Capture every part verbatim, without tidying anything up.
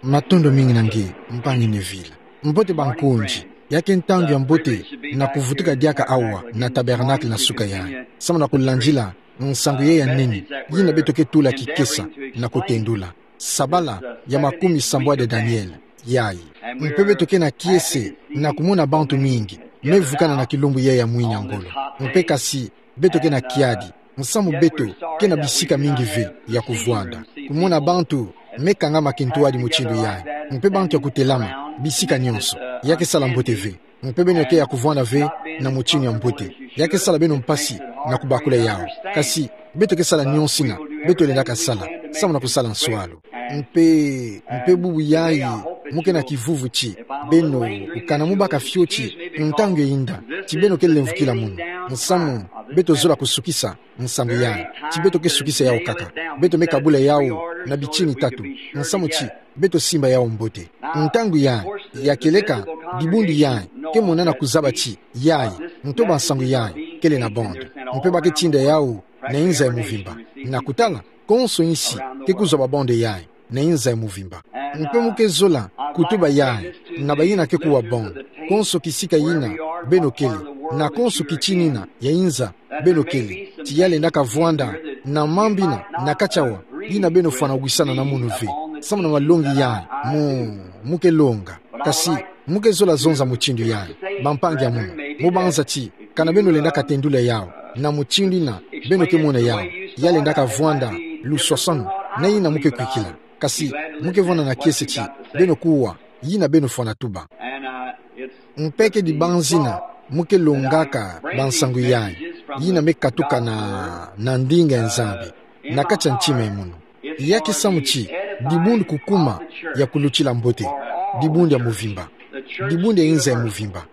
Matondo mingi na nge, mpangi Neville. Mbote bankundi, ya ke ntangu ya mbote na kuvutuka diaka awa na tabernacle na suka yayi, samu na kulandila nsangu yayi ya nene, yina beto ke tula kikesa na kutendula. Sabala ya makumisambwadi ya Daniele yayi. Mpe beto ke na kiese na kumona bantu mingi me vukana na kilumbu yayi ya mwini ya ngolo. Mpe kasi, beto ke na kiadi, nsamu beto ke na bisika mingi ve ya kuvwanda. Kumona bantu me kangama kintwadi mutindu yayi, mpe bantu ya kutelama bisika nyonso, ya ke sala mbote ve. Mpe beno ke ya kuvwanda ve na mutinu ya mbote, ya ke sala beno mpasi na kubakula yawu. Kasi, beto ke sala nyonsina beto lendaka sala, samu na kusala nswalu. Mpe, mpe bubu yayi, mu ke na kivuvu ti beno, kana mu baka fioti ntangu ya yinda, ti beno ke lemvukila munu. Nsamu, beto zola kusukisa nsangu yayi, ti beto ke sukisa yawu kaka. Beto me kabula yawu na bitini tatu, nsamu ti beto simba yawu mbote. Ntangu yayi, ya kieleka, dibundu yayi ke monana kuzaba ti yayi, ntoba nsangu yayi kele na bande. Mpe ba ke tinda yawu na inza ya muvimba. Na kutala, konso insi ke kuzwa ba bande yayi na inza ya muvimba. Mpe mu ke zola kutuba yayi na bayina ke kuwa bande. Konso kisika yina beno kele, na konso kitini yina ya inza beno kele, ti ya lendaka vwanda na mambu yina na kati awa, yina beno fwana wisana na munu ve, samu na malongi yayi mu, mu ke longa. Kasi, mu ke zola zonza mutindu yayi, bampangi ya munu. Mu banza ti, kana beno lendaka tendula yawu na mutindu yina beno ke mona yawu, ya lendaka vwanda luswaswanu na yina mu ke kwikila. Kasi, mu ke vwanda na kiese ti beno kuwa yina beno fwana tuba. Mpe ke dibanzina mu ke longaka bansangu yayi, yina me katuka na, na ndinga ya Nzambi na kati ya ntima ya munu. Ya ke samu ti dibundu kukuma ya kulutila mbote, dibundu ya muvimba, dibundu ya inza ya muvimba,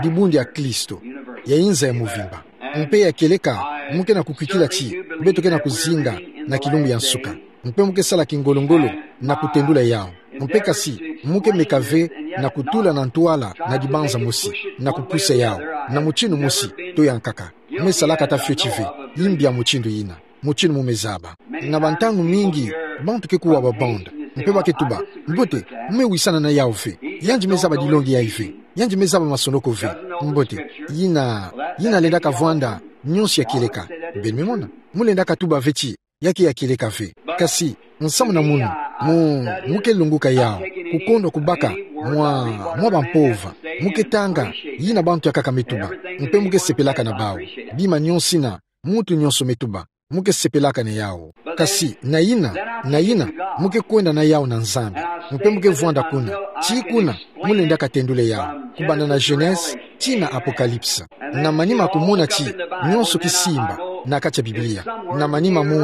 dibundu ya Kristo ya inza ya muvimba. Mpe ya kieleka, mu ke na kukwikila ti beto ke na kuzinga na kilumbu ya nsuka. Mpe mu ke sala kingolo-ngolo na kutendula yawu. Mpe kasi, mu ke meka ve na kutula na ntwala na dibanza mosi, na kupusa yawu na mutinu mosi to ya nkaka. Mu me salaka ata fioti ve, yimbi ya mutindu yina, mutinu mu me zaba. Na bantangu mingi, bantu ke kuwa ba bande, mpe ba ke tuba: Mbote, mu me wisana na yawu ve. Yandi me zaba dilongi yayi ve. Yandi me zaba masonoko ve. Mbote, yina, yina lendaka vwanda nyonso ya kieleka. Beno me mona, mu lendaka tuba ve ti ya ke ya kieleka ve. Kasi, nsamu na munu, mu, mu ke lunguka yawu, kukondwa kubaka mwa, mwa bampova. Mu ke tanga yina bantu ya nkaka me tuba, mpe mu ke sepelaka na bawu. Bima nyonsina muntu nyonso me tuba, mu ke sepelaka na yawu. Kasi, na yina, na yina, mu ke kwenda na yawu na Nzambi. Mpe mu ke vwanda kuna, ti kuna, mu lendaka tendula yawu, kubanda na Genèse tii na Apocalypse. Na manima kumona ti nyonso kisimba na kati ya Biblia. Na manima mu,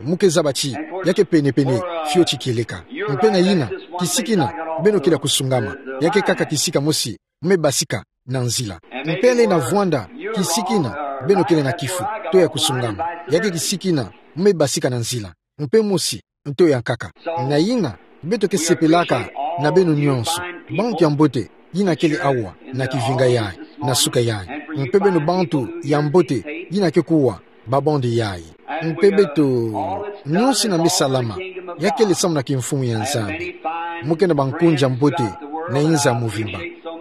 mu ke zaba ti ya ke pene-pene fioti kieleka. Mpe na yina, kisika yina beno kele ya kusungama, ya ke kaka kisika mosi mu me basika na nzila. Mpe lenda vwanda kisika yina beno kele na kifu to ya kusungama, ya ke kisika yina mu me basika na nzila, mpe mosi to ya nkaka. Na yina, beto ke sepelaka na beno nyonso, bantu ya mbote yina kele awa na kivinga yayi, na suka yayi. Mpe beno bantu ya mbote yina ke kuwa ba bande yayi. Mpe beto, nyonso yina me salama, ya kele samu na kimfumu ya Nzambi. Mu ke na bankundi ya mbote na inza ya muvimba,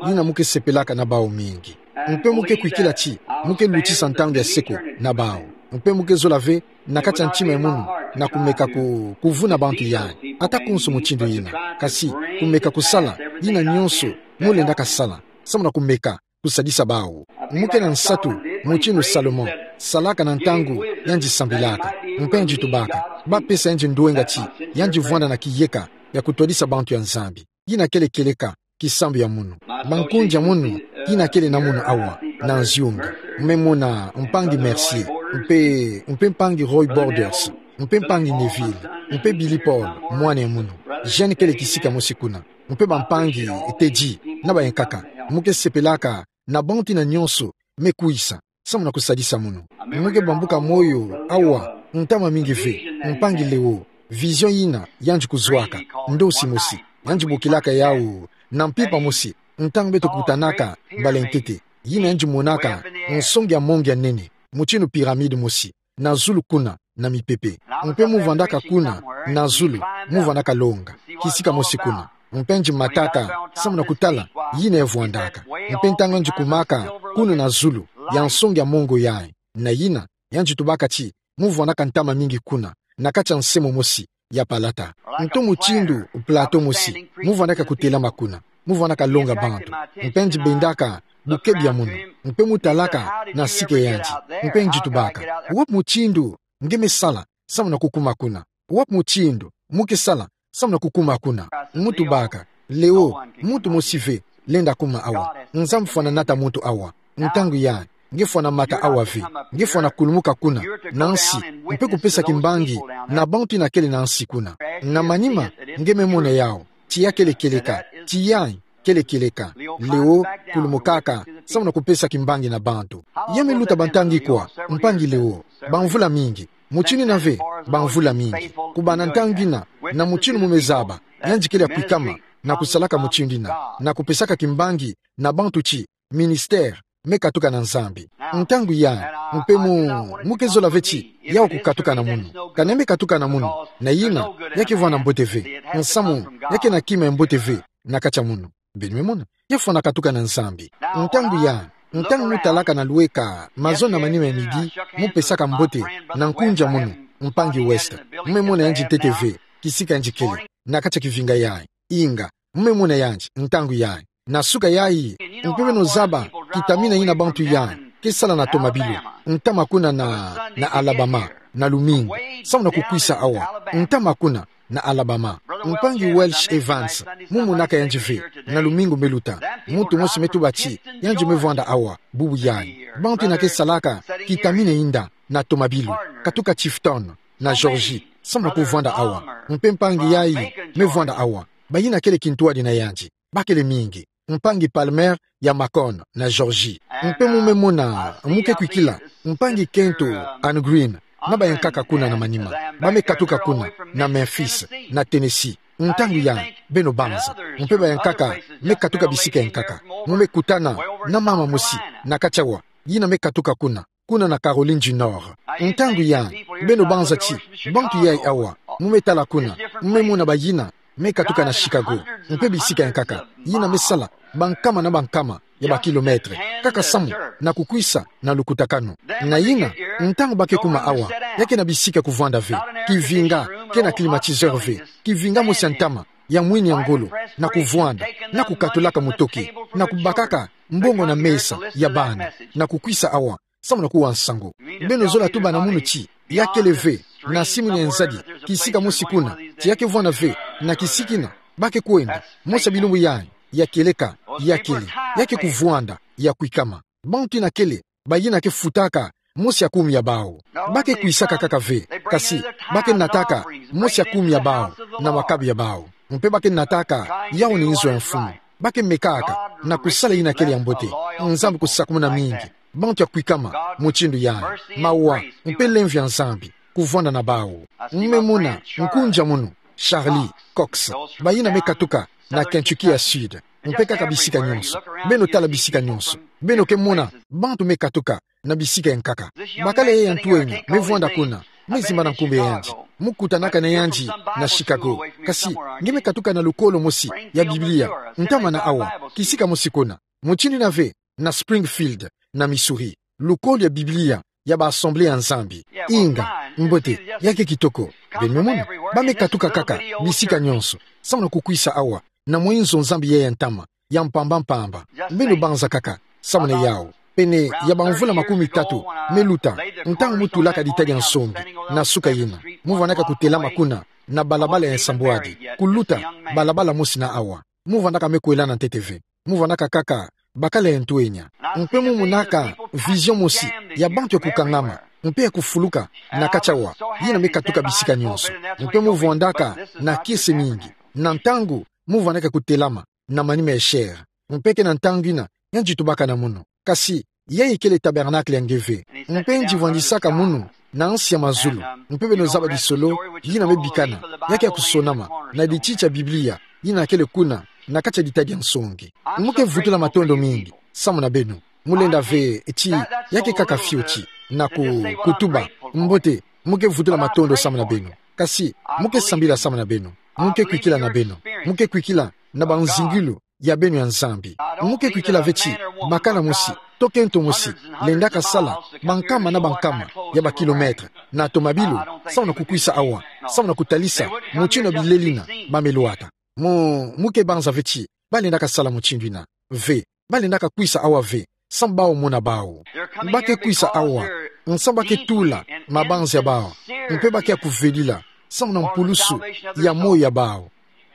yina mu ke sepelaka na bawu mingi. Mpe mu ke kwikila ti mu ke lutisa ntangu ya seko na bawu. Mpe mu ke zola ve na kati ya ntima ya munu na kumeka ku, kuvuna bantu yayi, ata konso mutindu yina. Kasi, kumeka kusala yina nyonso mu lendaka sala, samu na kumeka kusadisa bawu. Mu ke na nsatu, mutinu Salomon salaka na ntangu yandi sambilaka, mpe yandi tubaka: Ba pesa yandi ndwenga ti yandi vwanda na kiyeka ya kutwadisa bantu ya Nzambi. Yina kele kieleka kisambu ya munu. Bankundi ya munu, yina kele na munu awa na nziunga. Mu me mona mpangi Mercier, mpe, mpe mpangi Roy Borders, mpe mpangi Neville, mpe Billy Paul, mwana ya munu. Jeune kele kisika mosi kuna. Mpe bampangi Teddy, na ba ya nkaka. Mu ke sepelaka na bantu yina nyonso me kwisa samu na kusadisa munu. Mu ke bambuka moyo awa ntama mingi ve, mpangi Leo, vision yina yandi kuzwaka, ndosi mosi, yandi bokilaka yawu na mpimpa mosi, ntangu beto kutanaka mbala ya ntete. Yina yandi monaka nsonge ya monge ya nene, mutinu pyramide mosi, na zulu kuna, na mipepe. Mpe mu vwandaka kuna, na zulu, mu vwandaka longa, kisika mosi kuna. Mpe nji mataka, samu na kutala, yina e vwandaka. Mpe ntangu nji kumaka, kuna na zulu, ya nsongi ya mongo yayi. Na yina, ya nji tubaka ti, mu vwandaka ntama mingi kuna, na kati ya nse mosi, ya palata. Nto mutindu, plateau mosi, mu vwandaka kutelama kuna, mu vwandaka longa bantu. Mpe nji bendaka, bukebi ya munu, mpe mu talaka, na sika ya nji, mpe nji tubaka. Wapi mutindu, nge me sala, samu na kukuma kuna. Wapi mutindu, mu ke sala, samu na kukuma kuna. Mu tubaka, Leo, muntu mosi ve, lenda kuma awa. Nzambi fwana nata muntu awa. Ntangu yayi, nge fwana mata awa ve, nge fwana kulumuka kuna, na nsi, mpe kupesa kimbangi, na bantu yina kele na nsi kuna. Na manima, nge me mona yawu, ti ya kele kieleka, ti yayi, kele kieleka. Leo, kulumukaka, samu na kupesa kimbangi na bantu. Ya me luta ba ntangu ikwa, mpangi Leo, ba mvula mingi, mutindu yina ve, ba mvula mingi. Kubana ntangu yina, na mutindu mu me zaba, ya nji kele ya kwikama, na kusalaka mutindu yina, na kupesaka kimbangi, na bantu ti, ministère, me katuka na Nzambi. Ntangu yayi, mpe mu, mu ke zola ve ti, yawu kukatuka na munu. Ka nge me katuka na munu, na yina, ya ke vwanda mbote ve. Nsamu, ya ke na kima ya mbote ve, na kati ya munu. Beno me mona, ya fwana katuka na Nzambi. Ntangu yayi, ntangu mu talaka na lweka, mazono na manima ya midi, mu pesaka mbote, na nkunja munu, mpangi West. Mu me mona ya nji ntete ve, kisika nji kele, na kati ya kivinga yayi. Inga, mu me mona ya nji, ntangu yayi. Na suka yayi, mpe beno zaba, kitamina yina bantu yayi, ke sala na tomabilu, ntama kuna na, na Alabama, na lumingu, samu na kukwisa awa, ntama kuna, na Alabama. Mpangi Welch Evans, mu monaka ya nji ve, na lumingu me luta, muntu mosi me tuba ti, ya nji me vwanda awa, bubu yayi. Bantu yina ke salaka, kitamina yinda, na tomabilu, katuka Tifton, na Georgie, samu na kuvwanda awa, mpe mpangi yayi, me vwanda awa, bayina kele kintwadi na ya nji, ba kele mingi. Mpangi Palmer ya Macon na Georgie. Mpe mu me mona, mu ke kwikila, mpangi Kento Ann Green, na bayankaka kuna na manima. Ba me katuka kuna, na Memphis, na Tennessee. Ntangu yayi, beno banza. Mpe bayankaka, me katuka bisika yankaka. Mu me kutana, na mama mosi, na kati awa, yina me katuka kuna. Kuna na Caroline du Nord. Ntangu yayi, beno banza ti, bantu yayi awa, mu me tala kuna, mu me mona bayina, me katuka na Chicago, mpe bisika yankaka, yina me sala, bankama na bankama, ya ba kilomètre, kaka samu, na kukwisa, na lukutakanu. Na yina, ntangu ba ke kuma awa, ya ke na bisika ya kuvwanda ve, kivinga, ke na climatiseur ve, kivinga mosi ya ntama, ya mwini ya ngolo, na kuvwanda, na kukatulaka mutoki, na kubakaka, mbongo na mesa, ya bana, na kukwisa awa, samu na kuwa nsangu. Beno zola tuba na munu ti, ya kele ve, na simu ni nzadi, kisika mosi kuna, ti ya ke vwanda ve, na kisika yina, ba ke kwenda, mosi ya bilumbu yayi, ya kieleka, ya kele, ya ke kuvwanda, ya kwikama. Bantu yina kele, bayina ke futaka, mosi ya kumi ya bawu. Ba ke kwisaka kaka ve, kasi, ba ke nataka, mosi ya kumi ya bawu, na makabu ya bawu. Mpe ba ke nataka, yawu ni nzo ya mfumu. Ba ke mekaka, na kusala yina kele ya mbote. Nzambi kusakumuna mingi. Bantu ya kwikama, mutindu yayi. Mawa, mpe lemvo ya Nzambi. Kuvwanda na bawu. Mu me mona, nkunja munu. Charlie, Cox. Bayina me katuka, na Kentucky ya Sud. Mpe kaka bisika nyonso. Beno tala bisika nyonso. Beno ke mona, bantu me katuka, na bisika yankaka. Bakala ya ya ntwenya, me vwanda kuna. Me zimba na nkumbu ya yandi. Mu kutanaka na yandi, na Chicago. Kasi, nge me katuka na lukolo mosi, ya Biblia. Ntama na awa, kisika mosi kuna. Mutindu yina ve, na Springfield, na Missouri. Lukolo ya Biblia, ya ba Assemblée ya Nzambi. Inga, mbote, ya ke kitoko. Beno me mona, ba me katuka kaka, bisika nyonso. Samu na kukwisa awa, na mwenzo Nzambi ya ya ntama, ya mpamba mpamba. Beno banza kaka, samu na yawu. Pene, ya ba mvula makumi tatu, me luta, ntangu mu tulaka dita dia nsongi, na suka yina. Mu vwandaka kutelama kuna, na balabala ya nsambwadi, kuluta, balabala mosi na awa. Mu vwandaka me kwelana ntete ve. Mu vwandaka kaka, bakala ya ntwenya. Mpe mu monaka, vision mosi, ya bantu ya kukangama, mpe ya kufuluka, na kati awa, yina me katuka bisika nyonso. Mpe mu vwandaka, na kiese mingi. Na ntangu, mu vwandaka kutelama, na manima ya chair. Mpe ke na ntangu yina, yandi tubaka na munu. Kasi, yayi kele tabernacle ya nge ve. Mpe yandi vwandisaka munu, na nsi ya mazulu. Mpe beno zaba disolo, yina me bikana, ya ke ya kusonama, na dititi ya Biblia, yina kele kuna, na kati ya dita dia nsongi. Mu ke vutula matondo mingi, samu na beno. Mu lenda ve, ti, ya ke kaka fioti, na ku, kutuba, mbote, Mu ke vutula matondo samu na beno. Kasi, mu ke sambila samu na beno. Mu ke kwikila na beno. Mu ke kwikila na banzingilu ya beno ya Nzambi. Mu ke kwikila ve ti bakala mosi, to kento mosi, lendaka sala bankama na bankama ya ba kilomètre na tomabilu, samu na kukwisa awa, samu na kutalisa mutindu ya bilelina ba me lwata. Mu, mu ke banza ve ti ba lendaka sala mutindu ina ve. Ba lendaka kwisa awa ve, samu bau mona bau. Ba ke kwisa awa, nsamu ba ke tula mabanza ya bau, mpe ba ke ya kuvelila samu na mpulusu ya moyo ya bau.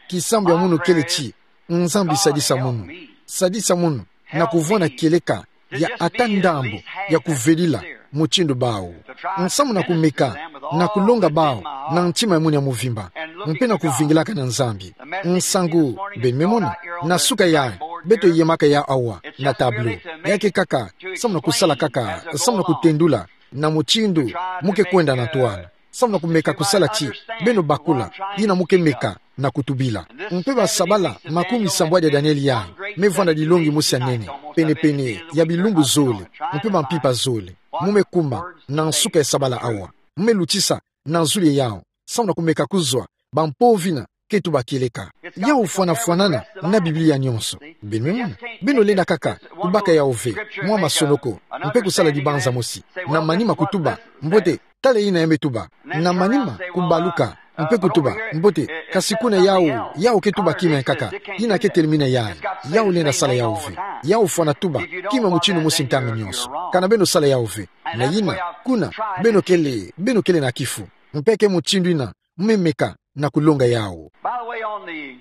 Kisambu ya munu kele ti, Nzambi sadisa munu. Sadisa munu na kuvwanda kieleka ya ata ndambu ya kuvelila mutindu bau. Nsamu na kumeka na kulonga bau na ntima ya munu ya mvimba, mpe na kuvingilaka na Nzambi. Nsangu, beno me mona, na suka yayi, beto yemaka yawu awa na tableau. Ya ke kaka samu na kusala kaka, samu na kutendula na mutindu mu ke kwenda na ntwala, samu na kumeka kusala ti beno bakula yina mu ke meka na kutubila. Mpe ba sabala makumi sambwadi ya Daniele yayi me vwanda dilongi mosi ya nene, penepene ya bilumbu zole, mpe ba mpimpa zole. Mu me kuma na nsuka ya sabala awa, mu me lutisa na zulu ya yawu, samu na kumeka kuzwa ba mpovina ke tuba kieleka. Yawu fwanafwanana na Biblia nyonso. Beno me mona, beno lenda kaka kubaka yawu ve mwa masonoko, mpe kusala dibanza mosi, na manima kutuba mbote, tala yina ya me tuba. Na manima kubaluka mpe kutuba mbote, kasi kuna yawu, yawu ke tuba kima ya nkaka, yina ke telimina yayi. Yawu lenda sala yawu ve. Yawu fwana tuba kima mutindu mosi ntangu nyonso. Kana beno sala yawu ve. Na yina, kuna, beno kele, beno kele na kifu. Mpe ke mutindu yina mu me meka na kulonga yawu. By the way, on the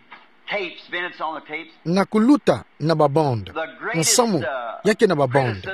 tapes, Vince, on the tapes, na kuluta na ba bande. Nsamu, ya ke na ba bande,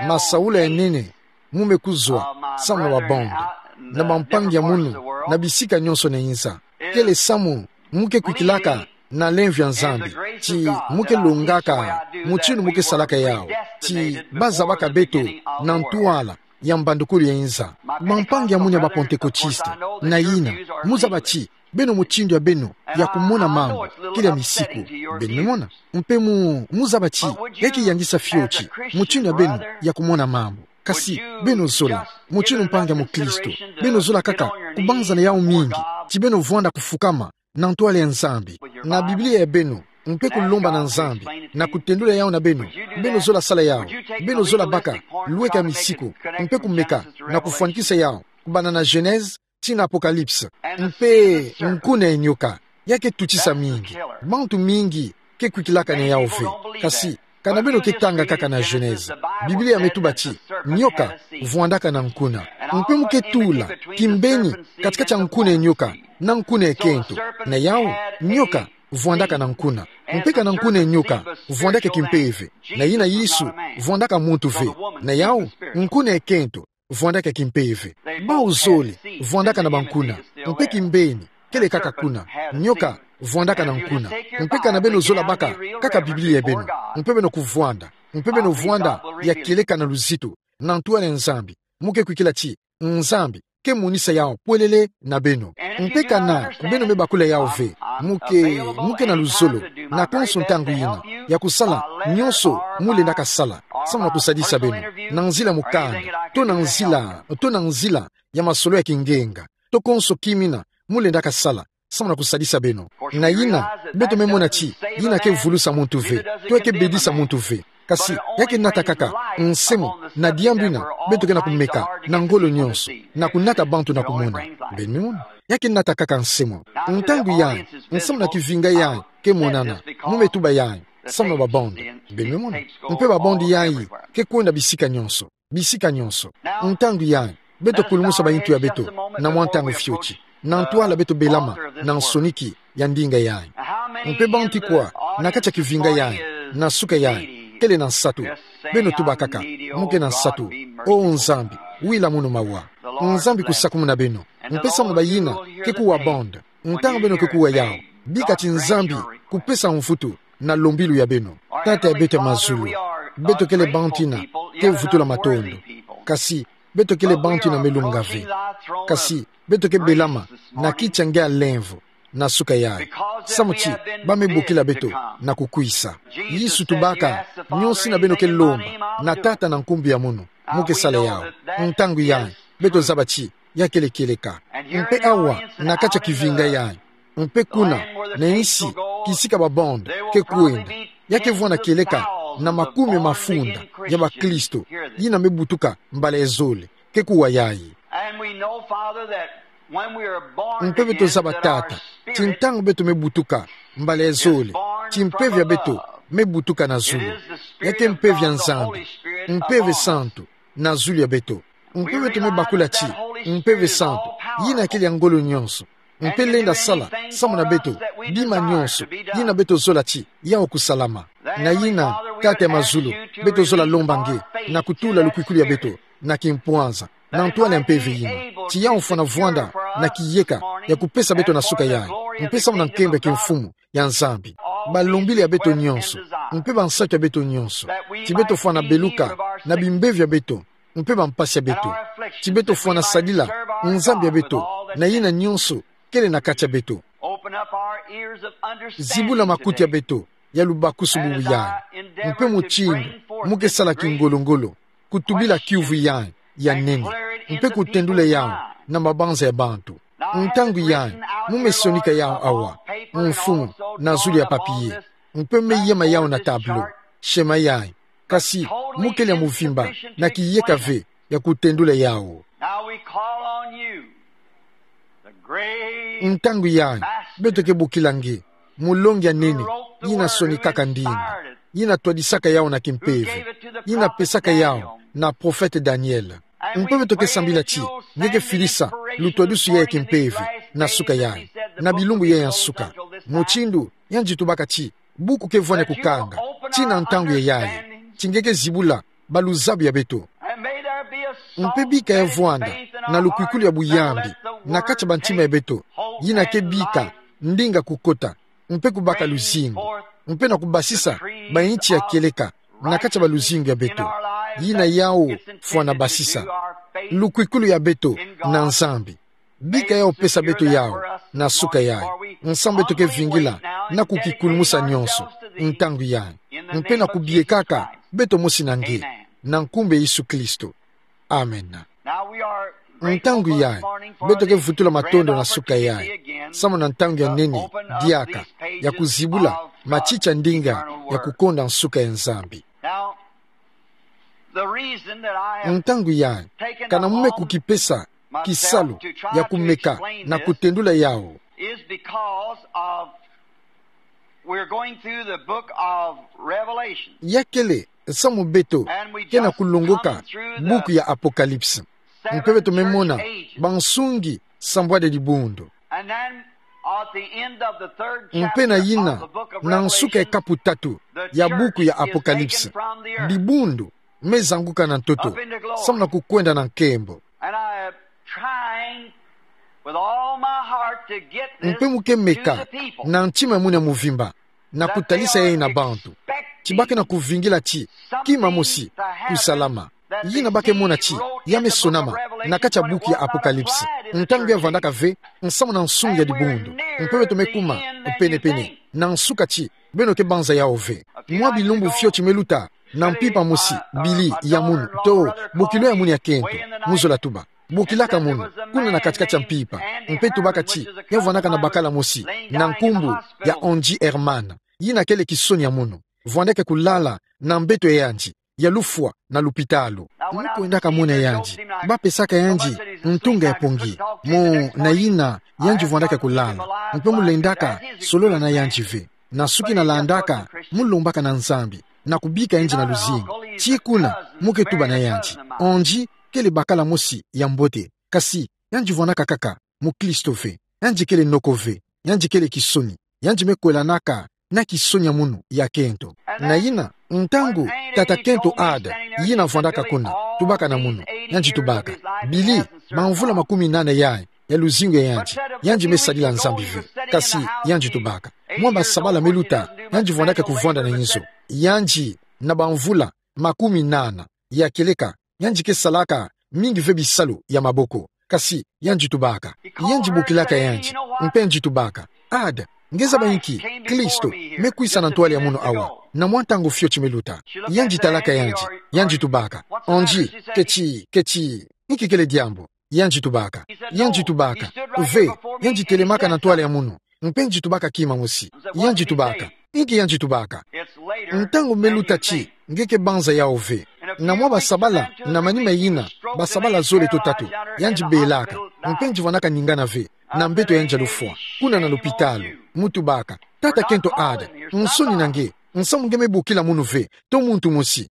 masaula ya nene mu me kuzwa samu na ba bande, na ba mpangi ya munu na bisika nyonso na inza. Kele samu mu ke kwikilaka na lemvo ya Nzambi, ti mu ke longaka mutindu mu ke salaka yawu, ti ba zabaka beto na ntwala ya mbandukulu ya inza. Ba mpangi ya munu ya ba Pantekotiste, na yina, mu zaba ti beno mutindu ya beno ya kumona mambu kele ya misiku. Beno me mona, mpe mu, mu zaba ti ya ke yangisa fioti mutindu ya beno ya kumona mambu. Kasi, beno zola, mutindu mpangi ya mukristu, beno zola kaka kubanzana yawu mingi, ti beno vwanda kufukama na ntwala ya Nzambi, na Biblia ya beno, mpe kulomba na Nzambi na kutendula yawu na beno. Beno zola sala yawu, beno zola baka lweka misiku, mpe kumeka na kufwanikisa yawu kubanda na Genèse tii na Apocalypse. Mpe nkuna ya nioka, ya ke tutisa mingi. Bantu mingi ke kwikilaka na yawu ve. Kasi, kana beno ke tanga kaka na Genèse, Biblia me tuba ti nioka vwandaka na nkuna. Mpe mu ke tula kimbeni katikati ya nkuna ya nioka na nkuna ya kento. Na yawu, nioka vwandaka na nkuna. Mpe kana nkuna ya nioka vwandaka kimpeve, na yina Yesu vwandaka muntu ve. Na yawu, nkuna ya kento vwandaka kimpeve. Bau zole vwandaka na bankuna. Mpe kimbeni, kele kaka kuna. Nioka vwandaka na nkuna. Mpe kana beno zola baka kaka Biblia ya beno, mpe beno kuvwanda, mpe beno vwanda ya kieleka na luzitu na ntwala ya Nzambi, mu ke kwikila ti Nzambi ke monisa yawu pwelele na beno. Mpe kana beno me bakula yawu ve, mu ke, mu ke na luzolo na konso ntangu yina ya kusala nyonso mu lendaka sala samu na kusadisa beno, na nzila mukanda, to na nzila, to na nzila ya masolo ya kingenga, to konso kimina mu lendaka sala samu na kusadisa beno. Na yina, beto me mona ti yina ke vulusa muntu ve, to ya ke bedisa muntu ve. Kasi, ya ke nata kaka nsemo na diambu yina beto ke na kumeka na ngolo nyonso, na kunata bantu na kumona. Beno me mona, ya ke nata kaka nsemo. Ntangu yayi, nsamu na kivinga yayi ke monana, mu me tuba yayi samu na ba bande. Beno me mona, mpe ba bande yayi ke kwenda bisika nyonso, bisika nyonso. Ntangu yayi, beto kulumusa bayintu ya beto na mwa ntangu fioti, na ntwala beto belama na nsoniki ya ndinga yayi. Mpe bantu kwa na kati ya kivinga yayi, na suka yayi, kele na nsatu? Beno tuba kaka, mu ke na nsatu. O Nzambi, wila munu mawa. Nzambi kusakumuna beno. Mpe samu na bayina ke kuwa bande, ntangu beno ke kuwa yawu, bika ti Nzambi kupesa mvutu na lombilu ya beno. Tata ya beto ya mazulu, beto kele bantu yina ke vutula matondo. Kasi, beto kele bantu yina me lunga ve. Kasi, beto ke belama na kiti ya nge ya lemvo na suka yayi, samu ti ba me bokila beto na kukwisa. Yesu tubaka: Nyonso yina beno ke lomba na Tata na nkumbu ya munu, mu ke sala yawu. Ntangu yayi, beto zaba ti ya kele kieleka. Mpe awa, na kati ya kivinga yayi, mpe kuna, na insi kisika ba bande ke kwenda, ya ke vwanda kieleka na makume mafunda ya bakristo yina me butuka mbala ya zole, ke kuwa yayi. And we know, Father, that when we are born Mpe beto again, zaba, that our Tata, spirit ti ntangu beto me butuka mbala ya zole, ti mpeve ya beto me butuka na zulu. Ya ke mpeve ya Nzambi, mpeve santu, na zulu ya beto. Mpe beto me bakula ti mpeve santu, yina kele ya ngolo nyonso, mpe lenda sala samu na beto bima nyonso yina beto zola ti yau kusalama. Na yina, Tata ya mazulu, beto zola lomba nge na kutula lukwikulu ya beto na kimpwanza, na ntwala ya mpeve yina, ti yau fwana vwanda na kiyeka ya kupesa beto na suka yayi, mpe samu na nkembo ya kimfumu ya Nzambi, balombili ya beto nyonso, mpe bansatu ya beto nyonso, ti beto fwana beluka na bimbevo ya beto, mpe bampasi ya beto, ti beto fwana sadila Nzambi ya beto na yina nyonso kele na kati ya beto. Open up our ears of understanding Zibula makuti ya today. Beto ya lubakusu bubu yayi, mpe mutindu mu ke sala kingolo-ngolo, kutubila kiuvu yayi ya nene, mpe kutendula yau na mabanza ya bantu. Ntangu yayi, mu me sonika yau awa, mfumu, na zulu ya papier, mpe me yema yau na tableau, schéma yayi, kasi mu kele ya muvimba na kiyeka ve ya kutendula yau. Now we call on you, the great Ntangu yayi, beto ke bokila nge, mulongi ya nene, yina sonikaka ndinga, yina twadisaka yau na kimpeve, yina pesaka yau na prophète Daniel. Mpe beto ke sambila ti nge ke filisa lutwadusu yayi ya kimpeve na suka yayi, na bilumbu yayi ya nsuka, mutindu yandi tubaka ti buku ke vwani kukanga, ti na ntangu ya yayi, ti nge ke zibula baluzabu ya beto. Mpe bika ya vwanda na lukwikulu ya buyambi na kati ya bantima ya beto, yina ke bika ndinga kukota, mpe kubaka luzingu, mpe na kubasisa bainti ya kieleka na kati ya baluzingu ya beto. Yina yau fwana basisa lukwikulu ya beto na Nzambi. Bika yau pesa beto yau na suka yayi, nsamu beto ke vingila na kukikulumusa nyonso ntangu yayi, mpe na kubiekaka beto mosi na nge, na nkumbu ya Yesu Kristo. Amen. Ntangu yayi, beto ke vutula matondo na suka yayi, samu na ntangu ya nene diaka ya kuzibula matiti ya ndinga ya kukonda nsuka ya Nzambi. Ntangu yayi, kana mu me kukipesa kisalu ya kumeka na kutendula yau, ya kele samu beto ke na kulongoka buku ya Apocalypse. Mpe beto me mona bansungi sambwadi ya dibundu. Mpe na yina, na nsuka ya kapu tatu ya buku ya Apocalypse, dibundu me zanguka na ntoto samu na kukwenda na nkembo. Mpe mu ke meka na ntima ya munu ya muvimba na kutalisa yayi na bantu ti ba ke na kuvingila ti kima mosi kusalama. Yina ba ke mona ti ya me sonama na kati ya buku ya Apocalypse, ntangu ya vandaka ve nsamu na nsungi ya dibundu. Mpe beto me kuma pene-pene na nsuka ti beno ke banza yau ve. Mwa bilumbu fioti me luta, na mpimpa mosi, Billy ya munu, to bokilo ya munu ya kento, mu zola tuba, bokilaka munu kuna na kati-kati ya mpimpa, mpe tubaka ti ya vandaka na bakala mosi na nkumbu ya Andy Herman, yina kele kisoni ya munu, vandeke kulala na mbeto ya yandi ya lufwa na lupitalu. Mu kwendaka mona yandi, ba pesaka yandi ntunga ya pongi, mo na yina yandi vandaka kulala, mpe mu lendaka solola na yandi ve. Na suki na landaka, mu lombaka na Nzambi na kubika yandi na luzingu. Tii kuna, mu ke tuba na yandi, Andy kele bakala mosi ya mbote, kasi yandi vandaka kaka mukristo ve. Yandi kele noko ve. Yandi kele kisoni. Yandi me kwelanaka na kisoni ya munu ya kento. Na yina, ntangu tata kento Herd, yina vandaka kuna, tubaka na munu, yandi tubaka, Billy, bamvula makumi nana yayi ya luzingu ya yandi, yandi me sadila Nzambi ve. Kasi yandi tubaka, mwa basabala me luta, yandi vandaka kuvanda na inzo. Yandi na bamvula makumi nana ya kieleka, yandi ke salaka mingi ve bisalu ya maboko. Kasi yandi tubaka, yandi bokilaka yandi, mpe yandi tubaka, Herd, nge zaba inki? Kristo me kwisa na ntwala ya munu awa na mwa ntangu fioti me luta. Yandi talaka yandi, yandi tubaka, Andy, keti, keti, inki kele diambu? Yandi tubaka. Yandi tubaka: Ve, yandi telemaka na ntwala ya munu. Mpe yandi tubaka kima mosi. Yandi tubaka: Inki yandi tubaka? Ntangu me luta ti, nge ke banza yawu ve. Na mwa basabala, na manima yina, basabala zole to tatu, yandi belaka, mpe yandi vwanaka ningana ve, na mbeto yandi ya lufwa, kuna na lupitalu. Mu tubaka: Tata kento Ada, nsoni na nge, nsamu nge me bokila munu ve, to muntu mosi.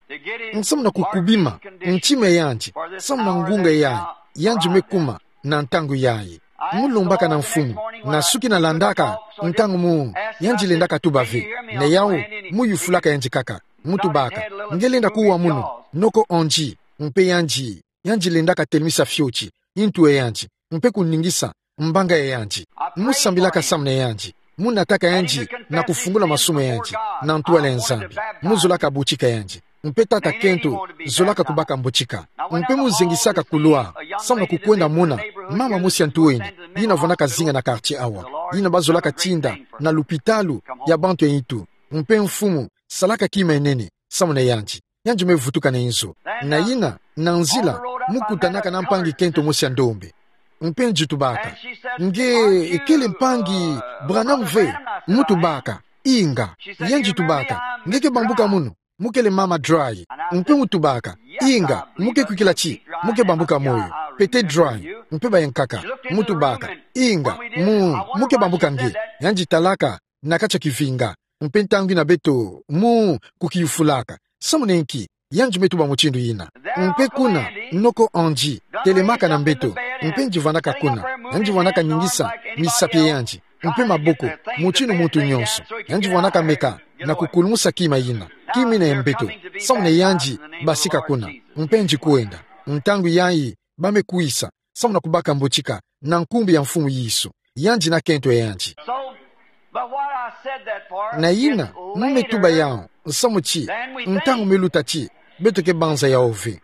Nsamu na kukubima ntima yandi, samu na ngunga yayi, yandi me kuma na ntangu yayi. Mu lombaka na Mfumu, na suki na landaka, ntangu mu, yandi lendaka tuba ve, na yawu, mu yufulaka yandi kaka, mu tubaka: Nge lenda kuwa munu, noko ondi? Mpe yandi, yandi lendaka telemisa fioti ntu ya yandi, mpe kuningisa mbanga ya yandi. Mu sambilaka samu na yandi, mu nataka yandi na kufungula masumu ya yandi na ntwala ya Nzambi. Mu zolaka butika yandi. Mpe tata kento zolaka kubaka mbutika. Mpe mu zengisaka couloir, samu na kukwenda mona mama mosi ya ntu eni, yina vwanaka zinga na quartier awa, yina bazolaka tinda na lupitalu ya bantu ya ntu. Mpe Mfumu salaka kima ya nene samu na yandi. Yandi me vutuka na inzo. Na yina, na nzila, mu kutanaka na mpangi kento mosi ya ndombe. Mpe yandi tubaka: Nge kele mpangi Branham ve? Mu tubaka: Inga. Yandi tubaka: Nge ke bambuka munu, mu kele mama Dry. Mpe mu tubaka: Inga, mu ke kwikila ti, mu ke bambuka moyo, pete Dry. Mpe bayankaka. Mu tubaka: Inga, mu, mu ke bambuka nge? Yandi talaka na kati ya kivinga. Mpe ntangu yina beto mu kukiyufulaka samu na inki, yandi me tuba mutindu yina. Mpe kuna, noko ondi telemaka na mbeto, mpe yandi vwanaka kuna, yandi vwanaka ningisa misapi ya yandi, mpe maboko, mutindu muntu nyonso. Yandi vwanaka meka na kukulumusa kima yina, kima yina ya mbeto, samu na yandi basika kuna, mpe yandi kwenda. Ntangu yayi, ba me kwisa samu na kubaka mbutika na nkumbu ya Mfumu Yesu, yandi na kento ya yandi. So, but what I said that for Na is yina, mu me tuba yawu, nsamu ti, ntangu me luta ti, beto ke banza yawu ve.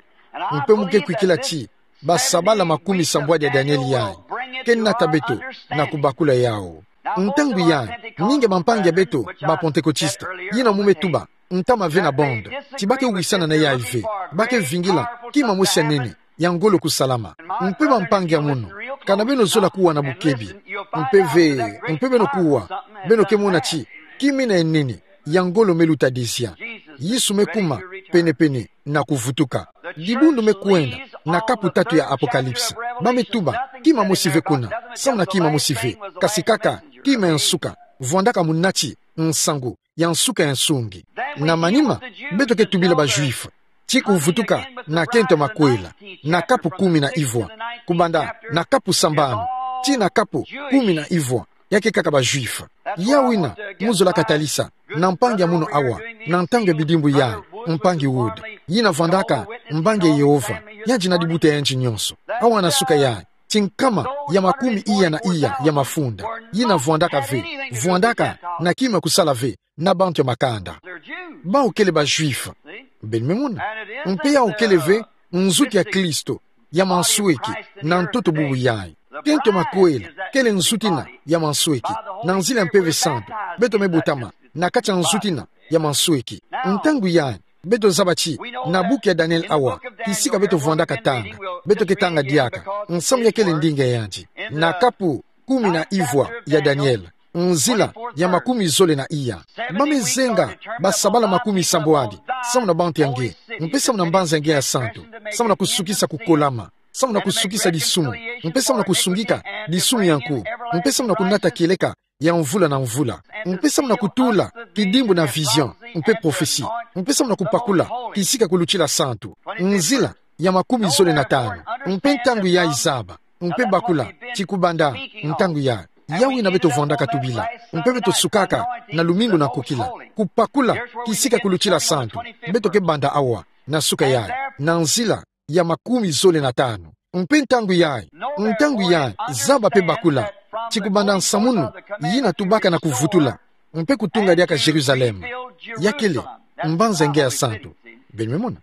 Mpe mu ke kwikila ti, basabala makumi sambwadi ya Daniel yayi ke nata beto na kubakula yawu. Ntangu yayi, mingi ya bampangi ya beto ba Pentecôtiste, yina mu me tuba, ntama ve na bande, ti ba ke wisana na yayi ve, ba ke vingila kima mosi ya nene, ya ngolo kusalama. Mpe bampangi ya munu, kana beno zola kuwa na bukebi, mpe ve, mpe beno kuwa, beno ke mona ti, kima yina ya nene, ya ngolo me luta dezia. Yesu me kuma, pene-pene na kuvutuka. Dibundu me kwenda na kapu tatu ya Apocalypse. Ba me tuba, kima mosi ve kuna, samu na kima mosi ve, kasi kaka kima ya nsuka, vwandaka munati nsangu ya nsuka ya nsungi. Na manima, beto ke tubila ba Juifs ti kuvutuka na kento ya makwela, na kapu kumi na ivwa, kubanda na kapu sambanu tii na kapu kumi na ivwa, ya ke kaka ba Juifs. Yawu yina mu zolaka talisa na mpangi ya munu awa, na ntangu ya bidimbu yayi, mpangi Wood, yina vwandaka mbangi ya Yehova, yandi na dibuta ya yandi nyonso. Awa na suka yayi, ti nkama ya makumi iya na iya ya mafunda, yina vwandaka ve, vwandaka na kima kusala ve na bantu ya makanda. Bawu kele ba Juifs. Beno me mona. Mpe yawu kele ve nzuki ya Kristo ya mansweki na ntoto bubu yayi. Kento ya makwela kele nzuki yina ya mansweki. Na nzila ya Mpeve Santu, beto me botama na kati ya nzuki yina ya mansweki. Ntangu yayi, beto zaba ti, na buku ya Daniel awa, kisika beto vwandaka tanga, beto ke tanga diaka, nsamu ya kele ndinga ya yandi, na kapu kumi na ivwa ya Daniel, nzila ya makumi zole na iya. Ba me zenga basabala makumi sambwadi, samu na bantu ya nge, mpe samu na mbanza ya nge ya santu, samu na kusukisa kukolama, samu na kusukisa disumu, mpe samu na kusungika disumu ya nku, mpe samu na kunata kieleka ya mvula na mvula, mpe samu na kutula kidimbu na vision, mpe prophetie, mpe samu na kupakula kisika kulutila santu, nzila ya makumi zole na tanu. Mpe ntangu yayi zaba, mpe bakula, ti kubanda ntangu yayi, yawu yina beto vwandaka tubila, mpe beto sukaka na lumingu na nkokila, kupakula kisika kulutila santu, beto ke banda awa, na suka yayi, na nzila ya makumi zole na tanu. Mpe ntangu yayi, ntangu yayi, zaba mpe bakula, ti kubanda nsamunu yina tubaka na kuvutula, mpe kutunga diaka Jérusalem, ya kele mbanza ya nge ya santu. Beno me mona.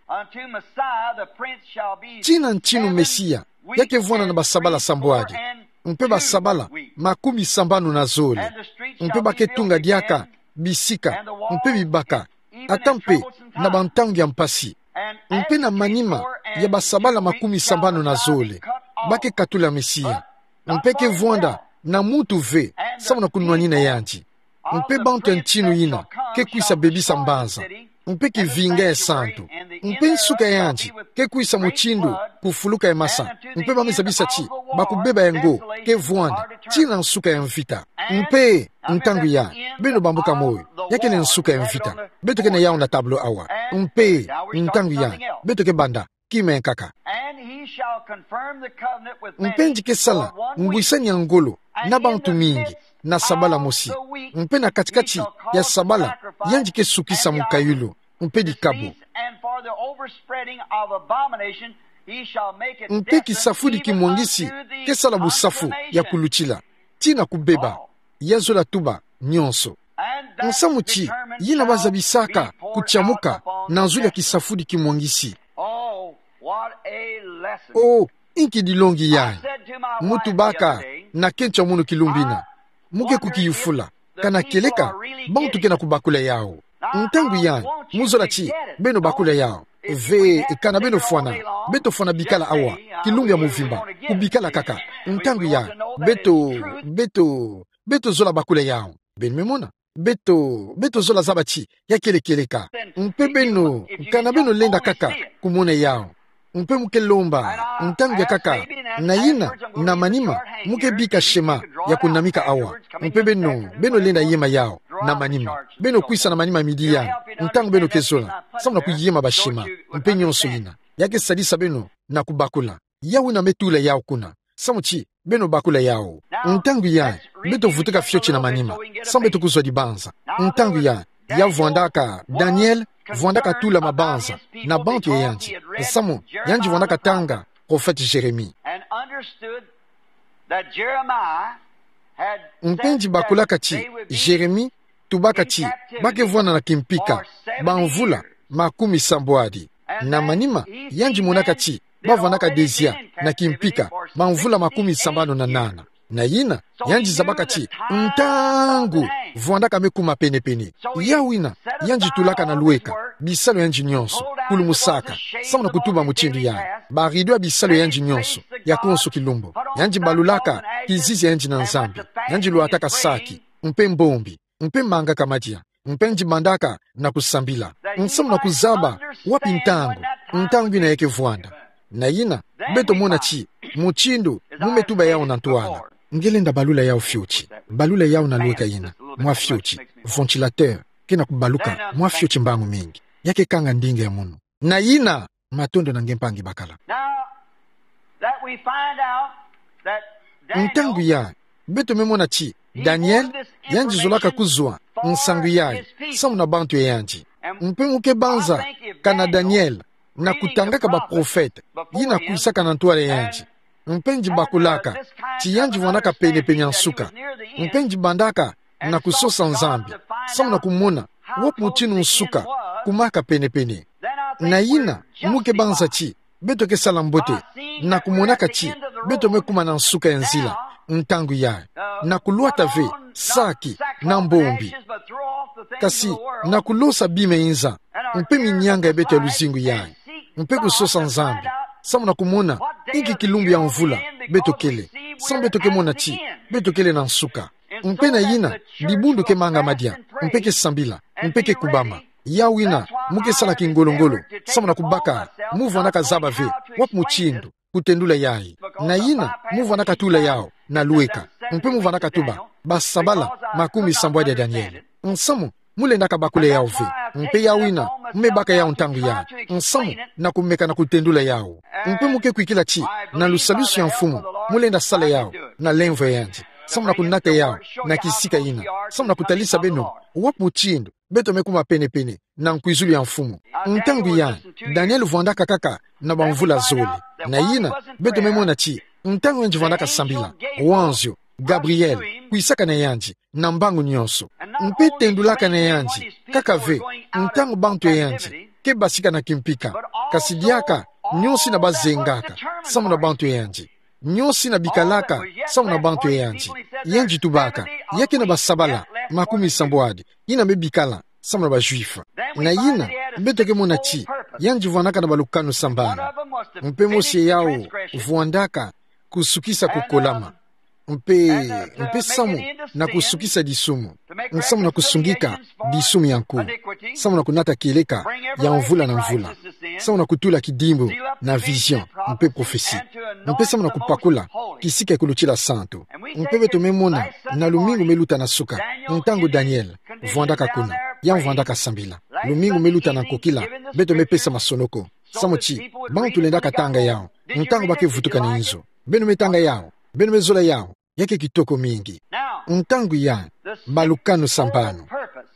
Tina ntinu Mesia ya ke vwanda na basabala sambwadi, mpe basabala makumi sambanu na zole, mpe ba ke tunga diaka bisika, mpe bibaka, ata mpe na bantangu ya mpasi, mpe na manima ya basabala makumi sambanu na zole, ba ke katula Mesia. Mpe ke vwanda na muntu ve, samu na kunwanina yandi. Mpe bantu ya ntinu ina ke kwisa bebisa mbanza, mpe kivinga ya santu. Mpe nsuka ya yandi ke kwisa mutindu kufuluka ya masa. Mpe ba me zabisa ti bakubeba yango ke vwanda tii na nsuka ya mvita. Mpe ntangu ya, beno bambuka moyo, ya kele nsuka ya mvita. Beto ke na yawu na tableau awa. Mpe ntangu ya, beto ke banda kima ya nkaka. And he shall confirm the covenant with many. Mpe yandi ke sala ngwisani ya ngolo na bantu mingi na sabala mosi. Mpe na katikati ya sabala, yandi ke sukisa mukayulu mpe dikabu. And for the overspreading of abomination, he shall make it. Mpe kisafudi kimwangisi ke sala busafu ya kulutila tii na kubeba, ya zola tuba nyonso. Nsamu ti yina ba zabisaka kutiamuka na nzuli ya kisafudi kimwangisi. Oh, what a lesson. Oh, inki dilongi yayi. Mu tubaka na kento ya munu kilumbu ina. Mu ke kukiyufula kana kieleka bantu ke na kubakula yawu. Ntangu yayi, mu zola ti beno bakula yawu. Ve, kana beno fwana, beto fwana bikala awa kilumbu ya muvimba, kubikala kaka. Ntangu yayi, beto, beto, beto zola bakula yawu. Beno me mona? Beto, beto zola zaba ti ya kele kieleka. Mpe beno, kana beno lenda kaka kumona yawu. Mpe mu ke lomba, ntangu ya kaka, na yina, na manima, mu ke bika shema ya kunamika awa. Mpe beno, beno lenda yema yawu na manima. Beno kwisa na manima midi yayi, ntangu beno ke zola, samu na kuyema ba shema mpe nyonso yina. Ya ke sadisa beno na kubakula. Yawu yina me tula yawu kuna, samu ti beno bakula yawu. Ntangu yayi, beto vutuka fioti na manima, samu beto kuzwa dibanza. Ntangu yayi, ya vwandaka Daniel, vwandaka tula mabanza na bantu ya yandi, samu yandi vwandaka tanga prophète Jérémie. And understood that Jeremiah had. Mpe yandi bakulaka ti Jérémie tubaka ti ba ke vwanda na kimpika bamvula makumi sambwadi. Na manima, yandi monaka ti ba vwandaka dezia na kimpika bamvula makumi sambanu na nana. Na yina, yandi zabaka ti ntangu vwandaka me kuma penepene. Yawu yina, yandi tulaka na lweka bisalu ya yandi nyonso, kulumusaka, samu na kutuba mutindu yayi, ba rideau ya bisalu ya yandi nyonso ya konso kilumbu. Yandi balulaka kizizi ya yandi na Nzambi. Yandi lwataka saki, mpe mbombi, mpe mangaka madia, mpe yandi bandaka na kusambila, nsamu na kuzaba wapi ntangu, ntangu yina ya ke vwanda. Na yina, beto mona ti mutindu mu me tuba yawu na ntwala. Nge lenda balula yawu fioti, balula yawu na lweka yina mwa fioti. Ventilateur ke na kubaluka mwa fioti mbangu mingi. Ya ke kanga ndinga ya munu. Na yina, matondo na nge mpangi bakala. Now that we find out that Daniel, ntangu yayi, beto me mona ti Daniel, yandi zolaka kuzwa nsangu yayi samu na bantu ya yandi. Mpe mu ke banza kana Daniel na kutangaka ba prophète yina kwisaka na ntwala ya yandi. Mpe yandi bakulaka ti yandi vwandaka penepene ya nsuka. Mpe yandi bandaka na kusosa Nzambi, samu na kumona wapi mutinu nsuka kumaka penepene. Na yina, mu ke banza ti beto ke sala mbote na kumonaka ti beto me kuma na nsuka ya nzila, ntangu yayi, na kulwata ve saki na mbombi, kasi na kulosa bima ya inza mpe minyanga ya beto ya luzingu yayi, mpe kusosa Nzambi, samu na kumona inki kilumbu ya mvula beto kele, samu beto ke mona ti beto kele na nsuka. Mpe na yina, dibundu ke manga madia, mpe ke sambila, mpe ke kubama. Yawu yina, mu ke sala kingolo-ngolo, samu na kubaka, mu vwandaka zaba ve wapi mutindu kutendula yayi. Na yina, mu vwandaka tula yawu na lweka, mpe mu vwandaka tuba basabala makumi sambwadi ya Daniel. Nsamu, mu lendaka bakula yawu ve. Mpe yawu yina, mu me baka yawu ntangu yayi, nsamu na kumeka na kutendula yawu. Mpe mu ke kwikila ti na lusalusu ya Mfumu, mu lenda sala yawu na lemvo ya yandi, samu na kunata yawu na kisika yina, samu na kutalisa beno wapi mutindu beto me kuma penepene na nkwizulu ya Mfumu. Ntangu yayi, Daniel vwandaka kaka na bamvula zole. Na yina, beto me mona ti ntangu yandi vwandaka sambila, wanzio Gabriel kwisaka na yandi na mbangu nyonso, mpe tendulaka na yandi kaka ve ntangu bantu ya yandi ke basika na kimpika, kasi diaka nyonso yina bazengaka samu na bantu ya yandi, nyonso yina bikalaka samu na bantu ya yandi. Yandi tubaka, ya ke na basabala makumi sambwadi yina me bikala samu na ba Juifs. Na yina, beto ke mona ti yandi vwandaka na balukanu sambanu. Mpe mosi yawu vwandaka kusukisa kukolama. Mpe, mpe samu na kusukisa disumu. Samu na kusungika disumu ya nku. Samu na kunata kieleka ya mvula na mvula. Samu na kutula kidimbu na vision mpe prophetie. Mpe samu na kupakula kisika ya kulutila santu. Mpe beto me mona na lumingu me luta na suka, ntangu Daniel vwandaka kuna, ya vwandaka sambila. Lumingu me luta na nkokila, beto me pesa masonoko. Samu ti bantu lendaka tanga yau ntangu ba ke vutuka na inzo. Beno me tanga yau, beno me zola yau, ya ke kitoko mingi. Ntangu ya malukanu sambanu.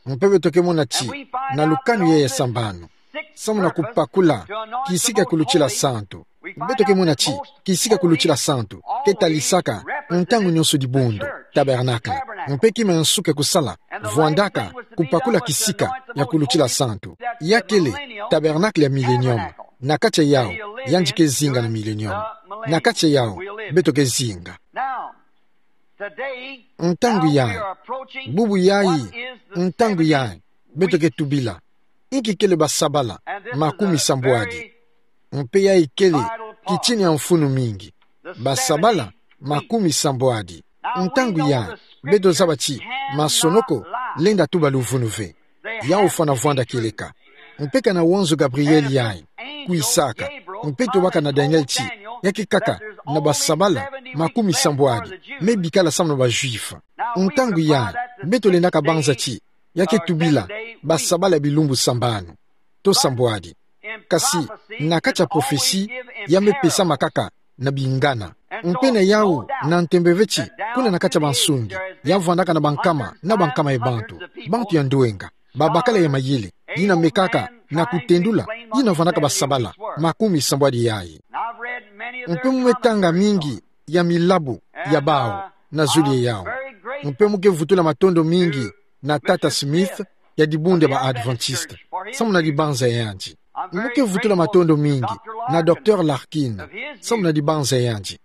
Mpe beto ke mona ti na lukanu ya ya sambanu, samu na kupakula kisika ya kulutila santu. Beto ke mona ti kisika ya kulutila santu ke talisaka ntangu nyonso dibundu, tabernacle. Mpe kima ya nsuka ya kusala vwandaka kupakula kisika ya kulutila santu. Ya kele tabernacle ya millennium. Na kati ya yau, yandi ke zinga na millennium. Na kati ya yau beto ke zinga. Ntangu yayi, bubu yayi, ntangu yayi beto ke tubila, inki kele basabala makumi sambwadi. Mpe yayi kele kitini ya mfunu mingi. Basabala makumi sambwadi. Ntangu yayi beto zaba ti masonoko lenda tuba luvunu ve. Yau fwana vwanda kieleka. Mpe kana wanzu Gabriel yayi kwisaka, mpe tobaka na Daniel ti ya ke kaka na basabala makumi sambwadi me bikala samu na ba Juifs. Ntangu yayi beto lendaka banza ti ya ke tubila basabala ya bilumbu sambanu to sambwadi. Kasi na kati ya prophetie, ya me pesama kaka na bingana. Mpe na yau, na ntembe ve ti kuna na kati ya bansungi, ya vwandaka na bankama na bankama ya bantu, bantu ya ndwenga, babakala ya mayele, yina mekaka na kutendula, yina vwandaka basabala makumi sambwadi yayi. Mpe mu me tanga mingi ya milabu ya bau na zulu ya yau. Mpe mu ke vutula matondo mingi na Tata Smith ya dibundu ya ba Adventiste, samu na dibanza ya yandi. Mu ke vutula matondo mingi na Docteur Larkin, samu na dibanza ya yandi.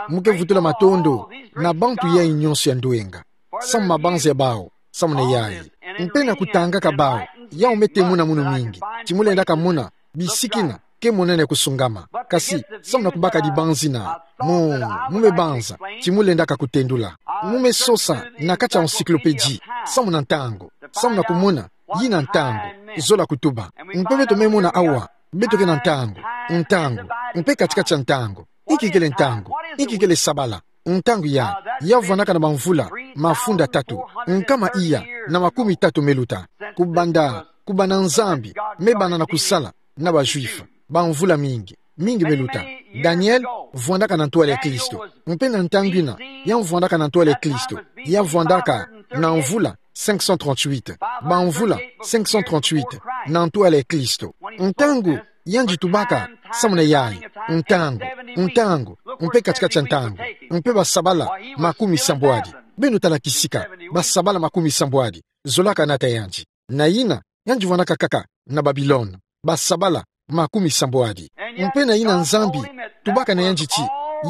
Mu ke vutula matondo na bantu yayi nyonso ya ndwenga, samu mabanza ya bau, samu na yayi. Mpe na kutangaka bau, yau me temuna munu mingi ti mu lendaka mona bisikina ke monene kusungama. Kasi samu na kubaka dibanzina, mu, mu me banza ti mu lendaka kutendula. Mu me sosa na kati ya encyclopédie, samu na ntangu, samu na kumona yina ntangu zola kutuba. Mpe beto me mona awa, beto ke na ntangu, ntangu, mpe kati-kati ya ntangu. Inki kele ntangu? Inki kele sabala? Ntangu ya, ya vwandaka na bamvula mafunda tatu, nkama iya na makumi tatu me luta. Kubanda, kubanda Nzambi me banda na kusala na ba Juifs, bamvula mingi, mingi me luta. Daniel vwandaka na ntwala ya Kristo. Mpe na ntangu yina, ya vwandaka na ntwala ya Kristo, ya vwandaka na mvula cinq cent trente-huit, bamvula cinq cent trente-huit na ntwala ya Kristo. Ntangu yandi tubaka samu na yayi, ntangu, ntangu, mpe kati-kati ya ntangu, mpe basabala makumi sambwadi. Beno tala kisika, basabala makumi sambwadi zolaka nata yandi. Na yina, yandi vwandaka kaka na Babilone, basabala makumi sambwadi. Mpe na yina Nzambi tubaka na yandi ti,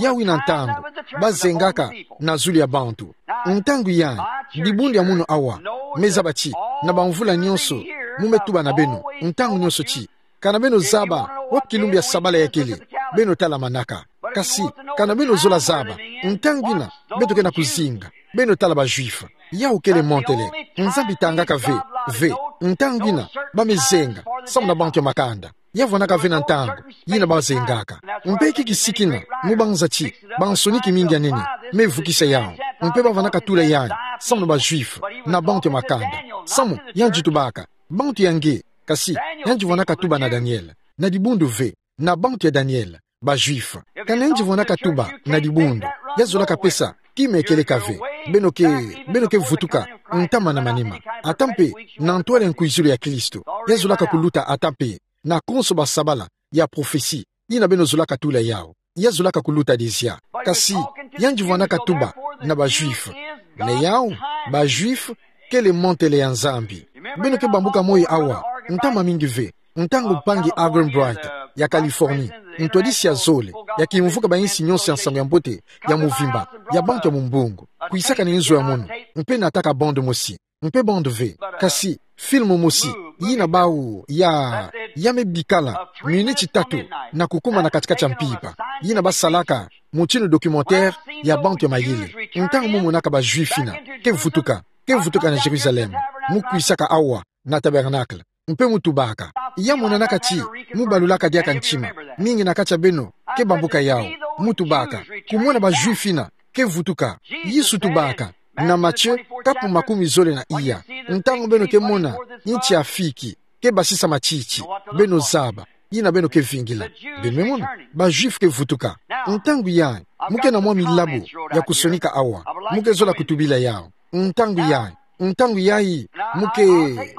yau yina ntangu ba zengaka na zulu ya bantu. Ntangu yayi, dibundu ya munu awa me zaba ti, na bamvula nyonso, mu me tuba na beno ntangu nyonso ti, kana beno zaba wapi kilumbu ya sabala ya kele, beno tala manaka. Kasi kana beno zola zaba ntangu yina beto ke na kuzinga, beno tala ba Juifs. Yau kele montele. Nzambi tangaka ve, ve ntangu yina ba me zenga samu na bantu ya makanda. Ya vwandaka ve na ntangu yina ba zengaka. Mpe kikisikina mu banza ti bansoni kimingi ya nene me vukisa yau. Mpe ba vwandaka tula yayi samu na ba Juifs, na bantu ya makanda. Samu yandi tubaka bantu ya nge, kasi yandi vwandaka tuba na Daniel, na dibundu ve, na bantu ya Daniel, ba Juifs. Kana yandi vwandaka tuba na dibundu, ya zolaka pesa kima ya kieleka ve. Beno ke, beno ke vutuka ntama na manima. Ata mpe na ntwala ya nkwizulu ya Kristo, ya zolaka kuluta ata mpe na konso basabala ya prophetie yina beno zolaka tula yau. Ya zolaka kuluta dizia. Kasi yandi vwandaka tuba na ba Juifs. Na yau, ba Juifs kele montele ya Nzambi. Beno ke bambuka moyo awa, ntama mingi ve, ntangu mpangi Argenbright ya Californie, ntwadisi ya zole ya kimvuka bayinsi nyonso ya nsangu ya mbote ya muvimba ya bantu ya mumbungu, kwisaka na inzo ya munu, mpe nataka bande mosi, mpe bande ve, kasi film mosi yina bau ya, ya me bikala miniti tatu na kukuma na kati-kati ya mpimpa, yina ba salaka mutinu documentaire ya bantu ya mayele. Ntangu mu monaka ba Juifs yina ke vutuka, ke vutuka na Jérusalem, mu kwisaka awa na tabernacle, mpe mu tubaka. Ya monanaka ti mu balulaka diaka ntima. Mingi na kati ya beno ke bambuka yawu. Mu tubaka, kumona ba Juifs yina ke vutuka. Yesu tubaka na Matthieu kapu makumi zole na iya: Ntangu beno ke mona nti ya figi ke basisa matiti, beno zaba yina beno ke vingila. Beno me mona ba Juifs ke vutuka. Ntangu yayi, mu ke na mwa milabu ya kusonika awa, mu ke zola kutubila yawu. Ntangu yayi, ntangu yayi, mu ke,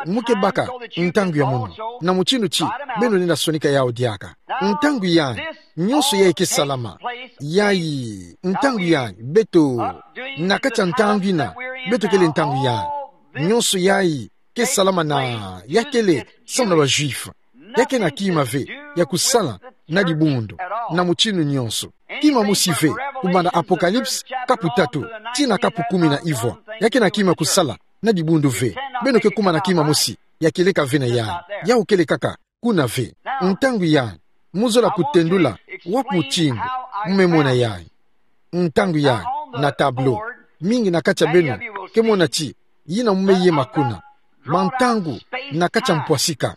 mu ke baka ntangu ya mono, na mutinu ti beno lenda sonika yawu diaka. Ntangu yayi, nyonso yayi ke salama. Yayi, ntangu yayi, beto, na kati ya ntangu yina beto kele ntangu yayi. Nyonso yayi ke salama na, ya kele samu na ba Juifs. Ya kena kima ve ya kusala na dibundu, na mutinu nyonso. Kima mosi ve, kubanda Apocalypse kapu tatu tii na kapu kumi na ivwa. Ya kena kima kusala na dibundu ve. Beno ke kuma na kima mosi ya kieleka ve na yayi. Yawu kele kaka kuna ve. Ntangu yayi, mu zola kutendula wapi mutinu mu me mona yayi. Ntangu yayi, na tableau, mingi na kati ya beno ke mona ti yina mu me yema kuna, mantangu na kati ya mpwasika,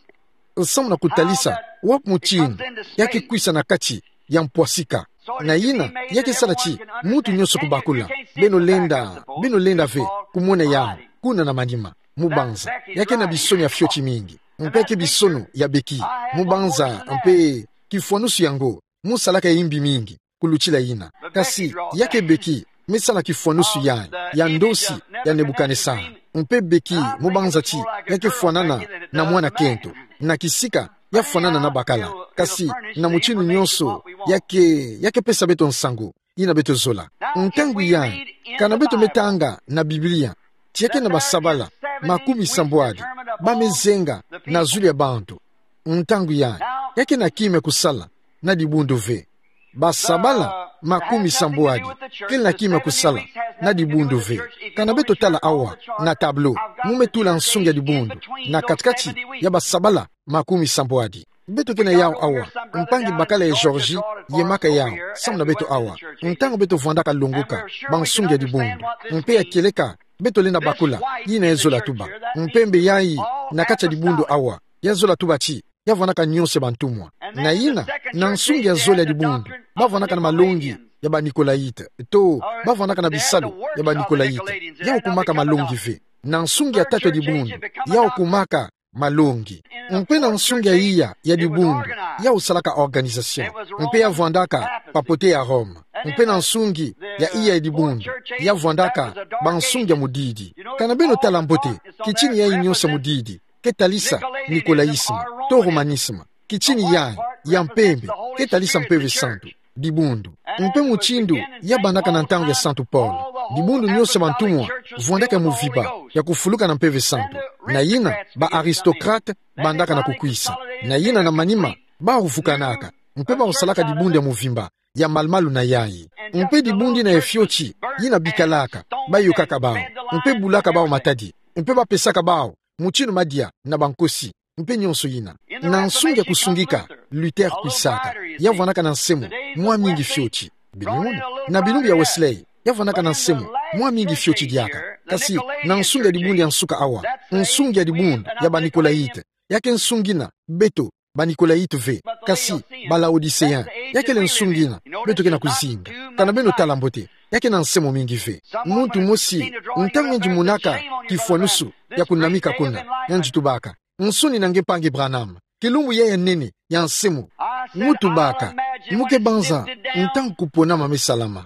samu na kutalisa wapi mutinu ya ke kwisa na kati ya mpwasika. Na yina ya ke sala ti muntu nyonso kubakula. Beno lenda, beno lenda ve kumona yawu kuna na manima, mu banza ya ke na bisono ya fioti mingi, mpe ke bisono ya beki, mu banza mpe kifwanusu yango mu salaka ya imbi mingi kulutila yina. Kasi ya ke beki me sala kifwanusu yayi ya ndosi ya Nebukanesara. Mpe beki mu banza ti ya ke fwanana na mwana kento, na kisika ya fwanana na bakala. Kasi na mutinu nyonso ya ke, ya ke pesa beto nsangu yina beto zola. Ntangu yayi, kana beto me tanga na Biblia ti ya ke na basabala makumi sambwadi ba me zenga na zulu ya bantu, ntangu yayi, ya ke na kima kusala na dibundu ve. Basabala makumi sambwadi kele na kima kusala na dibundu ve. Kana beto tala awa na tableau, mu me tula nsungi ya dibundu na kati-kati ya basabala makumi sambwadi. Beto ke na yawu awa. Mpangi bakala ya Georgie yemaka yawu samu na beto awa. Ntangu beto vwandaka longoka bansungi ya dibundu, mpe ya kieleka beto lenda bakula yina ya zola tuba. Mpe mbe yayi na kati ya dibundu awa, ya zola tuba ti ya vwandaka nyonso ya bantumwa. Na yina, na nsungi ya zole ya dibundu, ba vwandaka na malongi ya ba Nicolaïtes, to ba vwandaka na bisalu ya ba Nicolaïtes. Yawu kumaka malongi ve. Na nsungi ya tatu ya dibundu, yawu kumaka malongi. Mpe na nsungi ya iya ya dibundu, yawu salaka organisation. Mpe ya vwandaka papauté ya Rome. Mpe na nsungi ya iya ya dibundu, ya vwandaka bansungi ya mudidi. Kana beno tala mbote, kitini yayi nyonso ya mudidi ke talisa nicolaïsme, to romanisme. Kitini yayi ya mpembe ke talisa Mpeve Santu, dibundu. Mpe mutindu ya bandaka na ntangu ya Santu Paul, dibundu nyonso ya bantumwa vwandaka ya muvimba ya kufuluka na Mpeve Santu. Na yina, ba aristocrates bandaka na kukwisa. Na yina na manima, bawu vukanaka, mpe bawu salaka dibundu ya muvimba ya malu-malu na yayi. Mpe dibundu yina ya fioti yina bikalaka, bayokaka bawu, mpe bulaka bawu matadi, mpe bapesaka bawu mutinu madia na bankosi, mpe nyonso yina. Na nsungi ya kusungika, Luther kwisaka, ya vwandaka na nsemo mwa mingi fioti. Beno mona, na bilumbu ya Wesley, ya vwandaka na nsemo mwa mingi fioti diaka. Kasi na nsungi ya dibundu ya nsuka awa, nsungi ya dibundu ya ba Nicolaïtes, ya ke nsungi yina beto ba Nicolaïtes ve, kasi ba Laodiceens. Ya kele nsungi yina beto ke na kuzinga. Kana beno tala mbote, ya ke na nsemo mingi ve. Muntu mosi, ntangu yandi monaka kifwanusu ya kunamika kuna, yandi tubaka: Nsoni na nge mpangi Branham, kilumbu yayi ya nene ya nsemo. Mu tubaka: Mu ke banza ntangu kuponama me salama?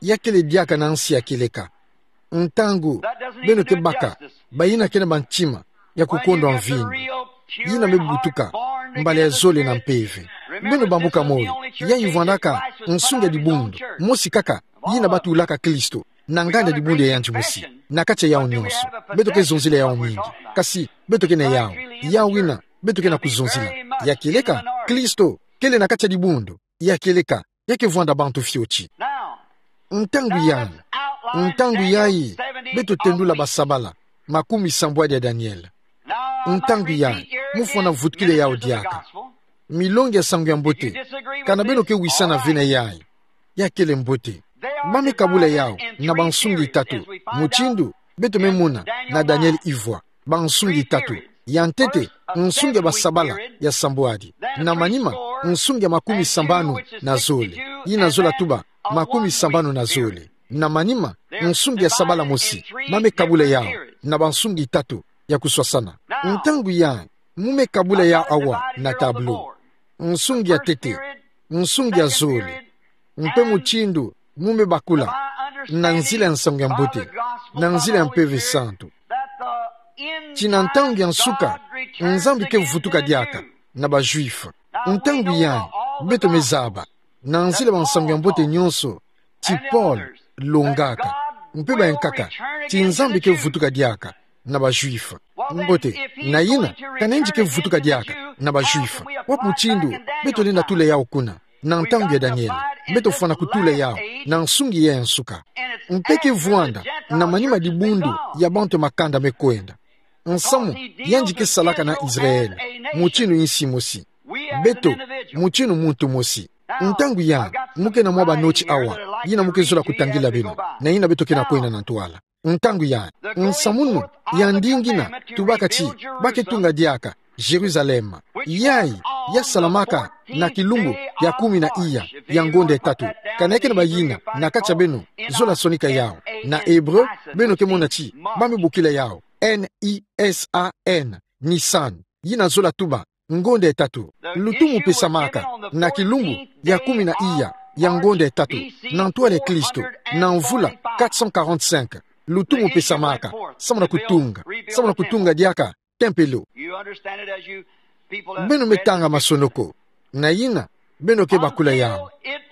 Ya kele diaka na nsi ya kieleka. Ntangu beno ke baka bayina ke na bantima ya kukondwa mvindu, yina me butuka mbala ya zole na mpeve, beno bambuka moyo. Yayi vwandaka nsungi ya dibundu mosi kaka yina batulaka Kristo na nganda dibundu ya yandi mosi. Na kati ya yawu nyonso, beto ke zonzila yawu mingi, kasi beto ke na yawu, yawu yina beto ke na kuzonzila. Ya kieleka, Kristo kele na kati ya dibundu ya kieleka, ya ke vwanda bantu fioti. Ntangu yayi, ntangu yayi, beto tendula basabala makumi sambwadi ya Daniel. Ntangu yayi, mu fwana vutukila yawu diaka. Milongi ya Nsangu ya Mbote, kana beno ke wisana ve na yayi, ya kele mbote. Ba me kabula yawu na bansungi tatu, mutindu beto me mona na Daniele ivwa. Bansungi tatu. Ya ntete, nsungi ya basabala ya sambwadi. Na manima, nsungi ya makumi sambanu na zole. Yina zola tuba, makumi sambanu na zole. Na manima, nsungi ya sabala mosi, ba me kabula yawu na bansungi tatu ya kuswasana. Ntangu yayi, mu me kabula yawu awa na tableau. Nsungi ya ntete, nsungi ya zole, mpe mutindu mu me bakula, na nzila ya nsangu ya mbote, na nzila ya Mpeve Santu, ti na ntangu ya nsuka, Nzambi ke vutuka diaka na ba Juifs. Ntangu yayi, beto me zaba, na nzila ya bansangu ya mbote nyonso, ti Paul longaka, mpe bayankaka, ti Nzambi ke vutuka diaka na ba Juifs. Mbote, na yina, kana yandi ke vutuka diaka na ba Juifs, wapi mutindu beto lenda tula yawu kuna? Na ntangu ya Daniele, beto fwana kutula yawu na nsungi ya nsuka. Mpe ke vwanda na manima dibundu ya bantu ya makanda me kwenda. Nsamu yandi ke salaka na Israele, mutindu insi mosi. Beto, mutindu muntu mosi. Ntangu yayi, mu ke na mwa banoti awa, yina mu ke zola kutangila beno, na yina beto ke na kwenda na ntwala. Ntangu yayi, nsamunu ya ndingi ina tubaka ti ba ke tunga diaka Jérusalem. Yayi ya salamaka na kilumbu ya kumi na iya ya ngonda ya tatu. Kana ke na bayina na kati ya beno zola sonika yawu. Na hébreu, beno ke mona ti ba me bokila yawu N I S A N, Nisan. Yina zola tuba ngonda ya tatu. Lutumu pesamaka na kilumbu ya kumi na iya ya ngonda ya tatu na ntwala ya Kristo, na mvula quatre cent quarante-cinq. Lutumu pesamaka samu na kutunga, samu na kutunga diaka tempelo. Beno me tanga masonoko, na yina beno ke bakula yawu.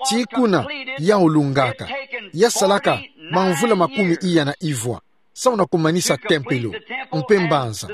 Ti kuna yawu lungaka, ya salaka mamvula makumi iya na ivwa, samu na kumanisa tempelo mpe mbanza,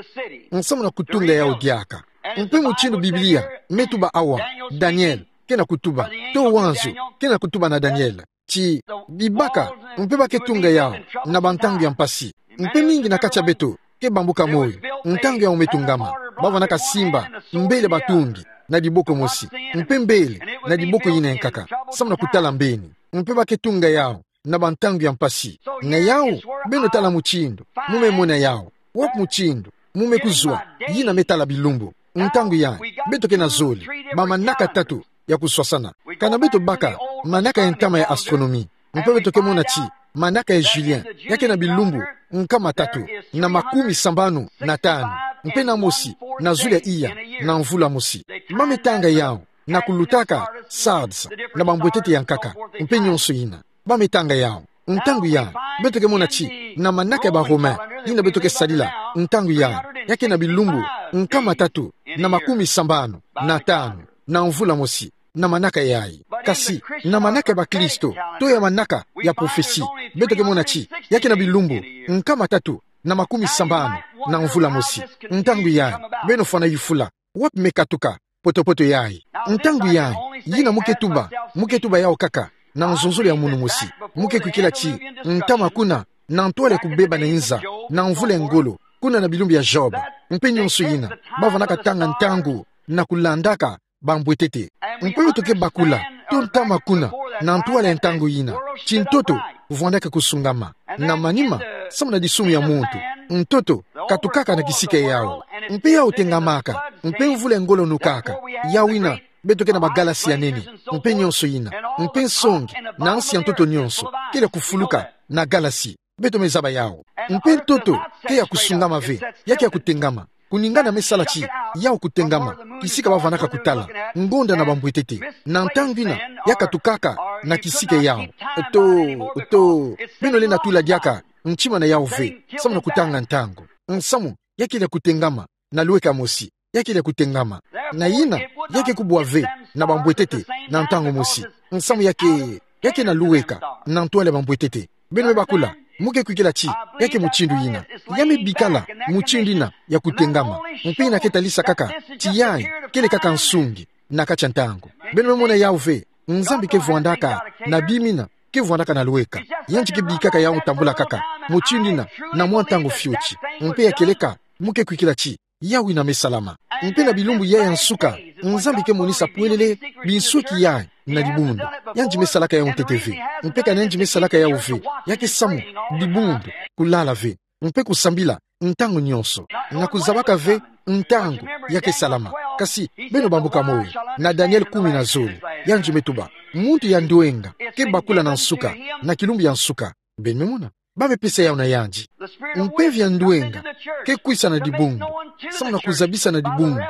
samu na kutunga yawu diaka. Mpe mutindu Biblia me tuba awa, Daniele ke na kutuba, to wanzu ke na kutuba na Daniele, ti bibaka mpe ba ke tunga yawu na bantangu ya mpasi. Mpe mingi na kati ya beto ke bambuka moyo ntangu yawu me tungama. Ba vwanaka simba mbele batungi na diboko mosi, mpe mbele na diboko yina ya nkaka, samu na kutala mbeni. Mpe ba ke tunga yawu na bantangu ya mpasi. Na yawu, beno tala mutindu mu me mona yawu. Wapi mutindu mu me kuzwa yina me tala bilumbu? Ntangu yayi, beto ke na zole bamanaka tatu ya kuswasana. Kana beto baka manaka ya ntama ya astronomie, mpe beto ke mona ti manaka ya Julien ya ke na bilumbu nkama tatu na makumi sambanu na tanu, mpe na mosi na zulu ya iya na mvula mosi. Ba me tanga yawu na kulutaka Sardes na bambwetete ya nkaka, mpe nyonso yina. Ba me tanga yawu. Ntangu yayi, beto ke mona ti na manaka ya ba Romain yina beto ke sadila ntangu yayi, ya ke na bilumbu nkama tatu na makumi sambanu na tanu na mvula mosi, na manaka yayi. Kasi na manaka ya bakristo, to ya manaka ya prophetie, beto ke mona ti ya ke na bilumbu nkama tatu na makumi sambanu na mvula mosi. Ntangu yayi, beno fwana yufula wapi me katuka poto-poto yayi. Ntangu yayi, yina mu ke tuba, mu ke tuba yawu kaka na nzonzolo ya munu mosi. Mu ke kwikila ti ntama kuna, na ntwala ya kubeba na inza, na mvula ya ngolo, kuna na bilumbu ya Job, mpe nyonso yina, ba vwanaka tanga ntangu na kulandaka bambwetete. Mpe beto ke bakula, to ntama kuna, na ntwala ya ntangu yina, ti ntoto vwanaka kusungama. Na manima, samu na disumu ya muntu, ntoto katukaka na kisika yawu, mpe yawu tengamaka, mpe mvula ya ngolo nukaka. Yawu yina, beto ke na bagalasi ya nene, mpe nyonso yina, mpe nsongi na nsi ya ntoto nyonso kele ya kufuluka na galasi. Beto me zaba yawu. Mpe ntoto ke ya kusungama ve, ya ke ya kutengama. Kuningana me sala ti yawu kutengama, kisika ba vwanaka kutala ngonda na bambwetete. Na ntangu yina, ya katukaka na kisika yawu. To, to, beno lenda tula diaka ntima na yawu ve, samu na kutanga ntangu. Nsamu ya kele ya kutengama na lweka mosi. Ya kele ya kutengama. Na yina, ya ke kubwa ve na bambwetete na ntangu mosi. Nsamu ya ke, ya ke na lweka na ntwala ya bambwetete. Beno me bakula, mu ke kwikila ti ya ke mutindu yina. Ya me bikala mutindu yina ya kutengama. Mpe yina ke talisa kaka ti yayi kele kaka nsungi na kati ya ntangu. Beno me mona yawu ve, Nzambi ke vwandaka na bima yina, ke vwandaka na lweka. Yandi ke bikaka yawu tambula kaka mutindu yina na mwa ntangu fioti. Mpe ya keleka, mu ke kwikila ti yawu yina me salama. Mpe na bilumbu yayi ya nsuka, Nzambi ke monisa pwelele binsweki yayi na dibundu. Yandi me salaka yau ntete ve. Mpe ka yandi me salaka yau ve, ya ke samu dibundu, kulala ve, mpe kusambila ntangu nyonso, na kuzabaka ve ntangu ya ke salama. Kasi beno bambuka moyo, na Daniele kumi na zole, yandi me tuba: Muntu ya ndwenga ke bakula na nsuka, na kilumbu ya nsuka. Beno me mona? Ba me pesa yau na yandi. Mpeve ya ndwenga ke kwisa na dibundu, samu na kuzabisa na dibundu,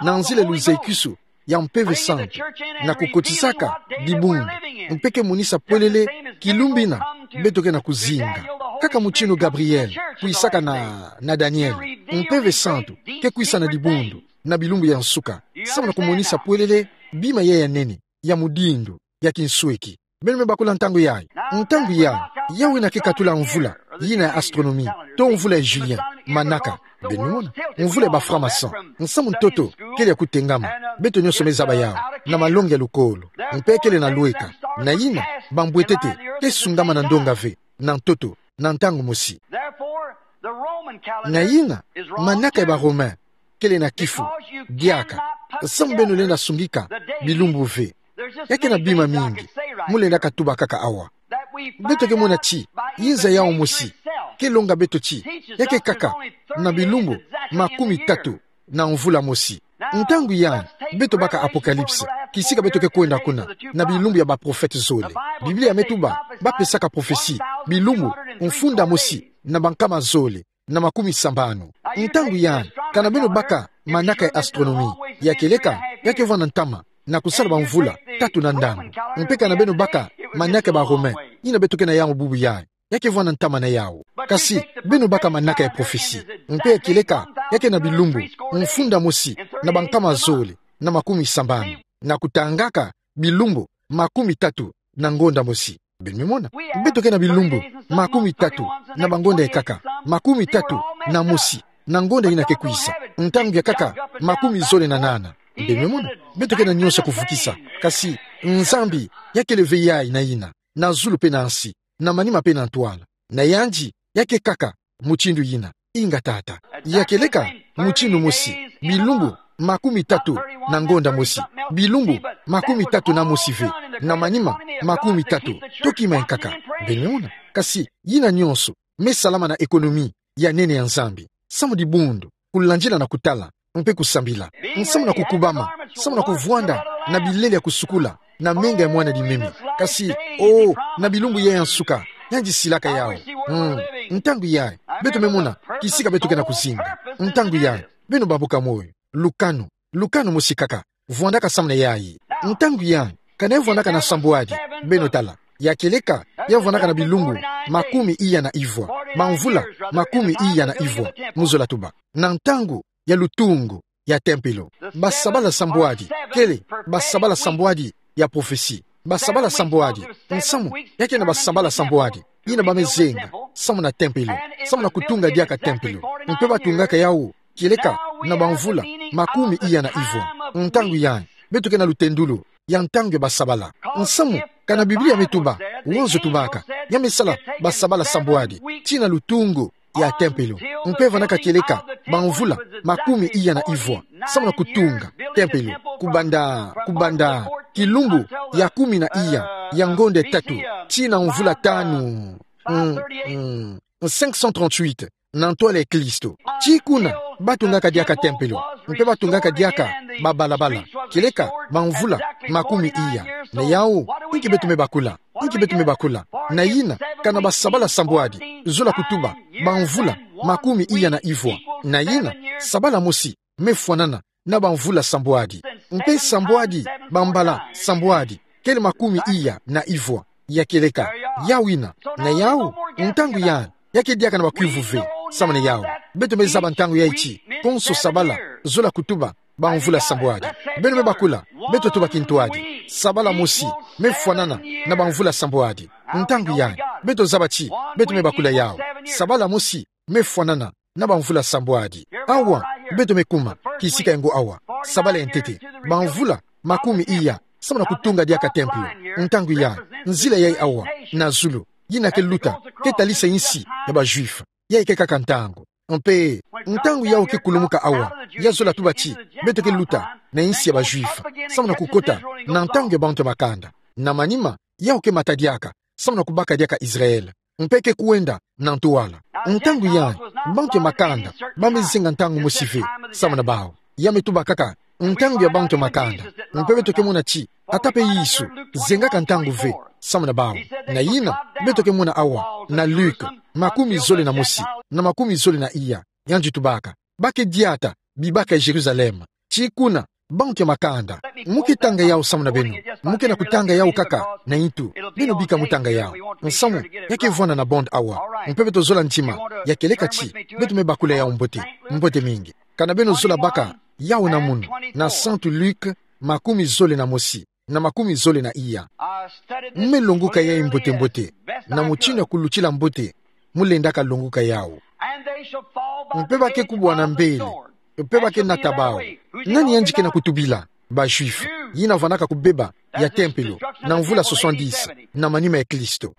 na nzila ya luzekwiso ya Mpeve Santu, na kukotisaka dibundu, mpe ke monisa polele kilumbu ina beto ke na kuzinga. Kaka mutindu Gabriele kwisaka na, na Daniele, Mpeve Santu ke kwisa na dibundu, na bilumbu ya nsuka, samu na kumonisa polele bima ya, ya nene, ya mudindo, ya kinsweki. Beno me bakula ntangu yayi. Ntangu yayi, yau ina ke katula mvula ina ya astronomie, to mvula ya Julien, manaka. Beno me mona? Mvula ya ba francs-maçons. Nsamu ntoto kele ya kutengama. Beto nyonso me zaba yau, na malongi ya lukolo. Mpe kele na lweka. Na ina, bambwetete ke sungama na ndonga ve, na ntoto, na ntangu mosi. Na ina, manaka ya ba Romain kele na kifu diaka, samu beno lenda sungika bilumbu ve. Ya ke na bima mingi mu lenda katuba kaka awa. Beto ke mona ti inza yau mosi ke longa beto ti ya ke kaka na bilumbu makumi tatu na mvula mosi. Ntangu yayi, beto baka Apocalypse, kisika beto ke kwenda kuna, na bilumbu ya baprofete zole. Biblia me tuba ba pesaka prophetie bilumbu mfunda mosi na bankama zole na makumi sambanu. Ntangu yayi, kana beno baka manaka ya astronomie, ya kieleka ya ke vwanda ntama na kusala bamvula tatu na ndangu. Mpe kana beno baka manaka ya ba Romain, ina beto ke na yau bubu yayi, ya ke vwanda ntama na yau. Kasi beno baka manaka ya prophetie, mpe ya kieleka ya ke na bilumbu mfunda mosi na bankama zole na makumi sambanu, na kutangaka bilumbu makumi tatu na ngonda mosi. Beno me mona? Beto ke na bilumbu makumi tatu na bangonda ekaka, makumi tatu na mosi na ngonda ina ke kwisa, ntangu ya kaka makumi zole na nana. Beno me mona? Beto ke na nyonso ya kuvukisa. Kasi Nzambi ya kele ve yayi na ina, na zulu mpe na nsi, na manima mpe na ntwala. Na yandi ya ke kaka mutindu ina. Inga tata. Ya kieleka mutindu mosi, bilumbu makumi tatu na ngonda mosi, bilumbu makumi tatu na mosi ve, na manima makumi tatu. Toki mai nkaka. Beno me mona? Kasi ina nyonso me salama na économie ya nene ya Nzambi, samu dibundu kulandila na kutala mpe kusambila. Nsamu na kukubama, samu na kuvwanda na bilele ya kusukula, na menga ya mwana limemi. Kasi, oh, na bilumbu yayi ya nsuka, yandi silaka yau. Mm. Ntangu yayi, beto me mona kisika beto ke na kuzinga. Ntangu yayi, beno bambuka moyo. Lukanu, lukanu mosi kaka vwandaka samu na yayi. Ntangu yayi, kana ya vwandaka na sambwadi, beno tala. Ya kieleka ya vwandaka na bilumbu makumi iya na ivwa, bamvula makumi iya na ivwa, mu zola tuba, na ntangu ya lutungu ya tempelo. Basabala sambwadi kele basabala sambwadi ya prophetie. Basabala sambwadi, nsamu ya ke na basabala sambwadi ina ba me zenga samu na tempelo, samu na kutunga diaka tempelo. Mpe batungaka yau kieleka na bamvula makumi iya na ivwa. Ntangu yayi, beto ke na lutendulu ya ntangu ya basabala. Nsamu, kana Biblia me tuba, wanzo tubaka ya me sala basabala sambwadi tii na lutungu ya tempelo, mpe vandaka kieleka bamvula makumi iya na ivwa samu na kutunga tempelo, kubanda, kubanda kilumbu ya kumi na iya ya ngonda tatu tii na mvula tanu. Mm, mm. Cinq cent trente-huit, na ntwala ya Kristo. Tii kuna, batungaka diaka tempelo, mpe batungaka diaka babalabala kieleka bamvula makumi iya. Na yau, inki beto me bakula? Inki beto me bakula? Na ina, kana basabala sambwadi, zola kutuba bamvula makumi iya na ivwa. Na ina, sabala mosi me fwanana na bamvula sambwadi. Mpe sambwadi bambala sambwadi kele makumi iya na ivwa. Ya kieleka yau ina. Na yau, ntangu yayi, ya ke diaka na bakwivu ve samu na yau. Beto me zaba ntangu yayi ti konso sabala zola kutuba bamvula sambwadi. Beno me bakula, beto tuba kintwadi, sabala mosi me fwanana na bamvula sambwadi. Ntangu yayi, beto zaba ti beto me bakula yau. Sabala mosi me fwanana na bamvula sambwadi. Awa, beto me kuma kisika ya ngo awa, sabala ya ntete, bamvula makumi iya samu na kutunga diaka tempelo. Ntangu yayi, nzila yayi awa na zulu, ina ke luta, ke talisa insi ya ba Juifs. Yayi ke kaka ntangu. Mpe ntangu yau ke kulumuka awa, ya zola tuba ti beto ke luta na insi ya ba Juifs, samu na kukota na ntangu ya bantu ya makanda. Na manima, yau ke mata diaka samu na kubaka diaka Israël, mpe ke kwenda na ntwala. Ntangu yai, bantu ya makanda ba me zenga ntangu mosi ve samu na bau. Ya me tuba kaka ntangu ya bantu ya makanda. Mpe beto ke mona ti ata pe Yesu zengaka ntangu ve samu na bau. Na yina, beto ke mona awa na Luc makumi zole na mosi na makumi zole na iya, yandi tubaka: Ba ke diata bibaka Jérusalem, ti kuna bantu ya makanda. Mu ke tanga yau samu na beno. Mu ke na kutanga yau kaka na intu. Beno bika mu tanga yau, nsamu ya ke vwanda na bande awa. Mpe beto zola ntima ya kieleka ti beto me bakula yau mbote, mbote mingi. Kana beno zola baka yau na munu, na Santu Luc makumi zole na mosi na makumi zole na iya. Mu me longoka yai mbote-mbote, na mutindu ya kulutila mbote mu lendaka longoka yau. Mpe ba ke kubwana mbele, mpe ba ke nata bau. Nani yandi ke na kutubila? Ba Juifs, yina vwandaka kubeba ya tempelo na mvula soixante-dix na manima ya Kristo.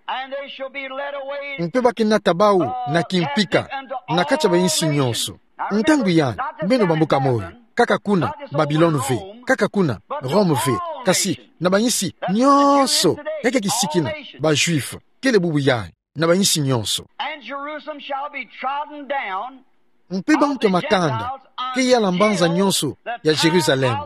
Mpe ba ke nata bau na kimpika na kati ya ba insi nyonso. Ntangu yai, beno bambuka moyo, kaka kuna Babilone ve, kaka kuna Rome ve, kasi na ba insi nyonso. Ya ke kisikina, ba Juifs, kele bubu yai, na ba insi nyonso. And Jerusalem shall be trodden down. Mpe bantu ya makanda ke yala mbanza nyonso ya Jérusalem,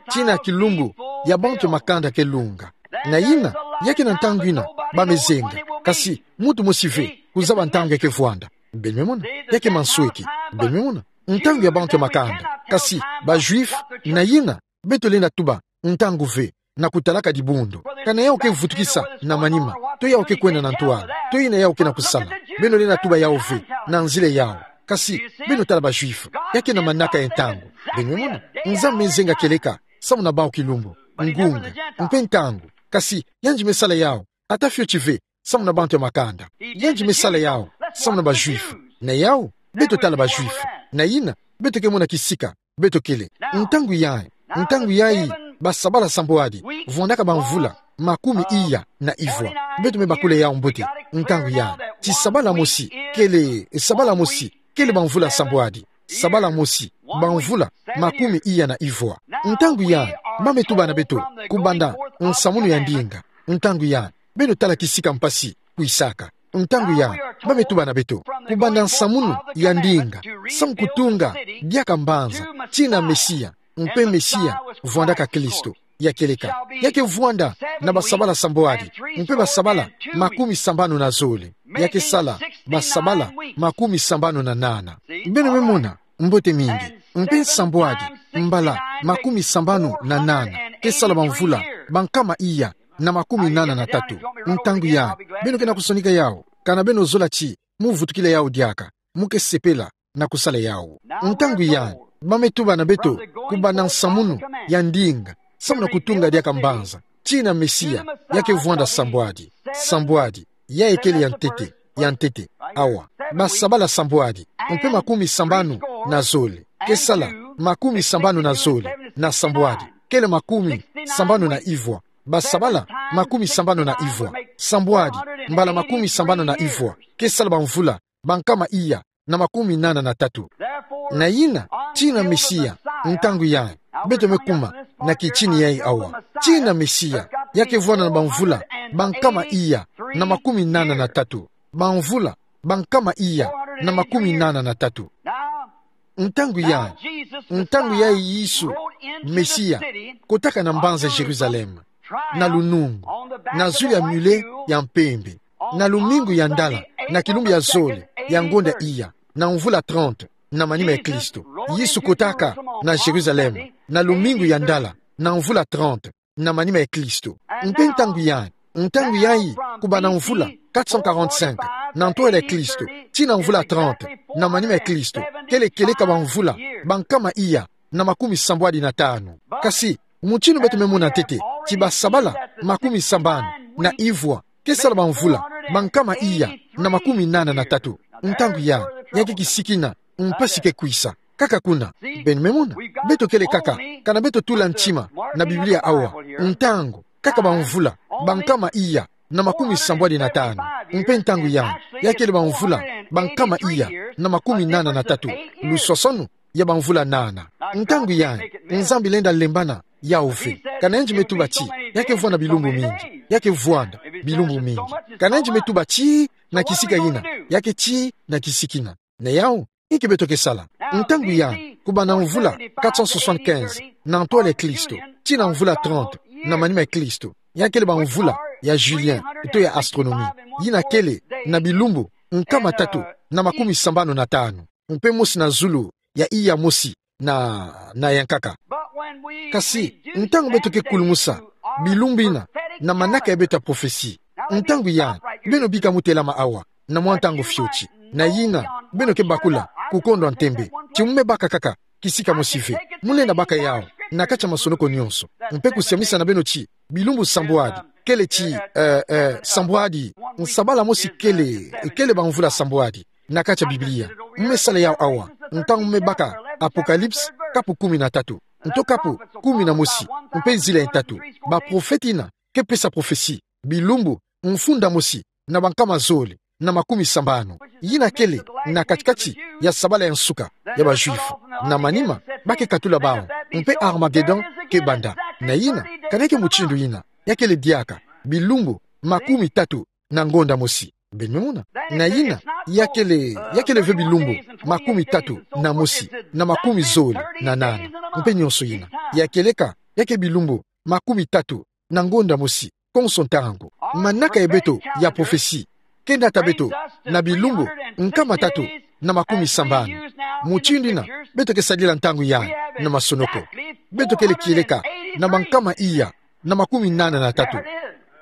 tina kilumbu ya bantu ya makanda ke lunga. Na yina, ya ke na ntangu yina ba me zenga, kasi muntu mosi ve kuzaba ntangu ya ke vwanda. Beno me mona? Ya ke mansweki. Beno me mona? Ntangu ya bantu ya makanda. Kasi ba Juifs, na yina, beto lenda tuba ntangu ve, na kutalaka dibundu. Kana yau ke vutukisa na manima, to yau ke kwenda na ntwala, to yina yau ke na kusala, beno lenda tuba yau ve na nzila yau. Kasi beno tala ba Juifs, ya ke na manaka ya ntangu. Beno me mona? Nzambi me zenga kieleka samu na bau kilumbu, ngunga, mpe ntangu. Kasi yandi me sala yau ata fioti ve samu na bantu ya makanda. Yandi me sala yau samu na ba Juifs. Na yau, beto tala ba Juifs. Na yina, beto ke mona kisika beto kele. Ntangu yai, ntangu yai, ba sabala sambwadi vwandaka ba mvula makumi iya na ivwa. Beto me bakula yau mbote. Ntangu yai, ti sabala mosi kele, sabala mosi kele ba mvula sambwadi. Sabala mosi, ba mvula makumi iya na ivwa. Ntangu yai, ba me tuba na beto kubanda nsamunu ya ndinga. Ntangu yai, beno tala kisika mpasi kwisaka. Ntangu yai, ba me tuba na beto kubanda nsamunu ya ndinga, samu kutunga diaka mbanza, tina Mesia, mpe Mesia vwandaka Kristo. Ya kieleka, ya ke vwanda na ba sabala sambwadi, mpe ba sabala makumi sambanu na zole. Ya ke sala ba sabala makumi sambanu na nana. Beno me mona? Mbote mingi. Mpe sambwadi mbala makumi sambanu na nana ke sala ba mvula ba nkama iya na makumi nana na tatu. Ntangu yai, beno ke na kusonika yau, kana beno zola ti mu vutukila yau diaka, mu ke sepela na kusala yau. Ntangu yai, ba me tuba na beto kubanda nsamunu ya ndinga, samu na kutunga diaka mbanza, tina Mesia, ya ke vwanda sambwadi. Sambwadi, yai kele ya ntete, ya ntete. Awa, ba sabala sambwadi mpe makumi sambanu na zole ke sala makumi sambanu na zole, na sambwadi kele makumi sambanu na ivwa. Ba sabala makumi sambanu na ivwa. Sambwadi mbala makumi sambanu na ivwa ke sala ba mvula ba nkama iya na makumi nana na tatu. Na yina, tina Mesia, ntangu yai, beto me kuma na kitini yai awa. Tina Mesia, ya ke vwanda na ba mvula ba nkama iya na makumi nana na tatu. Ba mvula ba nkama iya na makumi nana na tatu. Ntangu yai, ntangu yai Yesu Mesia kotaka na mbanza Jérusalem, na lunungu, na zulu ya mule ya mpembe, na lumingu ya ndala, na kilumbu ya zole ya ngonda iya, na mvula trente na manima ya Kristo. Yesu kotaka na Jérusalem na lumingu ya ndala, na mvula trente na manima ya Kristo. Mpe ntangu yai, ntangu yai, kubanda mvula quatre cent quarante-cinq na ntwala ya Kristo, tina mvula trente na manima ya Kristo, kele kieleka ba mvula ba nkama iya na makumi sambwadi na tanu. Kasi mutindu beto me mona ntete, ti ba sabala makumi sambanu na ivwa ke sala ba mvula ba nkama iya na makumi nana na tatu. Ntangu yai, ya ke kisikina, mpasi ke kwisa. Kaka kuna, beno me mona, beto kele kaka, kana beto tula ntima na Biblia awa, ntangu, kaka ba mvula ba nkama iya na makumi sambwadi na tanu. Mpe ntangu yai, ya kele bamvula bankama iya na makumi nana na tatu, luswaswanu ya bamvula nana. Ntangu yai, Nzambi lenda lembana yau ve. Ka nayandi me tuba ti, ya ke vwanda bilumbu mingi, ya ke vwanda bilumbu mingi. Ka nayandi me tuba ti na kisika ina, ya ke ti na kisika ina. Na yau, inki beto ke sala? Ntangu yai, kubanda mvula quatre cent soixante-quinze na ntwala ya Kristo, tii na mvula trente na manima ya Kristo, ya kele bamvula ya Julian, to ya astronomie, ina kele na bilumbu nkama tatu na makumi sambanu na tanu, mpe mosi na zulu ya iya mosi na, na ya nkaka. Kasi, ntangu beto ke kulumusa bilumbu ina na manaka ya beto ya prophetie, ntangu yai, beno bika mu telama awa na mwa ntangu fioti. Na ina, beno ke bakula, kukondwa ntembe, ti mu me baka kaka kisika mosi ve. Mu lenda baka yau na kati ya masonoko nyonso, mpe kusiamisa na beno ti bilumbu sambwadi kele ti, eh, eh, sambwadi, nsabala mosi kele, kele bamvula sambwadi na kati ya Biblia. Mu me sala yau awa, ntangu mu me baka Apocalypse, kapu kumi na tatu, nto kapu kumi na mosi, mpe zila ya ntatu. Baprofete ina ke pesa prophetie bilumbu mfunda mosi na bankama zole na makumi sambanu, ina kele na kati-kati ya sabala ya nsuka ya ba Juifs. Na manima, ba ke katula bau, mpe Armagedon ke banda. Na ina, ka neke mutindu ina, ya kele diaka bilumbu makumi tatu na ngonda mosi. Beno me mona? Na ina, ya kele, ya kele ve bilumbu makumi tatu na mosi na makumi zole na nana, mpe nyonso ina. Ya kieleka, ya ke bilumbu makumi tatu na ngonda mosi, konso ntangu. Manaka ya beto ya prophetie ke nata beto na bilumbu nkama tatu na makumi sambanu. Mutindu ina beto ke sadila ntangu yai na masonoko, beto kele kieleka na bankama iya na makumi nana na tatu.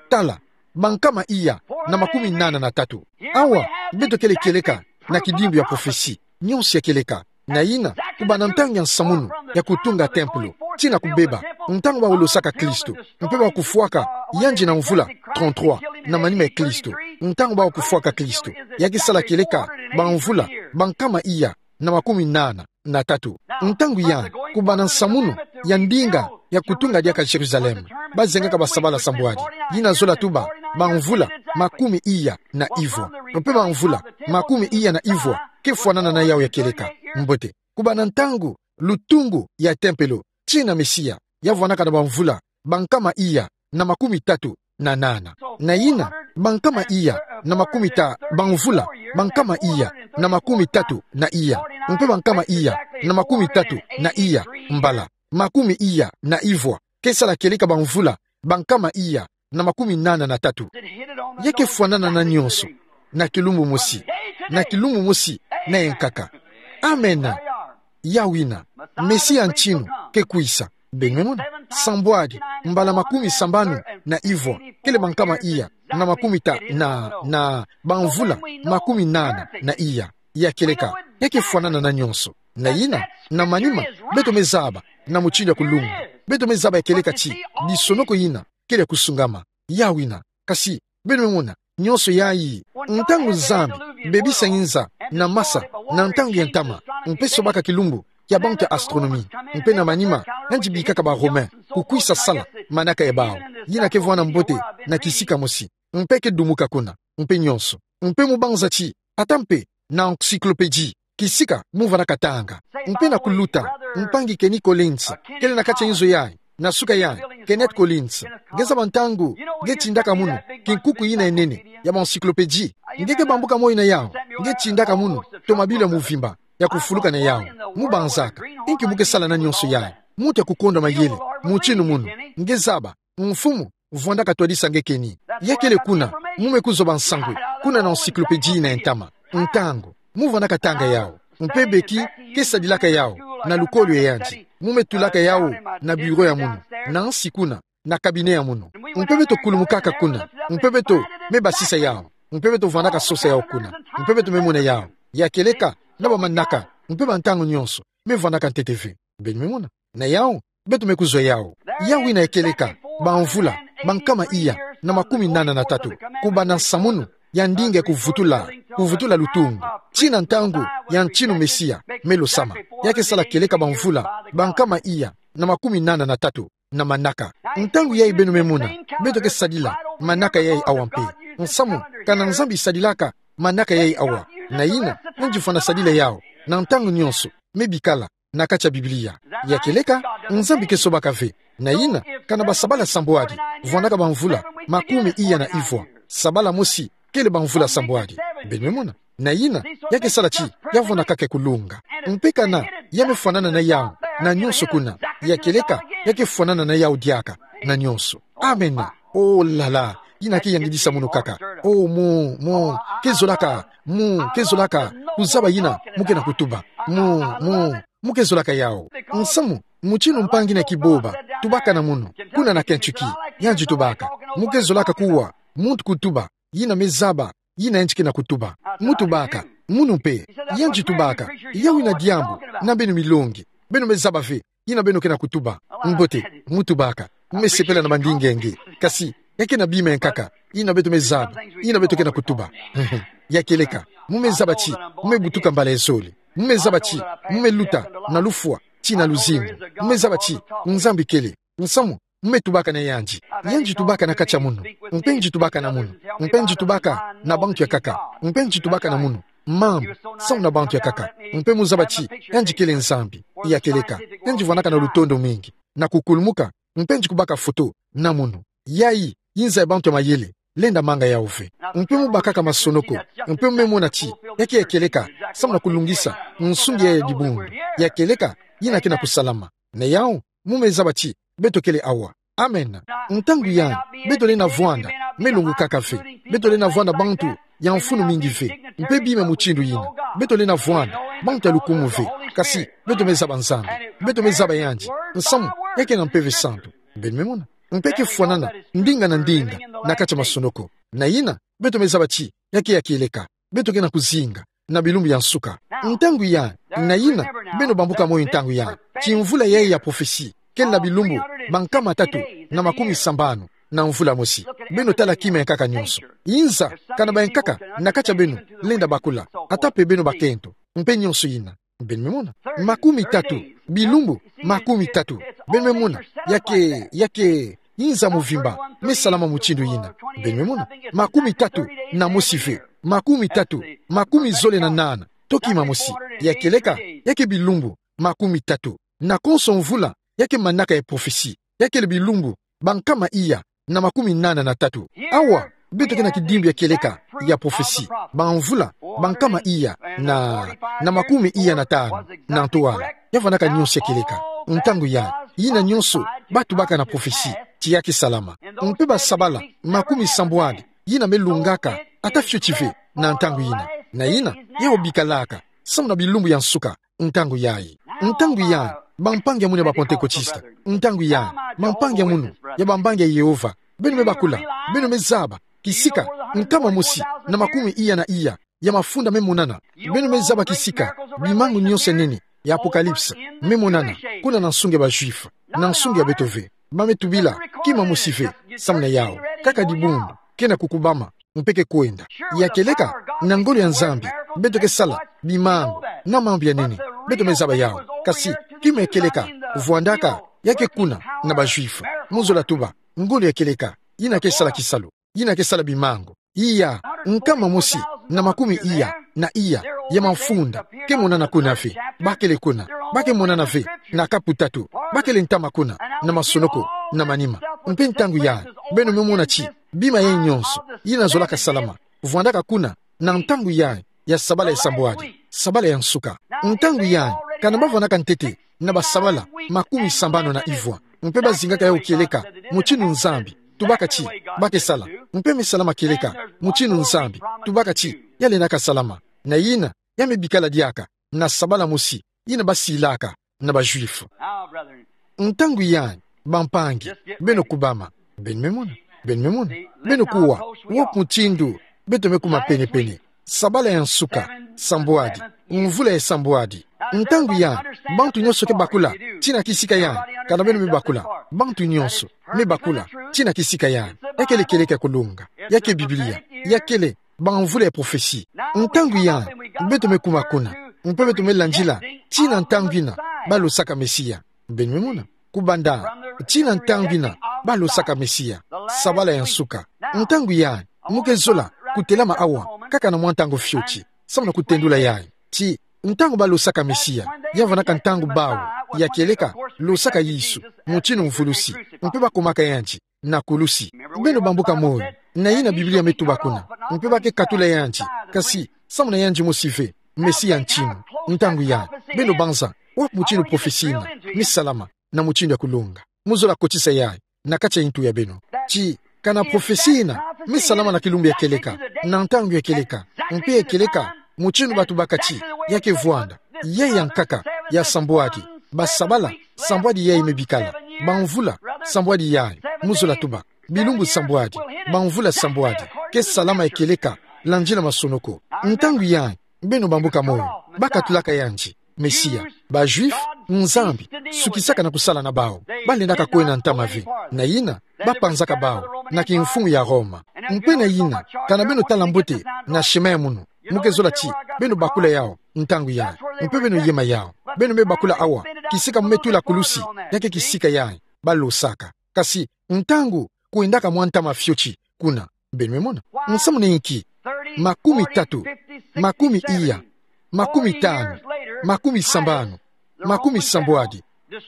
Tala, bankama iya na makumi nana na tatu. Awa, beto kele kieleka na kidimbu ya prophetie. Nyonso ya kieleka. Na ina, kubanda ntangu ya nsamunu ya kutunga tempelo tii na kubeba, ntangu bawu losaka Kristo, mpe bawu kufwaka yandi na mvula trente-trois na manima ya Kristo, ntangu bawu kufwaka Kristo, ya ke sala kieleka bamvula bankama iya na makumi nana na tatu. Ntangu yai, kubanda nsamunu ya ndinga ya kutunga diaka Jérusalem, bazengaka basabala sambwadi, ina zola tuba bamvula makumi iya na ivwa. Mpe bamvula makumi iya na ivwa ke fwanana na yau ya kieleka. Mbote, kubanda ntangu lutungu ya tempelo tii na Mesia, ya vwandaka na bamvula bankama iya na makumi tatu na nana. Na ina, bankama iya na makumi ta-, bamvula bankama iya na makumi tatu na iya, mpe bankama iya na makumi tatu na iya mbala makumi iya na ivwa ke sala kieleka bamvula bankama iya na makumi nana na tatu. Ya ke fwanana na nyonso na kilumbu mosi, na kilumbu mosi na ya nkaka. Amena. Yau ina, Mesia ya ntinu ke kwisa. Beno me mona? Sambwadi mbala makumi sambanu na ivwa kele bankama iya na makumi ta-, na, na bamvula makumi nana na iya. Ya kieleka, ya ke fwanana na nyonso. Na ina, na manima, beto me zaba na mutindu ya kulunga. Beto me zaba ya kieleka ti bisonoko ina kele ya kusungama. Yau ina. Kasi, beno me mona, nyonso yai, ntangu Nzambi bebisa nginza na masa na ntangu ya ntama, mpe sobaka kilumbu kia bantu ya astronomie, mpe na manima, yandi bikaka ba Romain kukwisa sala manaka ya bau, ina ke vwanda mbote na kisika mosi, mpe ke dumuka kuna, mpe nyonso. Mpe mu banza ti, ata mpe na encyclopédie, kisika mu vwandaka tanga. Mpe na kuluta, mpangi Kenny Collins kele na kati ya nzo yai, na suka yai, Kenneth Collins. Nge zaba ntangu nge tindaka munu kinkuku ina ya nene ya ba encyclopédie? Nge ke bambuka moyo na yau. Nge tindaka munu tomabilu ya mvimba ya kufuluka na yau. Mu banzaka, inki mu ke sala na nyonso yai? Muntu ya kukondwa mayele mutindu munu. Nge zaba, Mfumu vwandaka twadisa nge Kenny. Ya kele kuna mu me kuzwa ba nsangwe, kuna na encyclopédie ina ya ntama. Ntangu mu vwandaka tanga yau, mpe beki ke sadilaka yau na lukolo ya yandi, mu me tulaka yau na bureau ya munu, na nsi kuna, na cabinet ya munu. Mpe beto kulumukaka kuna, mpe beto me basisa yau, mpe beto vwandaka sosa yau kuna, mpe beto me mona yau. Ya kieleka na ba manaka, mpe ba ntangu nyonso me vwandaka ntete ve. Beno me mona? Na yau, beto me kuzwa yau. Yau ina ya kieleka bamvula bankama iya na makumi nana na tatu, kubanda nsamunu ya ndinga ya kuvutula, kuvutula lutungu, tii na ntangu ya ntinu Mesia me losama. Ya ke sala kieleka bamvula bankama iya na makumi nana na tatu na manaka. Ntangu yai, beno me mona, beto ke sadila manaka yai awa mpe. Nsamu, kana Nzambi sadilaka manaka yai awa. Na yina, nge ngidifa na sadila yao. Na ntangu nyonso, me bikala na kati ya Biblia. Ya kieleka, Nzambi ke sobaka ve. Na yina, kana basabala sambwadi, vwandaka bamvula makumi iya na ivwa, sabala mosi kele bamvula sambwadi. Beno me mona. Na yina, ya ke sala ti, ya vwandaka ke kulunga. Mpe kana, ya me fwanana na yao na nyonso kuna. Ya kieleka, ya ke fwanana na yao diaka na nyonso. Amen. Oh la la, yina ke yangidisa munu kaka. Oh, mu, mu ke zolaka, mu ke zolaka kuzaba yina mu ke na kutuba. Mu, mu, mu ke zolaka yao. Nsamu, mutindu mpangi na kiboba tubaka na munu, kuna na Kentucky, yandi tubaka. Mu ke zolaka kuwa muntu kutuba yina me zaba yina yandi ke na kutuba. Mu tubaka, munu mpe, yandi tubaka. Yawu yina diambu na beno milongi. Beno me zaba ve yina beno ke na kutuba. Mbote, mu tubaka. Mu me sepela na mandinga nge. Kasi, ya ke na bima ya nkaka yina beto me zaba yina beto ke na kutuba. Ya kieleka, mu me zaba ti mu me butuka mbala ya zole. Mu me zaba ti mu me luta na lufwa tii na luzingu. Mu me zaba ti Nzambi kele. Nsamu, mu me tubaka na yandi. Yandi tubaka na kati ya munu. Mpe ngi tubaka na munu. Mpe ngi tubaka na bantu ya nkaka. Mpe ngi tubaka na munu mambu samu na bantu ya nkaka. Mpe mu zaba ti yandi kele Nzambi. Ya kieleka, yandi vwandaka na lutondo mingi na kukulumuka. Mpe ngi kubaka foto na munu. Yayi nza ya bantu ya mayele lenda manga yao ve. Mpe mu bakaka masonoko. Mpe mu me mona ti ya ke ya kieleka samu na kulungisa nsungi ya dibundu. Ya kieleka, yina ke na kusalama. Na yao, mu me zaba ti beto kele awa. Amen. Ntangu yai, beto lenda vwanda me lungukaka ve. Beto lenda vwanda bantu ya mfunu mingi ve, mpe bima mutindu yina. Beto lenda vwanda bantu ya lukumu ve. Kasi, beto me zaba Nzambi. Beto me zaba yandi. Nsamu, ya ke na Mpeve Santu. Beno me mona. Mpe ke fwanana ndinga na ndinga na kati ya masonoko. Na yina, beto me zaba ti ya ke ya kieleka, beto ke na kuzinga na bilumbu ya nsuka. Ntangu yai, na yina, beno bambuka moyo ntangu yai. Ti mvula yai ya prophecy kele na bilumbu bankama tatu na makumi sambanu na mvula mosi. Beno tala kima ya nkaka nyonso. Nza, kana ba ya nkaka na kati ya beno lenda bakula, ata mpe beno bakento, mpe nyonso yina. Beno me mona. Makumi tatu, bilumbu makumi tatu. Beno me mona. Ya ke, ya ke nza mvimba me salama mutindu yina. Beno me mona. Makumi tatu na mosi ve. Makumi tatu, makumi zole na nana, to kima mosi. Ya kieleka, ya ke bilumbu makumi tatu. Na konso mvula, ya ke manaka ya prophecy, ya kele bilumbu bankama iya na makumi nana na tatu. Awa, beto ke na kidimbu ya kieleka ya prophecy, bamvula bankama iya na, na makumi iya na tanu na ntwala. Ya vwandaka nyonso ya kieleka. Ntangu yai, yina nyonso ba tubaka na prophecy ti ya ke salama. Mpe basabala makumi sambwadi yina me lungaka ata fioti ve na ntangu yina. Na yina, yao bikalaka samu na bilumbu ya nsuka. Ntangu yai. Ntangu yai, bampangi ya munu ya ba Pantekotista. Ntangu yai, bampangi ya munu ya Bambangi ya Yehova. Beno me bakula, beno me zaba kisika nkama mosi na makumi iya na iya ya mafunda me monana. Beno me zaba kisika bimangu nyonso ya nene ya Apocalypse me monana kuna na nsungi ya ba Juifs. Na nsungi ya beto ve. Ba me tubila kima mosi ve samu na yao. Kaka dibundu ke na kukubama mpe ke kwenda. Ya kieleka, na ngolo ya Nzambi, beto ke sala bimangu na mambu ya nene. Beto me zaba yao. Kasi, kima ya kieleka vwandaka, ya ke kuna na ba Juifs. Mu zola tuba, ngolo ya kieleka yina ke sala kisalu, yina ke sala bimangu. Iya, nkama mosi na makumi iya na iya ya mafunda ke monana kuna ve. Ba kele kuna. Ba ke monana ve na kapu tatu. Ba kele ntama kuna, na masonoko, na manima. Mpe ntangu yai, beno me mona ti bima yai nyonso yina zolaka salama vwandaka kuna na ntangu yai ya sabala ya sambwadi, sabala ya nsuka. Ntangu yai, kana ba vwandaka ntete na basabala makumi sambanu na ivwa, mpe ba zingaka yao kieleka mutindu Nzambi tubaka ti ba ke sala, mpe me salama kieleka mutindu Nzambi tubaka ti ya lendaka salama. Na yina, ya me bikala diaka na sabala mosi yina ba silaka na ba Juifs. Ntangu yai, bampangi, beno kubama. Beno me mona. Beno me mona. Beno kuwa, wo mutindu beto me kuma penepene. Sabala ya nsuka, sambwadi, mvula ya sambwadi. Ntangu yai, bantu nyonso ke bakula tina kisika yai. Kana beno me bakula, bantu nyonso me bakula tina kisika yai. Ya kele kieleka ya kulunga. Ya ke Biblia. Ya kele bamvula ya prophecy. Ntangu yai, beto me kuma kuna, mpe beto me landila tina ntangu yina ba losaka Mesia. Beno me mona. Kubanda tina ntangu yina ba losaka Mesia, sabala ya nsuka. Ntangu yayi, mu ke zola kutelama awa kaka na mwa ntangu fioti, samu na kutendula yayi ti ntangu balosaka Mesia, ya vandaka ntangu bawu ya kieleka losaka Yesu, mutinu mvulusi, mpe bakumaka yandi na kulusi. Beno bambuka moyo, na yina Biblia me tuba kuna, mpe ba ke katula yandi, kasi samu na yandi mosi ve, Mesia ntinu. Ntangu yayi, beno banza, wapi mutinu profesi yina me salama na mutinu ya kulonga? Mu zola kotisa yayi na kati ya ntu ya beno ti kana profesi yina me salama na kilumbu ya kieleka, na ntangu ya kieleka, mpe ya kieleka, mutinu batubaka ti ya ke vwanda, yayi ya nkaka ya sambwadi, basabala, sambwadi yayi me bikala, bamvula, sambwadi yayi, mu zola tuba, bilumbu sambwadi, bamvula sambwadi, ke salama ya kieleka, landila masonoko. Ntangu yayi, beno bambuka moyo, ba katulaka yandi Mesia. Ba Juifs, Nzambi sukisaka na kusala na bawu, balendaka kwenda ntama ve, na yina, ba panzaka bawu na kimfumu ya Roma. Mpe na yina, kana beno tala mbote na chemin ya munu, mu ke zola ti beno bakula yawu ntangu yayi, mpe beno yema yawu. Beno me bakula awa, kisika mu me tula kulusi, ya ke kisika yayi balosaka. Kasi ntangu kwendaka mwa ntama fioti kuna. Beno me mona? Nsamu na inki? Makumi tatu, makumi iya, makumi tanu, makumi sambanu, makumi sambwadi,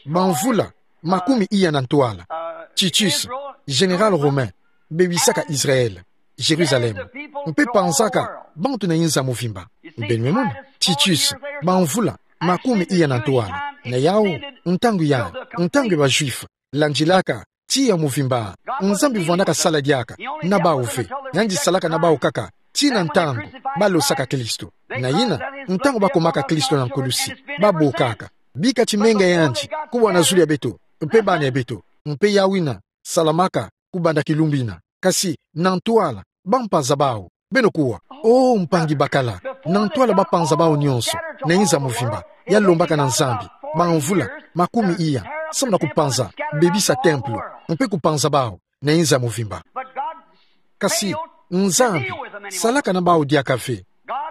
bamvula makumi iya na ntwala, Titus, général romain, bebisaka Israël, Jérusalem, mpe panzaka bantu na inza mvimba. Beno me mona? Titus, bamvula makumi iya na ntwala. Na yawu, ntangu yayi, ntangu ya ba Juifs, landilaka tiya mvimba. Nzambi vwandaka sala diaka na bawu ve, yandi salaka na bawu kaka tii na ntangu balosaka Kristo. Na yina, ntangu bakumaka Kristo na nkulusi, babokaka: Bika ti menga ya yandi kubwana zulu ya beto mpe bana ya beto. Mpe yawu yina salamaka kubanda kilumbu yina. Kasi na ntwala, bampaza bawu. Beno kuwa: O mpangi bakala, na ntwala bapanza bawu nyonso na inza mvimba, ya lombaka na Nzambi bamvula makumi iya, samu na kupanza, bebisa templo, mpe kupanza bawu na inza mvimba. Kasi Nzambi salaka na bawu diaka ve.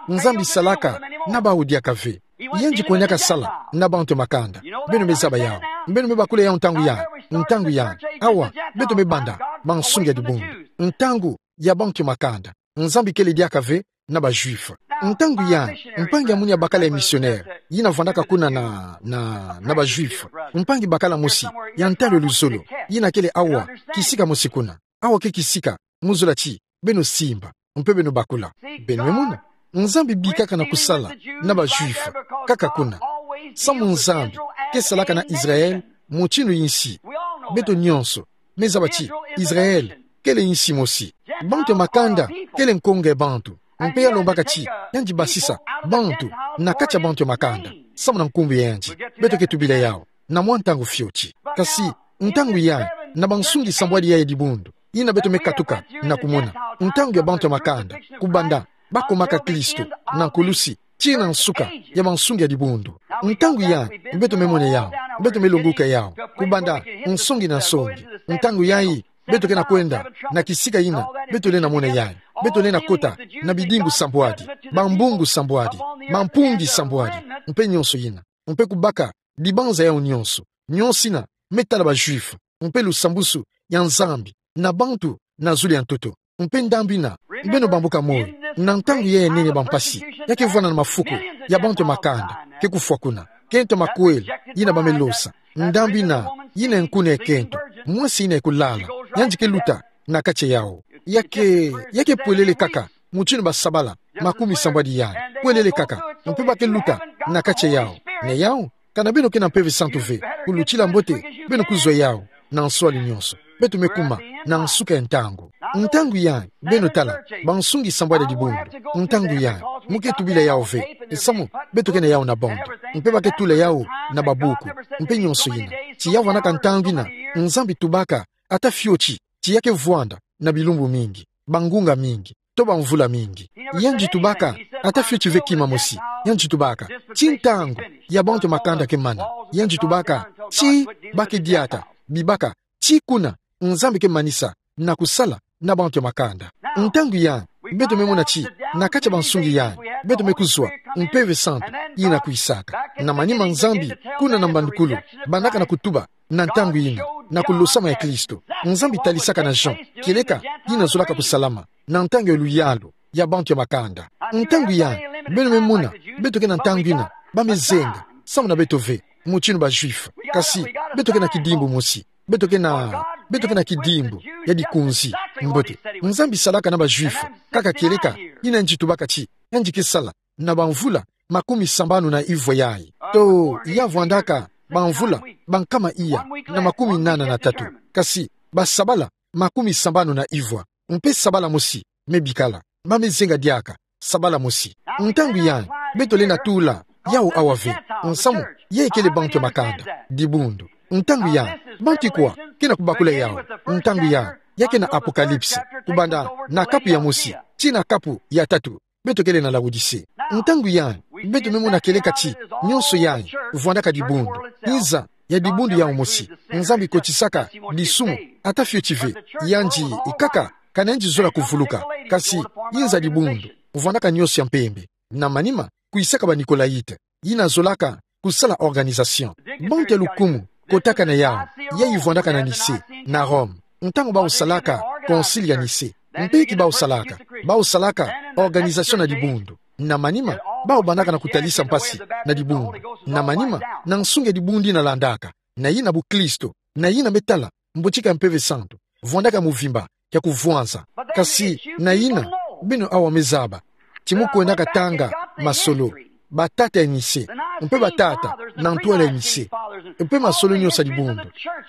Nzambi salaka na bawu diaka ve. Yandi kwendaka sala na bantu ya makanda. Beno me zaba yawu. Beno me bakula yawu ntangu yayi, ntangu yayi. Awa, beto me banda bansungi ya dibundu. Ntangu ya bantu ya makanda. Nzambi kele diaka ve na ba Juifs. Ntangu yayi, mpangi ya munu ya bakala ya missionnaire, yina vwandaka kuna na, na, na ba Juifs. Mpangi bakala mosi ya ntalu ya luzolo, yina kele awa, kisika mosi kuna. Awa ke kisika, mu zola ti beno simba, mpe beno bakula. Beno me mona? Nzambi bikaka na kusala na ba Juifs kaka kuna, samu Nzambi ke salaka na Israël mutinu insi. Beto nyonso me zaba ti Israël kele insi mosi. Bantu ya makanda kele nkonga ya bantu. Mpe ya lombaka ti yandi basisa bantu na kati ya bantu ya makanda, samu na nkumbu ya yandi. Beto ke tubila yawu na mwa ntangu fioti. Kasi ntangu yayi, na bansungi sambwadi yayi ya dibundu, yina beto me katuka na kumona, ntangu ya bantu ya makanda kubanda bakumaka Kristo na nkulusi tii na nsuka ya bansungi ya dibundu. Ntangu yayi, beto me mona yawu, beto me longoka yawu, kubanda nsongi na nsongi. Ntangu yayi, beto ke na kwenda na kisika yina, beto lenda mona yayi, beto lenda kota na bidimbu sambwadi, bambungu sambwadi, bampungi sambwadi, mpe nyonso yina, mpe kubaka dibanza yawu nyonso. Nyonso yina me tala ba Juifs, mpe lusambusu ya Nzambi na bantu na zulu ya ntoto. Mpe ndambu yina, beno bambuka moyo, na ntangu yayi ya nene ya bampasi, ya ke vwanda na mafuku ya bantu ya makanda ke kufwa kuna. Kento makwela yina ba me losa. Ndambu yina, yina nkuna ya kento, mwasi yina ya kulala, yandi ke luta na kati yawu. Ya ke, ya ke pwelele kaka mutinu basabala makumi sambwadi yayi, pwelele kaka, mpe ba ke luta na kati yawu. Na yawu, kana beno ke na Mpeve Santu ve, kulutila mbote, beno kuzwa yawu na nswali nyonso. Beto me kuma na nsuka ya ntangu. Ntangu yayi, beno tala, bansungi sambwadi ya dibundu, ntangu yayi, mu ke tubila yawu ve, samu beto ke na yawu na bande, mpe ba ke tula yawu na babuku, mpe nyonso yina. Ti ya vwandaka ntangu yina Nzambi tubaka ata fioti, ti ya ke vwanda na bilumbu mingi, bangunga mingi, to bamvula mingi. Yandi tubaka ata fioti ve kima mosi. Yandi tubaka ti ntangu ya bantu ya makanda ke mana. Yandi tubaka ti ba ke diata, bibaka ti kuna Nzambi ke manisa na kusala na bantu ya makanda. Ntangu yayi, beto me mona ti na kati ya bansungi yayi, beto me kuzwa Mpeve Santu yina kwisaka. Na manima Nzambi, kuna na mbandukulu, bandaka na kutuba na ntangu yina. na kulosama ya Kristo. Nzambi talisaka na Jean kieleka yina zolaka kusalama na ntangu ya luyalu ya bantu ya makanda. Ntangu yai, beno me mona, beto ke na ntangu yina ba me zenga, samu na beto ve, mutindu ba Juifs. Kasi beto ke na kidimbu mosi. Beto ke na, beto ke na kidimbu ya dikunzi. Mbote, Nzambi salaka na ba Juifs kaka kieleka yina yandi tubaka ti yandi ke sala na bamvula makumi sambanu na ivwa yai. To ya vwandaka bamvula bankama iya na makumi nana na tatu. Kasi basabala makumi sambanu na ivwa, mpe sabala mosi me bikala. Ba me zenga diaka sabala mosi. Ntangu yai, beto lenda tula yawu awa ve, nsamu, yai kele bantu ya makanda, dibundu. Ntangu yai, bantu ikwa ke na kubakula yawu? Ntangu yai, ya ke na Apocalypse, kubanda na kapu ya mosi tii na kapu ya tatu, beto kele na Laodicée. Ntangu yai, beto me mona kieleka ti nionso yai vwandaka dibundu. Nza ya dibundu yawu mosi. Nzambi kotisaka disumu, ata fioti ve, yandi ikaka ka na yandi zola kuvuluka. Kasi nza dibundu vwandaka nionso ya mpembe. Na manima, kwisaka ba Nicolaïtes, yina zolaka kusala organisation. Bantu ya lukumu kotaka na yawu, yai vwandaka na Nicée, na Rome, ntangu bawu salaka Concile ya Nicée. Mpe ki bawu salaka? Bawu salaka organisation na dibundu. Na manima, bawu bandaka na kutalisa mpasi na dibundu. Na manima, na nsungi ya dibundu yina landaka, na yina bukristo, na yina me tala mbotika ya Mpeve Santu vwandaka muvimba ya kuvwanza. Kasi na yina, beno awa me zaba ti mu kwendaka tanga masolo, batata ya Nicée, mpe batata na ntwala ya Nicée, mpe masolo nionso ya dibundu,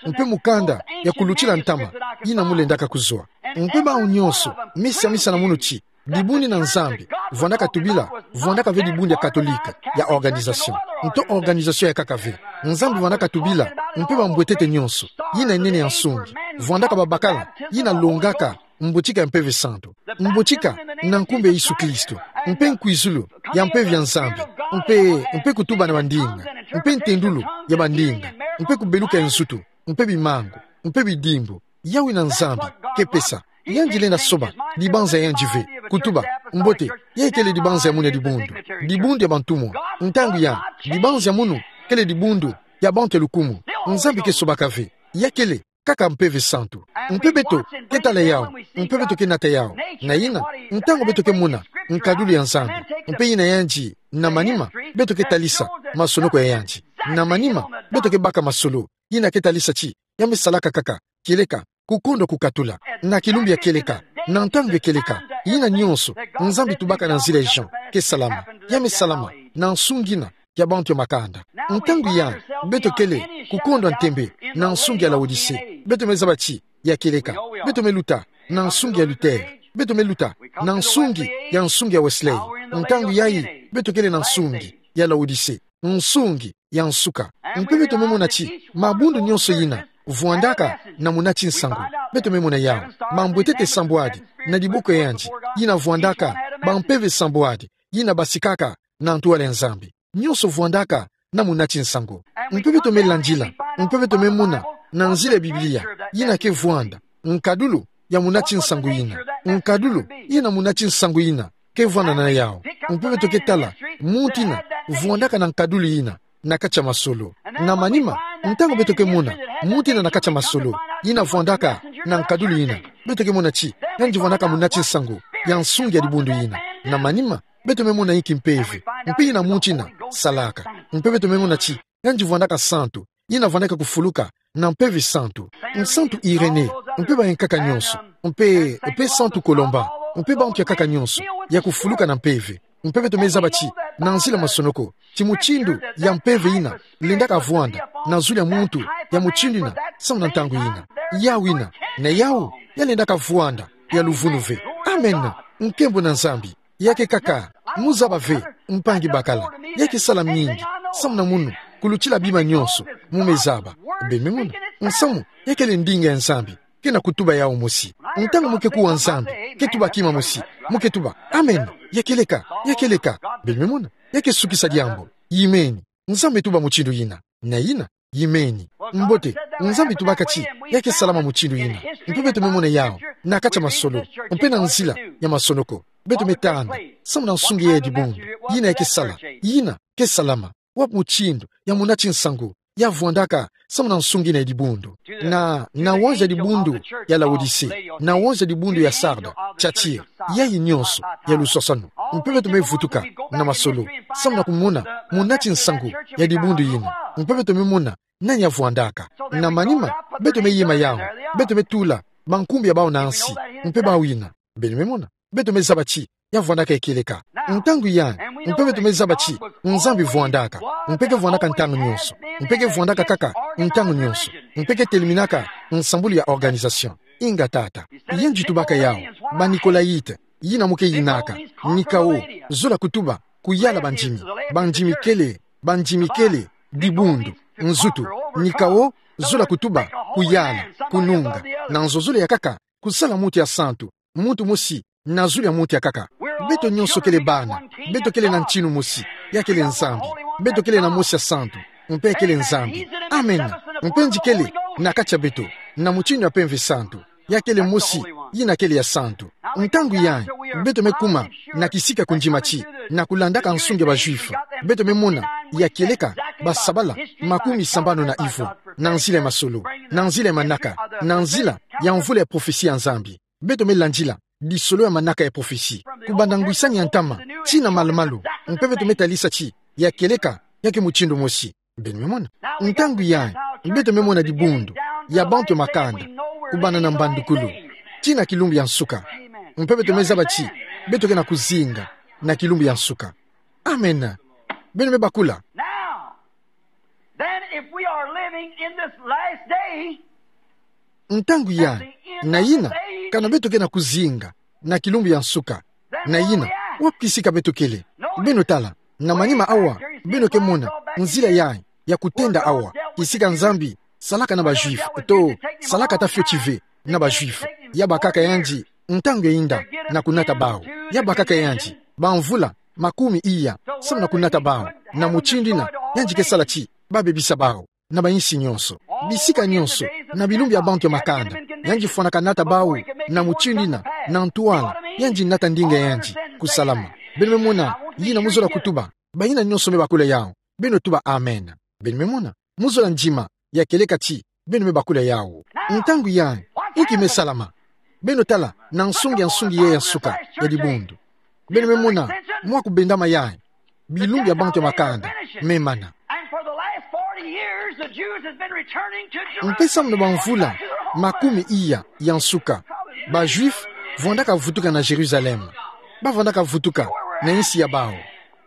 mpe mukanda ya kulutila ntama yina mu lendaka kuzwa. Mpe bawu nionso, misa misa na munu ti dibundu yina Nzambi vwandaka tubila, vwandaka ve dibundu ya Katolika, ya organisation, nto organisation ya nkaka ve. Nzambi vwandaka tubila mpe bambwetete nionso yina nene ya nsungi, vwandaka babakala yina longaka mbotika ya Mpeve Santu. Mbotika na nkumbu ya Yesu Kristo, mpe nkwizulu ya mpeve ya Nzambi, mpe, mpe kutuba na bandinga, mpe ntendulu ya bandinga, mpe kubeluka ya nzutu, mpe bimangu, mpe bidimbu, yawu yina Nzambi ke pesa. Yandi lenda soba dibanza ya yandi ve, kutuba, mbote, yai kele dibanza ya munu ya dibundu, dibundu ya bantumwa. Ntangu yai, dibanza ya munu kele dibundu ya bantu ya lukumu. Nzambi ke sobaka ve. Ya kele kaka Mpeve Santu. Mpe beto ke tala yawu, mpe beto ke nata yawu. Na yina, ntangu beto ke mona nkadulu ya Nzambi, mpe yina yandi, na manima, beto ke talisa masonoko ya yandi. Na manima, beto ke baka masolo yina ke talisa ti ya me salaka kaka kieleka kukondwa kukatula. Na kilumbu ya kieleka, na ntangu ya kieleka, yina nionso Nzambi tubaka na nzila ya Jean ke salama, ya me salama na nsungi yina ya bantu ya makanda. Ntangu yai, beto kele kukondwa ntembe na nsungi ya Laodicée. Beto me zaba ti ya kieleka. Beto me luta na nsungi ya Luther. Beto me luta na nsungi ya, nsungi ya Wesley. Ntangu yai, beto kele na nsungi ya Laodicée, nsungi ya nsuka. Mpe beto me mona ti mabundu nionso yina vwandaka na munati nsangu. Beto me mona yawu, mambwetete sambwadi na diboko ya yandi, yina vwandaka bampeve sambwadi yina basikaka na ntwala ya Nzambi. Nionso vwandaka na munati nsangu. Mpe beto me landila, mpe beto me mona na nzila ya Biblia yina ke vwanda nkadulu ya munati nsangu yina, nkadulu yina munati nsangu yina ke vwanda na yawu. Mpe beto ke tala muntu yina vwandaka na nkadulu yina na kati ya masolo. Na manima, ntangu beto ke mona muntu yina na kati ya masolo yina vwandaka na nkadulu yina, beto ke mona ti yandi vwandaka munati nsangu ya nsungi ya dibundu yina. Na manima, beto me mona inki mpeve mpe yina muntu yina salaka. Mpe beto me mona ti yandi vwandaka santu yina vwandaka kufuluka na Mpeve Santu. Santu Irénée, mpe bayankaka nionso, mpe, mpe Santu Colomban, mpe bantu ya nkaka nionso ya kufuluka na mpeve. Mpe beto me zaba ti na nzila masonoko, ti mutindu ya mpeve yina lendaka vwanda na zulu ya muntu ya mutindu yina, samu na ntangu yina. Yawu yina, na yawu ya lendaka vwanda ya luvunu ve. Amen. Nkembo na Nzambi. Ya ke kaka, mu zaba ve, mpangi bakala. Ya ke sala mingi, samu na munu, kulutila bima nionso mu me zaba. Beno me mona, nsamu, ya kele ndinga ya Nzambi ke na kutuba yawu mosi. Ntangu mu ke kuwa Nzambi, ke tuba kima mosi, mu ke tuba, amen, ya kieleka, ya kieleka. Beno me mona, ya ke sukisa diambu. Yimeni. Nzambi tuba mutindu yina. Na yina, yimeni. Mbote, Nzambi tubaka ti ya ke salama mutindu yina. Mpe beto me mona yawu na kati ya masolo, mpe na nzila ya masonoko. Beto me tanda, samu na nsungi ya dibundu yina ya ke sala, yina ke salama. Wapi mutindu ya munati nsangu ya vwandaka samu na nsungi ina ya dibundu. Na, na wanza dibundu ya Laodicée, na wanza dibundu ya Sarde, Thyatire, yayi nyonso ya luswaswanu. Mpe beto me vutuka na masolo samu na kumona munati nsangu ya dibundu yina. Mpe beto me mona nani ya vwandaka. Na manima, beto me yema yawu, beto me tula bankumbu ya bawu na nsi, mpe bawu yina. Beno me mona, beto me zaba ti ya vwandaka ya kieleka. Ntangu yayi, mpe beto me zaba ti Nzambi vwandaka, mpe ke vwandaka ntangu nyonso, mpe ke vwandaka kaka ntangu nyonso, mpe ke teliminaka nsambulu ya organisation. Inga tata. Yandi tubaka yawu, ba Nicolaïtes, yina mu ke yinaka, ni chaos, zola kutuba, kuyala bandimi, bandimi kele, bandimi kele, dibundu, nzutu, ni chaos, zola kutuba, kuyala, kununga, na nzo zole ya kaka, kusala muntu ya santu, muntu mosi, na zulu ya muntu ya kaka. Beto nyonso kele bana, beto kele na ntinu mosi, ya kele Nzambi. Beto kele na Mosi ya Santu, mpe kele Nzambi. Amen. Mpe yandi kele na kati ya beto, na mutindu ya Mpeve Santu, ya kele mosi, yina kele ya santu. Ntangu yayi, beto me kuma na kisika kundima ti, na kulandaka nsungi ya ba Juifs, beto me mona ya kieleka basabala makumi sambanu na ivo, na nzila ya masolo, na nzila ya manaka, na nzila ya mvula ya prophetie ya Nzambi. Beto me landila lisolo ya manaka ya prophetie, kubanda ngwisani ya ntama tii na malu-malu, mpe beto me talisa ti ya kieleka ya ke mutindu mosi. Beno me mona. Ntangu yayi, beto me mona dibundu ya bantu ya makanda, kubanda na mbandukulu tii na kilumbu ya nsuka. Mpe beto me zaba ti beto ke na kuzinga na kilumbu ya nsuka. Amen. Beno me bakula. Now, then, if we are living in this last day, ntangu yayi, na yina, kana beto ke na kuzinga na kilumbu ya nsuka, na yina, wapi kisika beto kele? Beno tala, na manima awa, beno ke mona nzila yayi ya kutenda awa, kisika Nzambi salaka na ba Juifs, to, salaka ata fioti ve na ba Juifs. Ya bakaka yandi ntangu ya yinda na kunata bawu. Ya bakaka yandi bamvula makumi iya samu na kunata bawu, na mutindu yina yandi ke sala ti ba bebisa bawu na ba insi nyonso, bisika nyonso, na bilumbu ya bantu ya makanda. Yandi fwanaka nata bawu na mutindu yina, na ntwala yandi nata ndinga ya yandi kusalama. Beno me mona yina mu zola kutuba? Bayina nyonso me bakula yawu, beno tuba amen. Beno me mona, mu zola ndima ya kieleka ti beno me bakula yawu. Ntangu yayi, inki me salama? Beno tala na nsungi ya nsungi yayi ya nsuka ya dibundu. Beno me mona mwa kubendama yayi, bilumbu ya bantu ya makanda me mana. And for the last forty years, the Jews have been returning to Jerusalem. Mpe samu na bamvula makumi iya ya nsuka, ba Juifs vwandaka vutuka na Jérusalem. Ba vwandaka vutuka na insi ya bawu.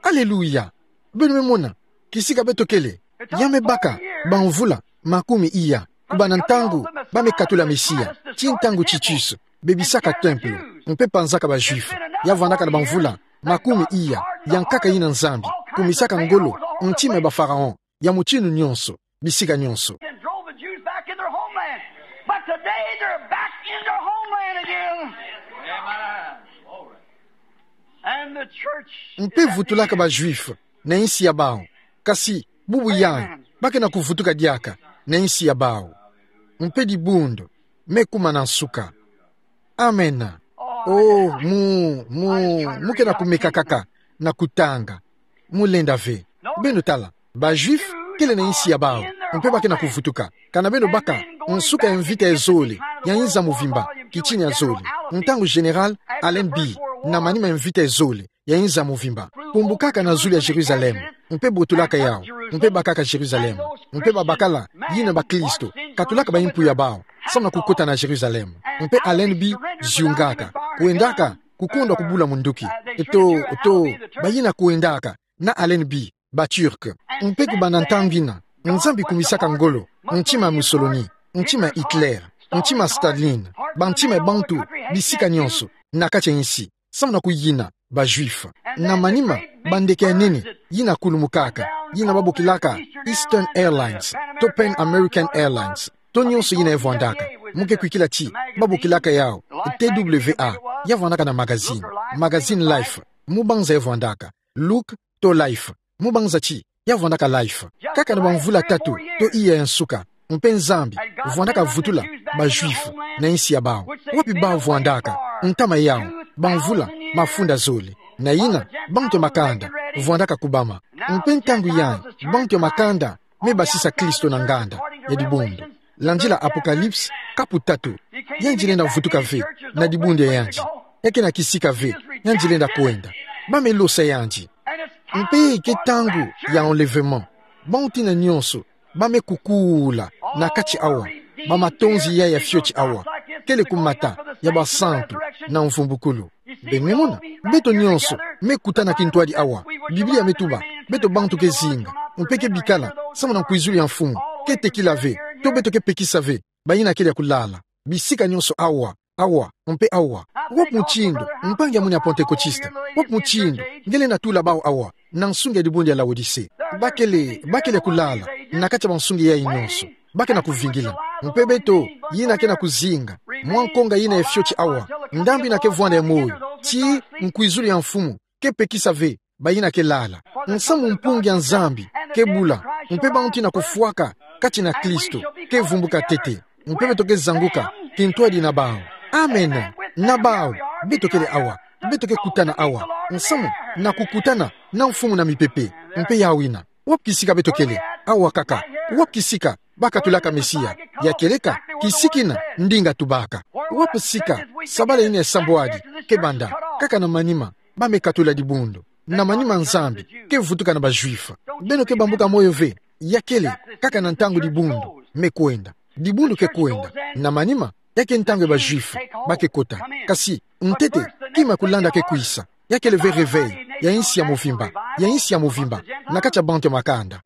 Alléluia. Beno me mona kisika beto kele? Ya me baka bamvula makumi iya, kubanda ntangu ba me katula Mesia tii ntangu Titus bebisaka temple mpe panzaka ba Juifs. Ya vwandaka na bamvula makumi iya ya nkaka yina Nzambi kumisaka ngolo ntima ya ba pharaon ya mutindu nyonso, bisika nyonso. And drove the Jews back in their homeland. But today they're back in their homeland again. And the church. Mpe vutulaka ba Juifs na insi ya bawu. Kasi bubu yayi, ba ke na kuvutuka diaka na insi ya bawu. Mpe dibundu me kuma na nsuka. Amen. Oh, mu, mu, mu ke na kumeka kaka na kutanga. Mu lenda ve. Beno tala, ba Juifs kele na insi ya bawu, mpe ba ke na kuvutuka. Kana beno baka nsuka ya mvita ya zole ya inza muvimba, kitini ya zole, ntangu Général Allenby, na manima ya mvita ya zole ya inza muvimba, kumbukaka na zulu ya Jérusalem, mpe botulaka yawu, mpe bakaka Jérusalem, mpe babakala yina bakristo katulaka ba impu ya bawu samu na kukota na Jérusalem. Mpe Allenby ziungaka, kwendaka kukondwa kubula munduki. To, to, bayina kwendaka na Allenby, ba Turc. Mpe kubanda ntangu yina, Nzambi kumisaka ngolo ntima ya Mussolini, ntima ya Hitler, ntima ya Staline, bantima ya bantu bisika nyonso na kati ya insi, samu na kuyina ba Juifs. Na manima, bandeke ya nene yina kulumukaka, yina ba bokilaka Eastern Airlines, to Pan American Airlines, to nyonso yina ya vwandaka. Mu ke kwikila ti ba bokilaka yawu T W A, ya vwandaka na magazine, magazine Life. Mu banza ya vwandaka Look to Life. Mu banza ti ya vwandaka Life. Kaka na bamvula tatu to iya ya nsuka, mpe Nzambi vwandaka vutula ba Juifs na insi ya bawu. Wapi bawu vwandaka? Ntama yawu, bamvula mafunda zole. Na yina, bantu ya makanda vwandaka kubama. Mpe ntangu yayi, bantu ya makanda me basisa Kristo na nganda ya dibundu. Landila Apocalypse, kapu tatu. Yandi lenda vutuka ve na dibundu ya yandi. Ya kena kisika ve, yandi lenda kwenda. Ba me losa yandi. Mpe ke ntangu ya enlèvement. Bantu ina nyonso ba me kukula na kati awa, ba matonzi ya ya fioti awa, kele kumata ya basantu na mvumbukulu. Beno me mona, beto nyonso me kutana kintwadi awa. Biblia me tuba, beto bantu ke zinga, mpe ke bikala samu na nkwizulu ya Mfumu, ke tekila ve, to beto ke pekisa ve bayina kele ya kulala. Bisika nyonso awa, awa, mpe awa. Wapi mutindu, mpangi ya mwini ya Pentekotiste, wapi mutindu nge lenda tula bawu awa na nsungi ya dibundu ya Laodicée? Ba kele, ba kele ya kulala na kati ya bansungi yayi nyonso. Ba kena kuvingila. Mpe beto, yina kena kuzinga, mwa nkonga yina ya fioti awa, ndambu yina ke vwanda ya moyo, tii nkwizulu ya Mfumu ke pekisa ve bayina ke lala. Nsamu mpungi ya Nzambi ke bula, mpe bantu ina kufwaka kati na Kristo ke vumbuka ntete, mpe beto ke zanguka kintwadi na bawu. Amen. Na bawu, beto kele awa, beto ke kutana awa nsamu na kukutana na Mfumu na mipepe. Mpe yawu ina, wapi kisika beto kele? Awa kaka. Wapi kisika ba katulaka Mesia? Ya kieleka kisika ina ndinga tubaka. Wapi sika sabala ina ya sambwadi ke banda? Kaka na manima ba me katula dibundu. Na manima Nzambi ke vutuka na ba Juifs. Beno ke bambuka moyo ve. Ya kele kaka na ntangu dibundu me kwenda. Dibundu ke kwenda. Na manima, ya ke ntangu ya ba Juifs ba ke kota. Kasi ntete, kima ya kulanda ke kwisa. Ya kele ve réveil ya insi ya movimba, ya insi ya movimba na kati ya bantu ya makanda.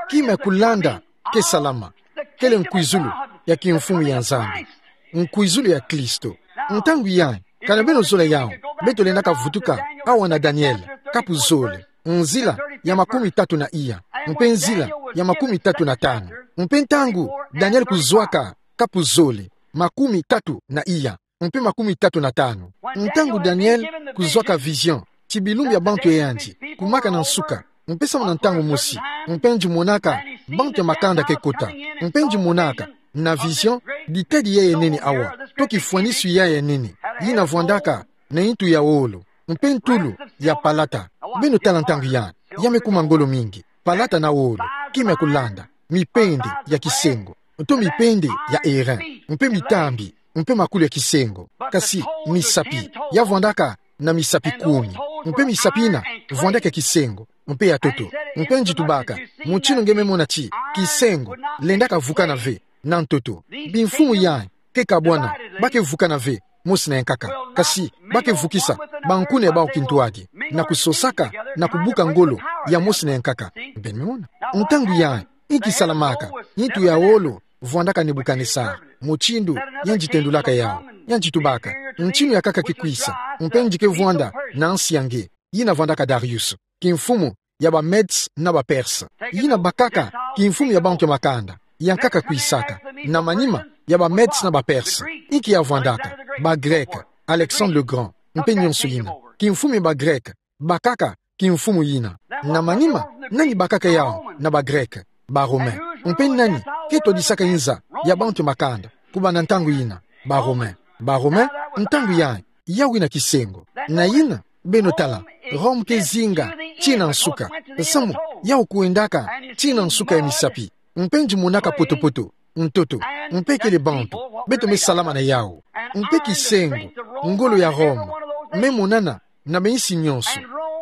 Kima ya kulanda ke salama, kele nkwizulu ya kimfumu ya Nzambi, nkwizulu ya Kristo. Ntangu yayi, kana beno zola yawu, beto lendaka vutuka awa na Daniel, kapu zole, nzila ya makumi tatu na iya, mpe nzila ya makumi tatu na tanu. Mpe ntangu Daniel kuzwaka kapu zole, makumi tatu na iya, mpe makumi tatu na tanu. Ntangu Daniel kuzwaka vision ti bilumbu ya bantu ya yandi kumaka na nsuka, mpe samu na ntangu mosi, mpe yandi monaka bantu ya makanda ke kota, mpe yandi monaka na vision ditadi ya ya nene awa, to kifwanisu ya ya nene, yina vwandaka na nitu ya wolo, mpe ntulu ya palata. Beno tala ntangu yayi, ya me kuma ngolo mingi. Palata na wolo, kima ya kulanda, mipende ya kisengo, to mipende ya airain, mpe mitambi, mpe makulu ya kisengo. Kasi misapi, ya vwandaka na misapi kumi, mpe misapi yina vwandaka ya kisengo, mpe ya ntoto. Mpe yandi tubaka, mutindu nge me mona ti kisengo lendaka vukana ve na ntoto, bimfumu yayi ke kabwana, ba ke vukana ve mosi na yankaka. Kasi ba ke vukisa bankuna ya bawu kintwadi, na kusosaka na kubuka ngolo ya mosi na yankaka. Beno me mona? Ntangu yayi, inki salamaka? Nitu ya wolo vwandaka Nebukanesare, mutindu yandi tendulaka yawu. Yandi tubaka, ntinu ya nkaka ke kwisa, mpe yandi ke vwanda na nsi ya nge, yina vwandaka Darius, kimfumu ya ba Medes na ba Perses. Yina bakaka kimfumu ya bantu ya makanda, ya nkaka kwisaka, na manima ya ba Medes na ba Perses. Inki ya vwandaka? Ba Grecs, Alexandre le Grand, mpe nyonso yina. Kimfumu ya ba Grecs bakaka kimfumu yina. Na manima, nani bakaka yawu na ba Grecs? Ba Romains. Mpe nani ke twadisaka inza ya bantu ya makanda kubanda ntangu yina? Ba Romains. Ba Romains, ntangu yayi, yawu yina kisengo. Na yina, beno tala, Rome ke zinga tii na nsuka, samu yawu kwendaka tii na nsuka ya misapi. Mpe yandi monaka poto-poto, ntoto, mpe kele bantu, beto me salama na yawu. Mpe kisengo, ngolo ya Rome me monana na ba insi nyonso.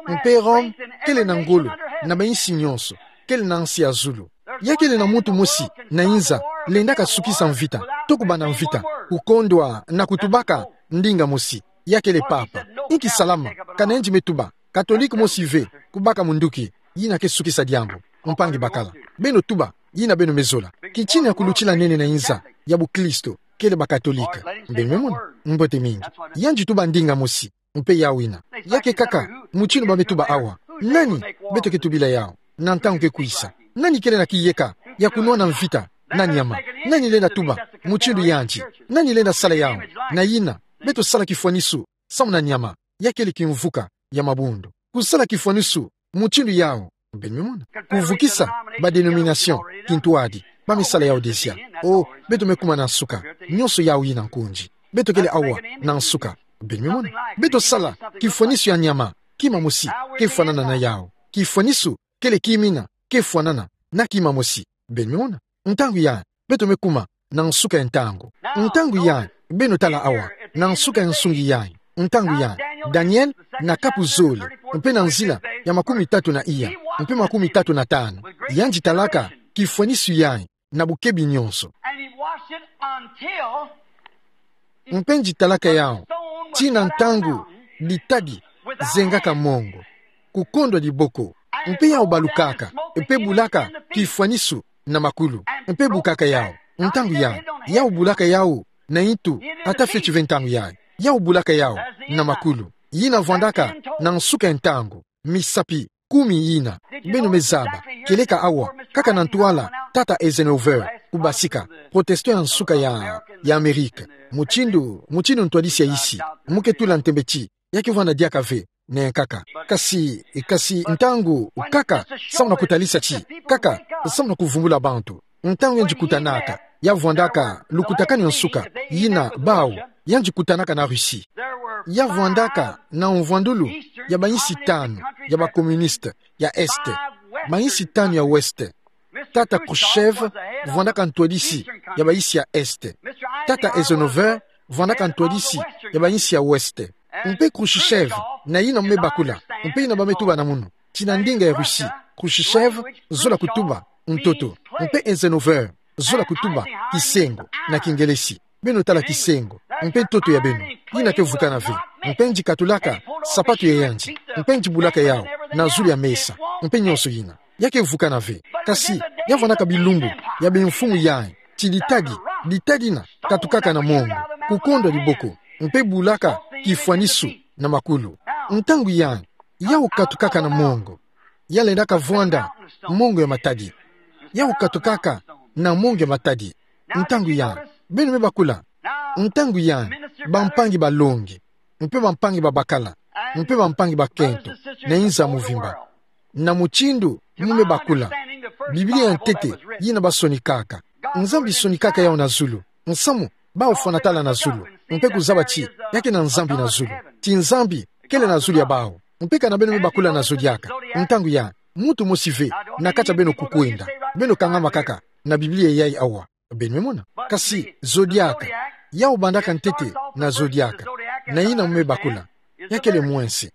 Mpe Rome kele na ngolo na ba insi nyonso, kele na nsi ya zulu. Ya kele na muntu mosi na inza lendaka sukisa mvita, to kubanda mvita, kukondwa na kutubaka ndinga mosi. Ya kele papa. Inki salama? Kana yandi me tuba, Katolike mosi ve kubaka munduki yina ke sukisa diambu. Mpangi bakala, beno tuba yina beno me zola. Kitina ya kulutila nene na inza ya bukristo kele ba Katolike. Beno me mona? Mbote mingi. Yandi tuba ndinga mosi, mpe yawu yina. Ya ke kaka mutindu ba me tuba awa. Nani beto ke tubila yawu na ntangu ke kwisa? Nani kele na kiyeka ya kunwana mvita na nyama? Nani lenda tuba mutindu yandi? Nani lenda sala yawu? Na yina, beto sala kifwanisu samu na nyama. Ya kele kimvuka ya mabundu. Kusala kifwanisu mutindu yawu. Beno me mona? Kuvukisa ba dénomination kintwadi. Ba me sala yawu déjà. Oh, beto me kuma na nsuka. Nyonso yawu yina nkundi. Beto kele awa na nsuka. Beno me mona? Beto sala kifwanisu ya nyama. Kima mosi ke fwanana na yawu. Kifwanisu kele kima yina ke fwanana na kima mosi. Beno me mona. Ntangu yai, beto me kuma na nsuka ya ntangu. Ntangu yai, beno tala awa, na nsuka ya nsungi yai. Ntangu yai, Daniel na kapu zole, mpe na nzila ya makumi tatu na iya, mpe makumi tatu na tanu. Yandi talaka kifwanisu yai na bukebi nyonso. And he watched it until Mpe yandi talaka yau tii na ntangu ditadi zengaka mongo, kukondwa diboko, mpe yau balukaka, mpe bulaka kifwanisu na makulu, mpe bukaka yau. Ntangu yai, yau bulaka yau na intu, ata fioti ve ntangu yai, yau bulaka yau na makulu. Yina vwandaka na nsuka ya ntangu, misapi kumi yina. Beno me zaba, kieleka awa, kaka na ntwala tata Eisenhower, kubasika, protestant ya nsuka ya, ya Amerika. Mutindu, mutindu ntwadisi ya isi, mu ke tula ntembe ti ya ke vwanda diaka ve na yankaka. Kasi, kasi ntangu kaka, samu na kutalisa ti kaka, samu na kuvumbula bantu. Ntangu yandi kutanaka, ya vwandaka lukutakanu ya nsuka, yina bau, yandi kutanaka na Russie. Ya vwandaka na mvwandulu ya bayinsi tanu ya ba communiste ya Est, bayinsi tanu ya Ouest. Tata Khrushchev vwandaka ntwadisi ya bayinsi ya Est. Tata Eisenhower vwandaka ntwadisi ya bayinsi ya Ouest. Mpe Khrushchev, na yina mu me bakula, mpe yina ba me tuba na munu, ti na ndinga ya Russie, Khrushchev zola kutuba ntoto, mpe Eisenhower zola kutuba kisengo na Kingelesi. Beno tala kisengo mpe ntoto ya beno, yina ke vukana ve. Mpe yandi katulaka sapatu ya yandi, mpe yandi bulaka yau na zulu ya mesa, mpe nyonso yina. Ya ke vukana ve. Kasi ya vwandaka bilumbu ya bimfumu yai, ti ditadi, ditadi yina katukaka na mongo, kukondwa diboko, mpe bulaka kifwanisu na makulu. Ntangu yai, yau katukaka na mongo, ya lendaka vwanda mongo ya matadi. Yau katukaka na mongo ya matadi. Ntangu yai, beno me bakula. Ntangu yai, bampangi balongi, mpe bampangi babakala, mpe bampangi bakento, na inza muvimba, na mutindu mu me bakula, Biblia ya ntete yina ba sonikaka. Nzambi sonikaka yau na zulu. Nsamu bau fwana tala na zulu, mpe kuzaba ti ya ke na Nzambi na zulu. Ti Nzambi kele na zulu ya bau. Mpe kana beno me bakula na zo diaka, ntangu yai, muntu mosi ve na kati ya beno kukwenda. Beno kangama kaka na Biblia yai awa. Beno me mona. Kasi zo diaka, yau bandaka ntete na zo diaka, na yina mu me bakula, ya kele mwense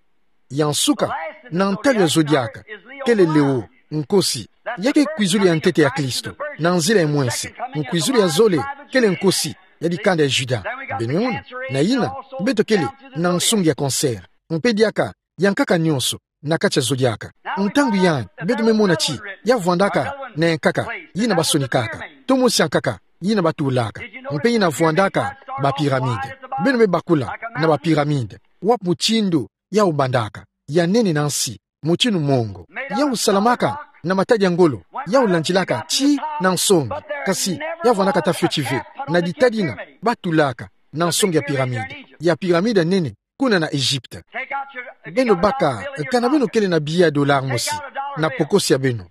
ya nsuka na ntalu ya zo diaka, kele Leo, nkosi. Ya ke kwizulu ya ntete ya Kristo, na nzila ya mwense. Kwizulu ya zole, kele nkosi ya dikanda ya Juda. Beno me mona. Na yina, beto kele na nsongi ya cancer. Mpe diaka, yankaka nyonso na kati ya zo diaka. Ntangu yai, beto me mona ti ya vwandaka na yankaka yina ba sonikaka, to mosi yankaka yina ba tulaka, mpe yina vwandaka ba pyramide. Beno me bakula na ba pyramide, wapi mutindu yau bandaka, ya nene na nsi, mutindu mongo. Yau salamaka na matadi ya ngolo, yau landilaka ti na nsongi, kasi ya vwandaka ata fioti ve na ditadi yina ba tulaka na nsongi ya pyramide, ya pyramide ya nene kuna na Egypte. Beno baka, kana beno kele na billet ya dollar mosi na pokosi ya beno,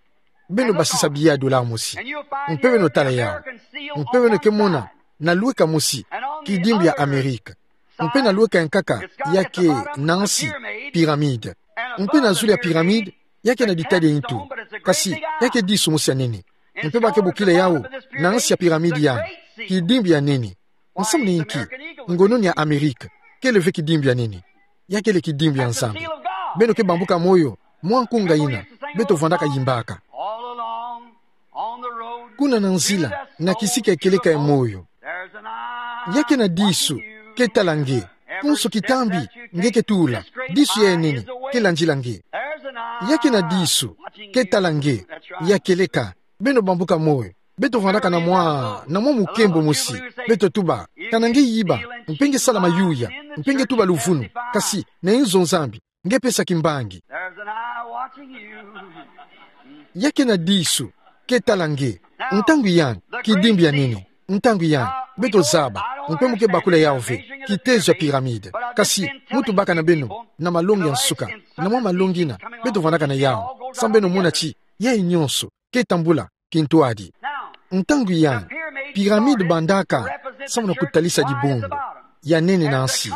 beno basisa billet ya dollar mosi, mpe beno tala yau. Mpe beno ke mona na lweka mosi kidimbu ya Amerika, mpe na lweka yankaka ya ke na nsi pyramide. Mpe na zulu ya pyramide, ya ke na ditadi ya intu, kasi ya ke disu mosi ya nene. Mpe ba ke bokila yau na nsi ya pyramide yai, kidimbu ya nene. Nsamu ni inki? Ngononi ya Amerika kele ve kidimbu ya nene. Ya kele kidimbu ya Nzambi. Beno ke bambuka moyo mwa nkunga yina beto vwandaka yimbaka. Kuna na nzila, na kisika ya kieleka ya moyo, ya ke na disu ke tala nge. Konso kitambi nge ke tula, disu ya nene ke landila nge. Ya ke na disu ke tala nge. Ya kieleka, beno bambuka moyo. Beto vwandaka na mwa, na mwa mukembo mosi. Beto tuba, kana nge yiba, mpe nge sala mayuya, mpe nge tuba luvunu, kasi na inzo Nzambi nge pesa kimbangi. Ya ke na disu ke tala nge. Ntangu yai, kidimbu ya nene. Ntangu yai, beto zaba, mpe mu ke bakula yau ve kitezo ya pyramide. Kasi mu tubaka na beno na malongi ya nsuka, na mwa malongi yina beto vwandaka na yau, samu beno mona ti yai nyonso ke tambula kintwadi. Ntangu yai, pyramide bandaka samu na kutalisa dibundu ya nene na nsi.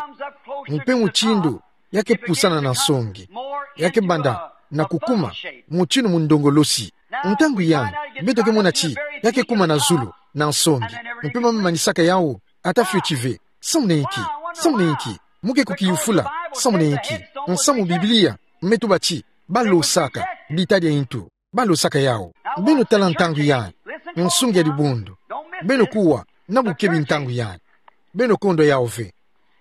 Mpe mutindu ya ke pusana na nsongi, ya ke banda na kukuma mutindu mundongolosi. Ntangu yai, beto ke mona ti, ya ke kuma na zulu, na nsongi. Mpe ba me manisaka yawu, ata fioti ve. Samuni inki, samuni inki, mo ke kukiyufula, samuni inki. Nsamu Biblia, me tuba ti, balosaka, ditadi ya ntu. Balosaka yawu. Beno tala ntangu yai. Nsungi ya dibundu. Beno kuwa, na bukebi ntangu yai. Beno kondwa yawu ve.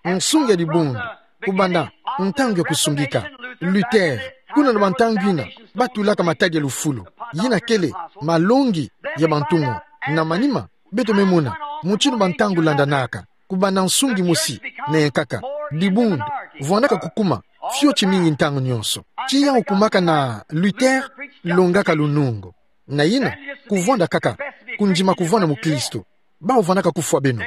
Nsungi ya dibundu. Kubanda, ntangu ya kusungika. Luther, kuna na bantangu ina, batulaka matadi ya lufulu. Yina kele, malongi, ya bantu ngo. Na manima, beto me mona, mutindu bantangu landanaka. Kubanda nsungi mosi, na yankaka. Dibundu, vwandaka kukuma, fioti mingi ntangu nionso. Ti yawu kumaka na Luther, longaka lunungu. Na yina, kuvwanda kaka, kundima kuvwanda mukristo. Bawu vwandaka kufwa beno.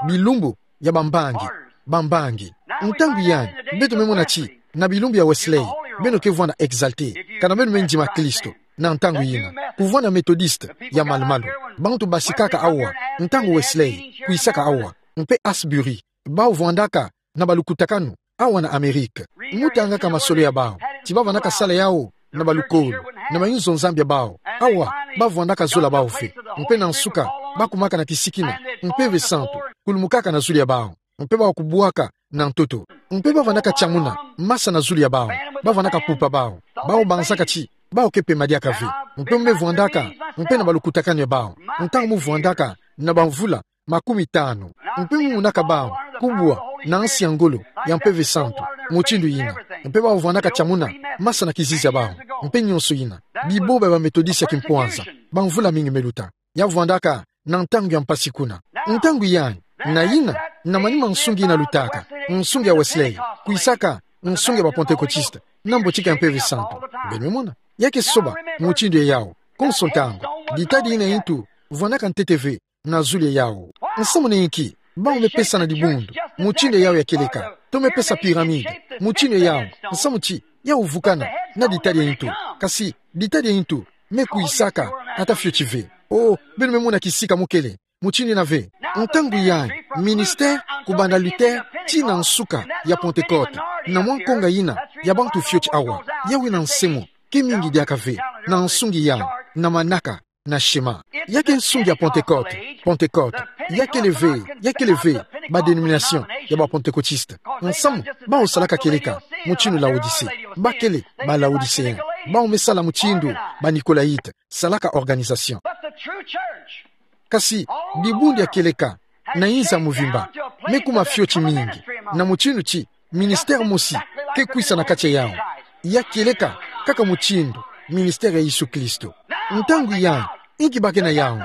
Bilumbu, ya bambangi, bambangi. Ntangu yai, beto me mona ti, na bilumbu ya Wesley, beno ke vwanda exalté. Kana beno me ndima Kristo, na ntangu yina. Kuvwanda Methodiste, ya malumalu. Bantu basikaka awa, ntangu Wesley, kwisaka awa. Mpe Asbury, bawu vwandaka, na balukutakanu, awa na Amérique. Mo tangaka masolo ya bawu, ti bavwandaka sala yawu, na balukolo, na mayinzo Nzambi ya bawu. Awa, bavwandaka zola bawu ve. Mpe na nsuka, bakumaka na kisiki na, Mpeve Santu, kulumukaka na zulu ya bawu. Mpe bawu kubwaka, na ntoto. Mpe bavwandaka tiamuna, masa na zulu ya bawu. Bavwandaka pupa bawu. Bawu banzaka ti, bawu ke pema diaka ve. Mpe mo me vwandaka, mpe na balukutakanu ya bawu. Ntangu mo vwandaka, na bamvula, makumi tanu. Mpe mo monaka bawu, kubwa, na nsi ya ngolo, ya Mpeve Santu, mutindu yina. Mpe bawu vwandaka tiamuna, masa na kizizi ya bawu. Mpe nionso yina. Bibomba ya ba Methodiste ya kimpwanza, bamvula mingi me luta. Ya vwandaka, na ntangu ya mpasi kuna. Ntangu yai, na yina, na manima nsungi ina lutaka, nsungi ya Wesley, kwisaka, nsungi ya ba Pentecôtiste, na mbotika ya Mpeve Santu. Beno me mona. Ya ke soba, mutindu yawu. Konso ntangu. Ditadi ina ya ntu, vwandaka ntete ve, na zulu ya yawu. Nsamu ni inki, bawu me pesa na dibundu, mutindu yawu ya kieleka, to me pesa pyramide, mutindu yawu, nsamu ti, yawu vukana, na ditadi ya ntu. Kasi, ditadi ya ntu, me kwisaka, ata fioti ve. Oh, beno me mona kisika mo kele, mutindu ina ve. Ntangu yai, ministère, kubanda Luther, tii na nsuka, ya Pentecôte, na mwa nkonga yina, ya bantu fioti awa, yawu ina nse mo, ke mingi diaka ve, na nsungi yai, na manaka, na shema. Ya ke nsungi ya Pentecôte, Pentecôte. Ya kele ve, ya kele ve, ba dénomination, ya ba Pentecôtiste. Nsamu, bawu salaka kieleka, mutindu Laodicée. Ba kele, ba Laodiceens. Bawu me sala mutindu, ba Nicolaïtes, salaka organisation. But the true church, kasi, dibundu ya kieleka, na inza mvimba, me kuma fioti mingi, na mutindu ti, ministère mosi, ke kwisa na kati ya yawu. Ya kieleka, kaka mutindu, ministère ya Yesu Kristo. Ntangu yai, inki ba ke na yawu,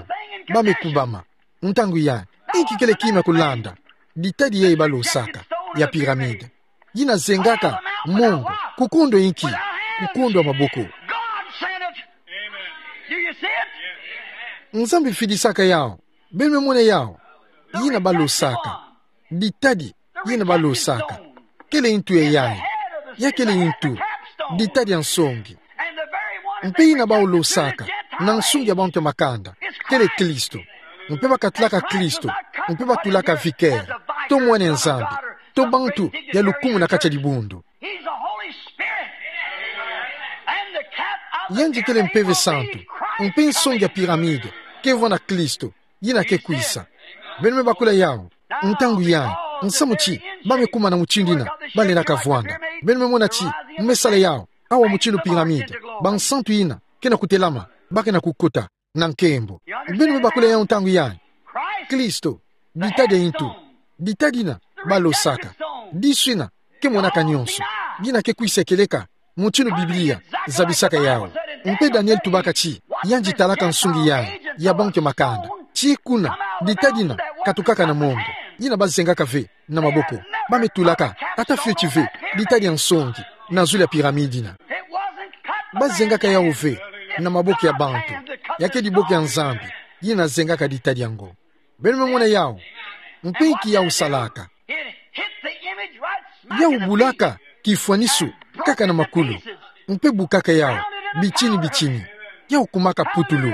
ba me kubama. Ntangu yai, inki kele kima kulanda, ditadi yai balosaka, ya pyramide. Yina zengaka, mongo, kukondwa inki, kukondwa maboko. God sent it. Do you see it? Nzambi fidisaka yawu, beno me mona yawu, yina balosaka. Ditadi, yina balosaka. Kele ntu ya yai. Ya kele ntu. Ditadi ya nsongi. Mpe yina bawu losaka, na nsungi ya bantu ya makanda. Kele Kristo. Mpe ba katalaka Kristo. Mpe batulaka vicaire. To mwana ya Nzambi. To bantu ya lukumu na kati ya dibundu. He's the Holy Spirit. And the cap of the Yandi kele Mpeve Santu. Mpe nsongi ya pyramide. Ke vwanda Kristo. Yina ke kwisa. Beno me bakula yawu. Ntangu yai. Nsamu ti. Ba me kuma na mutindu yina. Ba lenda kavwanda. Beno me mona ti. Mo me sala yawu. Awa mutindu pyramide. Ba nsantu yina. Ke na kutelama. Ba ke na kukota. Na nkembo. Beno me bakula yawu ntangu yai. Kristo. Ditadi ya ntu. Ditadi yina. Balosaka. Disu yina. Ke monaka nionso. Yina ke kwisa kieleka. Mutindu Biblia zabisaka yawu. Mpe Daniel tubaka ti, yandi talaka nsungi yai, ya bantu ya makanda. Ti kuna, ditadi yina, katukaka na mongo. Yina bazengaka ve, na maboko. Ba me tulaka, ata fioti ve, ditadi ya nsongi, na zulu ya pyramide yina. Bazengaka yawu ve, na maboko ya bantu. Ya ke diboko ya Nzambi, yina zengaka ditadi yango. Beno me mona yawu. Mpe inki yawu salaka. Yawu bulaka kifwanisu kaka na makulu. Mpe bukaka yawu bitini bitini. Yawu kumaka putulu.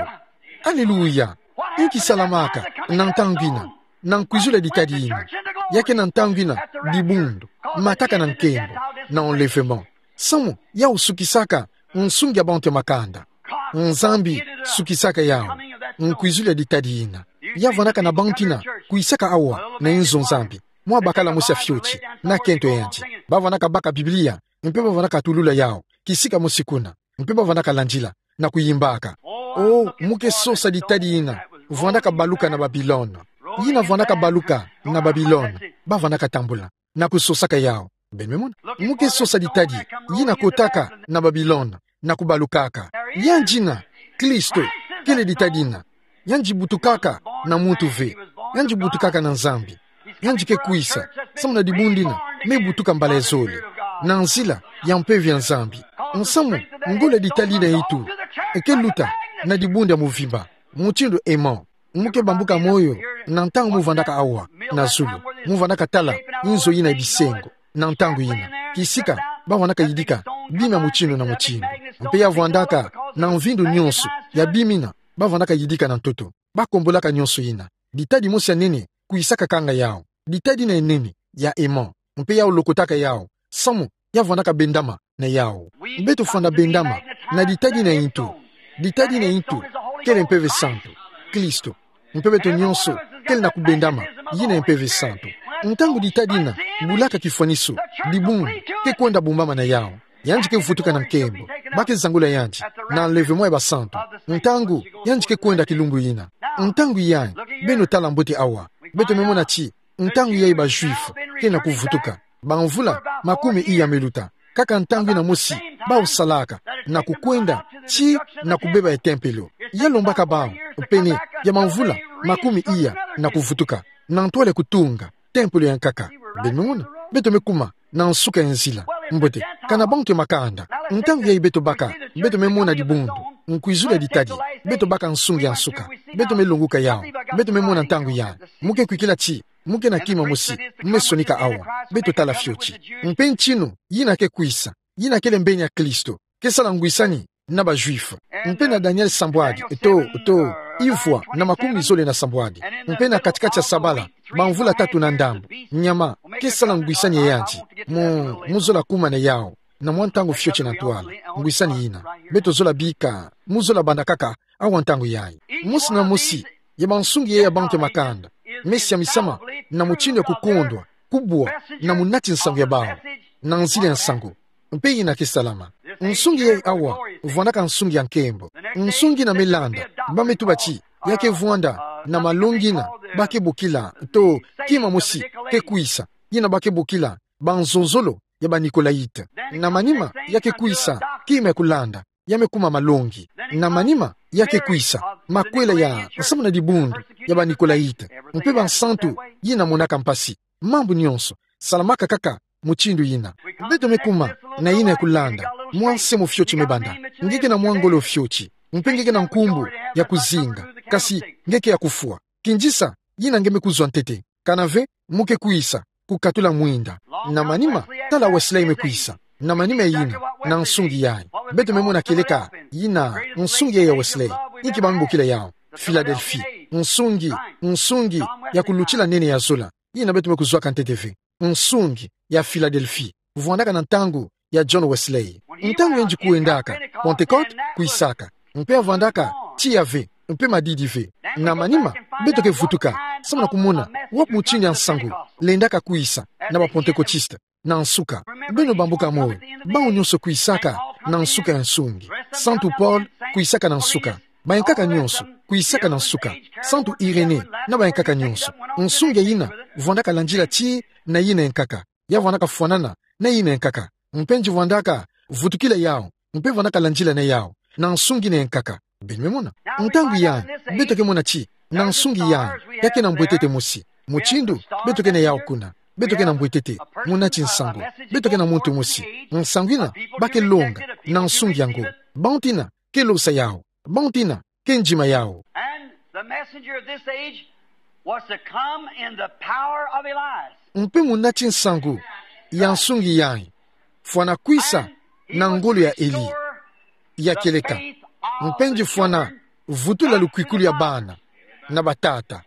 Aleluya. Inki salamaka na ntangu yina. Na nkwizulu ya ditadi yina. Ya ke na ntangu yina dibundu. Mataka na nkembo. Na enlèvement. Samu yawu sukisaka nsungi ya bantu ya makanda. Nzambi sukisaka yawu. Nkwizulu ya ditadi yina. Ya vwanaka na bantu ina kwisaka awa na inzo Nzambi. Mwa bakala mosi ya fioti, na kento yandi. Ba vwanaka baka Biblia, mpe ba vwanaka tulula yawu kisika mosi kuna, mpe ba vwanaka landila, na kuyimbaka: Oh, mu ke sosa ditadi ina, vwanaka baluka na Babilona. Yina vwanaka baluka na Babilona, ba vwanaka tambula na kusosaka yawu. Beno me mona? Mu ke sosa ditadi yina kotaka na Babilona, na kubalukaka. Yandi ina, Kristo, kele ditadi ina. Yandi butukaka na muntu ve. Yandi butukaka na Nzambi. Yandi ke kwisa, samu na dibundu ina me butuka mbala ya zole, na nzila ya Mpeve ya Nzambi. Nsamu, ngolo ya ditadi ina itu, e ke luta na dibundu ya mvimba, mutindu Emon. Mu ke bambuka moyo na ntangu mu vwandaka awa na zulu, mu vwandaka tala inzo ina ya bisengo. Na ntangu ina, kisika, ba vwandaka yidika bima mutindu na mutindu. Mpe ya vwandaka na mvindu nyonso ya bima ina ba vwandaka yidika na ntoto. Ba kombolaka nyonso ina. Ditadi mosi ya nene kwisaka kanga yawu. Ditadi ina ya nene, ya Emon. Mpe yawu lokotaka yawu, samu ya vwandaka bendama na yawu. Beto fwana bendama na ditadi ina itu. Ditadi ina itu kele Mpeve Santu, Kristo. Mpe beto nyonso kele na kubendama yina ya Mpeve Santu. Ntangu ditadi ina bulaka kifwaniso, dibundu ke kwenda bumbama na yawu. Yandi ke vutuka na nkembo. Ba ke zangula yandi na enlèvement ya basantu, ntangu yandi ke kwenda kilumbu ina. Ntangu yayi, beno tala mbote awa. Beto me mona ti ntangu yayi ba Juifs ke na kuvutuka. Bamvula makumi iya me luta, kaka ntangu ina mosi bawu salaka, na kukwenda tii na kubeba ya tempelo. Ya lombaka bawu pene ya bamvula makumi iya na kuvutuka, na ntwala ya kutunga tempelo ya nkaka. Beno me mona? Beto me kuma na nsuka ya nzila. Mbote, kana bantu ya makanda. Ntangu yayi beto baka, beto me mona dibundu, nkwizulu ya ditadi. Beto baka nsungi ya nsuka. Beto me longuka yawu. Beto me mona ntangu yayi. Mu ke kwikila ti mu ke na kima mosi mu me sonika awa. Beto tala fioti. Mpe ntinu yina ke kwisa, yina kele mbeni ya Kristo, ke sala ngwisani na ba Juifs. Mpe na Daniel sambwadi, to, to, ivwa na makumi zole na sambwadi, mpe na katikati ya sabala, bamvula tatu na ndambu, nyama ke sala ngwisani ya yandi. Mu, mu zola kuma na yawu na mwa ntangu fioti na ntwala. Ngwisani yina, beto zola bika, mu zola banda kaka awa ntangu yayi. Mosi na mosi ya bansungi yayi ya bantu ya makanda me siamisama na mutindu ya kukondwa, kubwa na munati nsangu ya bawu na nzila ya nsangu. Mpe yina ke salama. Nsungi yayi awa vwandaka nsungi ya nkembo. Nsungi ina me landa, ba me tuba ti ya ke vwanda na malongi ina ba ke bokila, to, kima mosi ke kwisa, yina ba ke bokila banzonzolo ya ba Nicolaïtes. Na manima ya ke kwisa kima ya kulanda, ya me kuma malongi. Na manima ya ke kwisa makwela ya nsamu na dibundu ya ba Nicolaïtes, mpe bansantu yina monaka mpasi. Mambu nyonso salamaka kaka mutindu yina. Beto me kuma na yina ya kulanda, mwa nse mo fioti me banda. Nge ke na mwa ngolo fioti, mpe nge ke na nkumbu ya kuzinga, kasi nge ke ya kufwa. Kindisa yina nge me kuzwa ntete. Kana ve, mu ke kwisa kukatula mwinda. Na manima, tala Wesley me kwisa. Na manima ya yina, na nsungi yayi, beto me mona kieleka yina, nsungi yayi ya Wesley. Inki ba me bokila yawu? Philadelphie. Nsungi, nsungi ya kulutila nene ya zola. Yina beto me kuzwaka ntete ve. Nsungi ya Philadelphie. Vwandaka na ntangu ya John Wesley. Ntangu yandi kwendaka, Pentecôte kwisaka. Mpe ya vwandaka tiya ve, mpe madidi ve. Na manima, beto ke vutuka samu na kumona wapi mutindu ya nsangu lendaka kwisa na ba Pentecôtistes na nsuka. Beno bambuka moyo, bawu nyonso kwisaka na nsuka ya nsungi. Santu Paul kwisaka na nsuka. Bayankaka nyonso kwisaka na nsuka. Santu Irénée na bayankaka nyonso. Nsungi ya yina vwandaka landila tii na yina ya nkaka. Ya vwandaka fwanana na yina ya nkaka. Mpe yandi vwandaka vutukila yawu, mpe vwandaka landila na yawu na nsungi ina ya nkaka. Beno me mona? Ntangu yayi, beto ke mona ti na nsungi yayi, ya ke na mbwetete mosi. Mutindu beto ke na yawu kuna, beto ke na mbwetete, munati nsangu. Beto ke na muntu mosi, nsangu ina ba ke longa na nsungi yango. Bantu ina ke losa yawu, bantu ina ke ndima yawu. And the messenger of this age was to come in the power of Elias. Mpe munati nsangu ya nsungi yayi fwana kwisa na ngolo ya Eli ya kieleka. Mpe yandi fwana vutula lukwikulu ya bana na batata.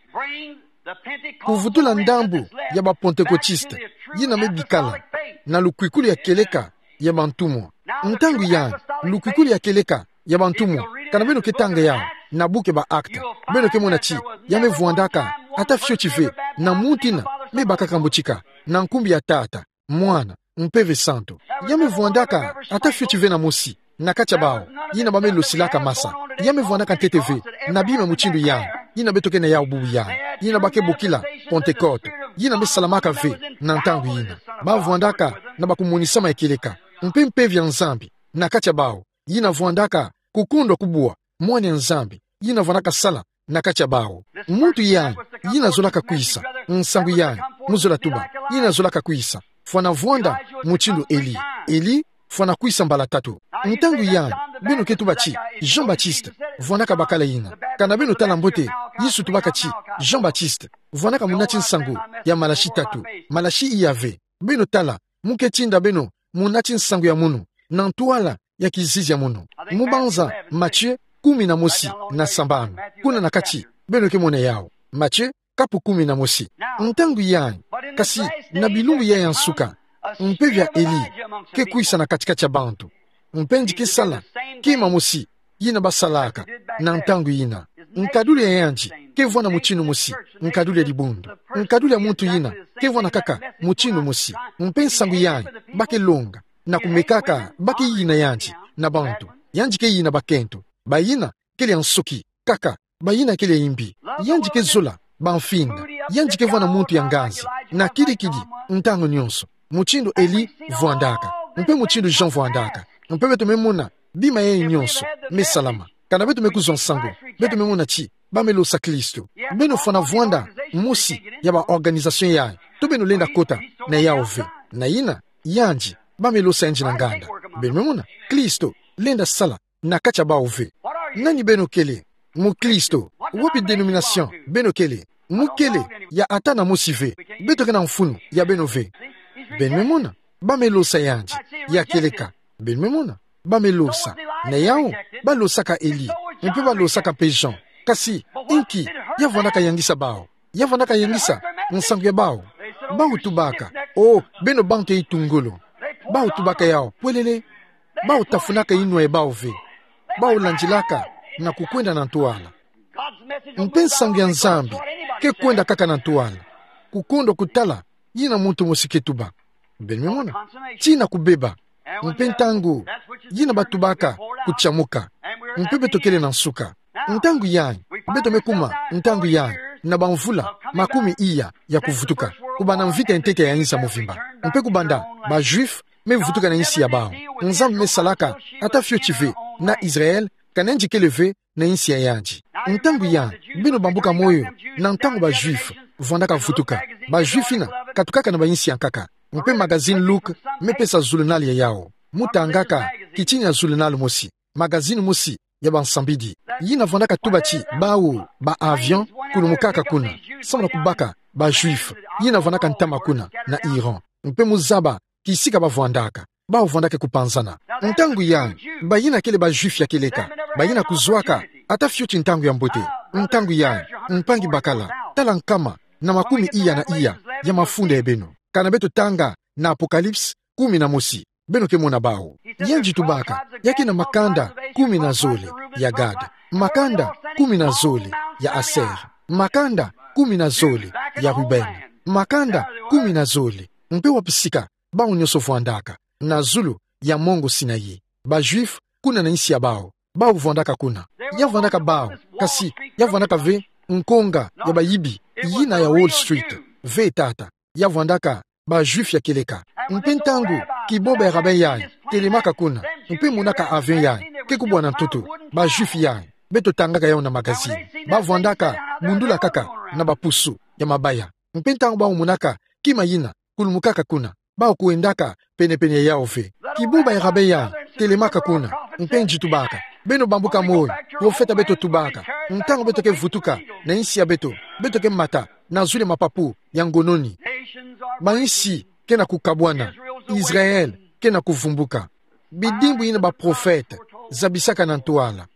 Kuvutula ndambu ya ba Pentecôtistes yina me bikala na lukwikulu ya kieleka ya bantumwa. Ntangu yayi, lukwikulu ya kieleka ya bantumwa Kana beno ke tanga yawu na buku ya ba Actes, beno ke mona ti ya me vwandaka ata fioti ve na muntu ina me bakaka mbutika na nkumbu ya Tata, Mwana, Mpeve Santu. Ya me vwandaka ata fioti ve na mosi na kati ya bawu ina ba me losilaka masa. Ya me vwandaka ntete ve na bima mutindu yandi, ina beto ke na yawu bubu yandi, ina ba ke bokila Pentecôte, ina me salamaka ve na ntangu ina. Ba vwandaka na ba kumonisama ya kieleka, mpe Mpeve ya Nzambi na kati ya bawu ina vwandaka kukundwa kubwa Mwana ya Nzambi, ina vwandaka sala na kati ya bawu. Muntu yandi ina zolaka kwisa, nsangu yandi, mu zola tuba, ina zolaka kwisa, fwana vwanda mutindu Eli. Eli fwana kwisa mbala tatu. Ntangu yandi, beno ke tuba ti Jean-Baptiste vwandaka bakala ina. Kana beno tala mbote, Yesu tubaka ti Jean-Baptiste vwandaka munati nsangu ya Malachi tatu. Malachi iya ve. Beno tala, mu ke tinda beno munati nsangu ya munu, na ntwala ya kizizi ya munu. Mu banza Matthieu kumi na mosi na sambanu. Kuna na kati, beno ke mona yawu. Matthieu, kapu kumi na mosi. Ntangu yandi, kasi na bilumbu yayi ya nsuka, Mpeve ya Eli ke kwisa na kati-kati ya bantu. Mpe yandi ke sala kima mosi ina ba salaka na ntangu ina. Nkadulu ya yandi ke vwanda mutindu mosi, nkadulu ya dibundu. Nkadulu ya muntu ina ke vwanda kaka mutindu mosi. Mpe nsangu yandi ba ke longa na kumekaka, ba ke yina yandi na bantu. Yandi ke yina bakento, bayina kele ya nsoki kaka, bayina kele ya imbi. Yandi ke zola bamfinda. Yandi ke vwanda muntu ya nganzi na kidi-kidi, ntangu nyonso, mutindu Eli vwandaka, mpe mutindu Jean vwandaka. Mpe beto me mona bima yayi nyonso me salama. Kana beto me kuzwa nsangu, beto me mona ti ba me losa Kristo. Beno fwana vwanda mosi ya ba organisation yayi, to beno lenda kota na yawu ve. Na ina, yandi, ba me losa yandi na nganda. Beno me mona, Kristo lenda sala na kati ya bawu ve. Nani beno kele? Mukristo. Wapi dénomination beno kele? Mu kele ya ata na mosi ve. Beto ke na mfunu ya beno ve. Beno me mona, ba me losa yandi ya kieleka. Beno me mona, ba me losa. Na yawu, ba losaka Eli, mpe ba losaka mpe Jean. Kasi inki ya vwandaka yangisa bawu? Ya vwandaka yangisa nsangu ya bawu? Bawu tubaka: "O, beno bantu ya itu ngolo." Bawu tubaka yawu pwelele. Bawu tafunaka inwa ya bawu ve. Bawu landilaka na kukwenda na ntwala. Mpe nsangu ya Nzambi ke kwenda kaka na ntwala, kukondwa kutala yina muntu mosi ke tuba. Beno me mona, tina kubeba. Mpe ntangu yina ba tubaka kutiamuka. Mpe beto kele na nsuka. Ntangu yayi, beto me kuma ntangu yayi na bamvula makumi iya ya kuvutuka, kubanda mvita ya ntete ya insi ya mvimba. Mpe kubanda ba Juifs me vutuka na insi ya bawu, Nzambi me salaka ata fioti ve na Israël, kana yandi kele ve na insi ya yandi. Ntangu yayi, beno bambuka moyo na ntangu ba Juifs vwandaka vutuka. Ba Juifs ina katukaka na ba insi ya nkaka. Mpe magazini Look me pesa zulunal ya yawu. Mu tangaka kitini ya zulunal mosi, magazini mosi ya bansambidi, yina vwandaka tuba ti bawu ba avion kulumukaka kuna, samu na kubaka ba Juifs yina vwandaka ntama kuna na Iran. Mpe mu zaba kisika ba vwandaka, bawu vwandaka kupanzana. Ntangu yayi, bayina kele ba Juifs ya kieleka, bayina kuzwaka ata fioti ntangu ya mbote. Ntangu yayi, mpangi bakala, tala nkama na makumi iya na iya ya mafunda ya beno. Kana beto tanga na Apocalypse kumi na mosi, beno ke mona bawu. Yandi tubaka, ya ke na makanda kumi na zole ya Gad, makanda kumi na zole ya Aser, makanda kumi na zole ya Ruben, makanda kumi na zole. Mpe wapi sika bawu nyonso vwandaka? Na zulu ya mongo Sinaï. Ba Juifs kuna na insi ya bawu, bawu vwandaka kuna. Ya vwandaka bawu, kasi ya vwandaka ve nkonga ya bayibi yina ya Wall Street. Ve tata. Ya vwandaka ba Juifs ya kieleka. Mpe ntangu kibomba ya rabbin yayi telemaka kuna, mpe monaka avion yayi ke kubwa na ntoto, ba Juifs yayi, beto tangaka yawu na magazini, ba vwandaka bundula kaka na bapusu ya mabaya. Mpe ntangu bawu monaka kima yina kulumukaka kuna, bawu kwendaka pene-pene ya yawu ve. Kibomba ya rabbin yayi telemaka kuna, mpe yandi tubaka: Beno bambuka moyo, profeta beto tubaka, ntangu beto ke vutuka na insi ya beto, beto ke mata na zulu ya mapapu ya ngononi. Ba insi ke na kukabwana, Israël ke na kuvumbuka. Bidimbu yina baprofeta zabisaka na ntwala.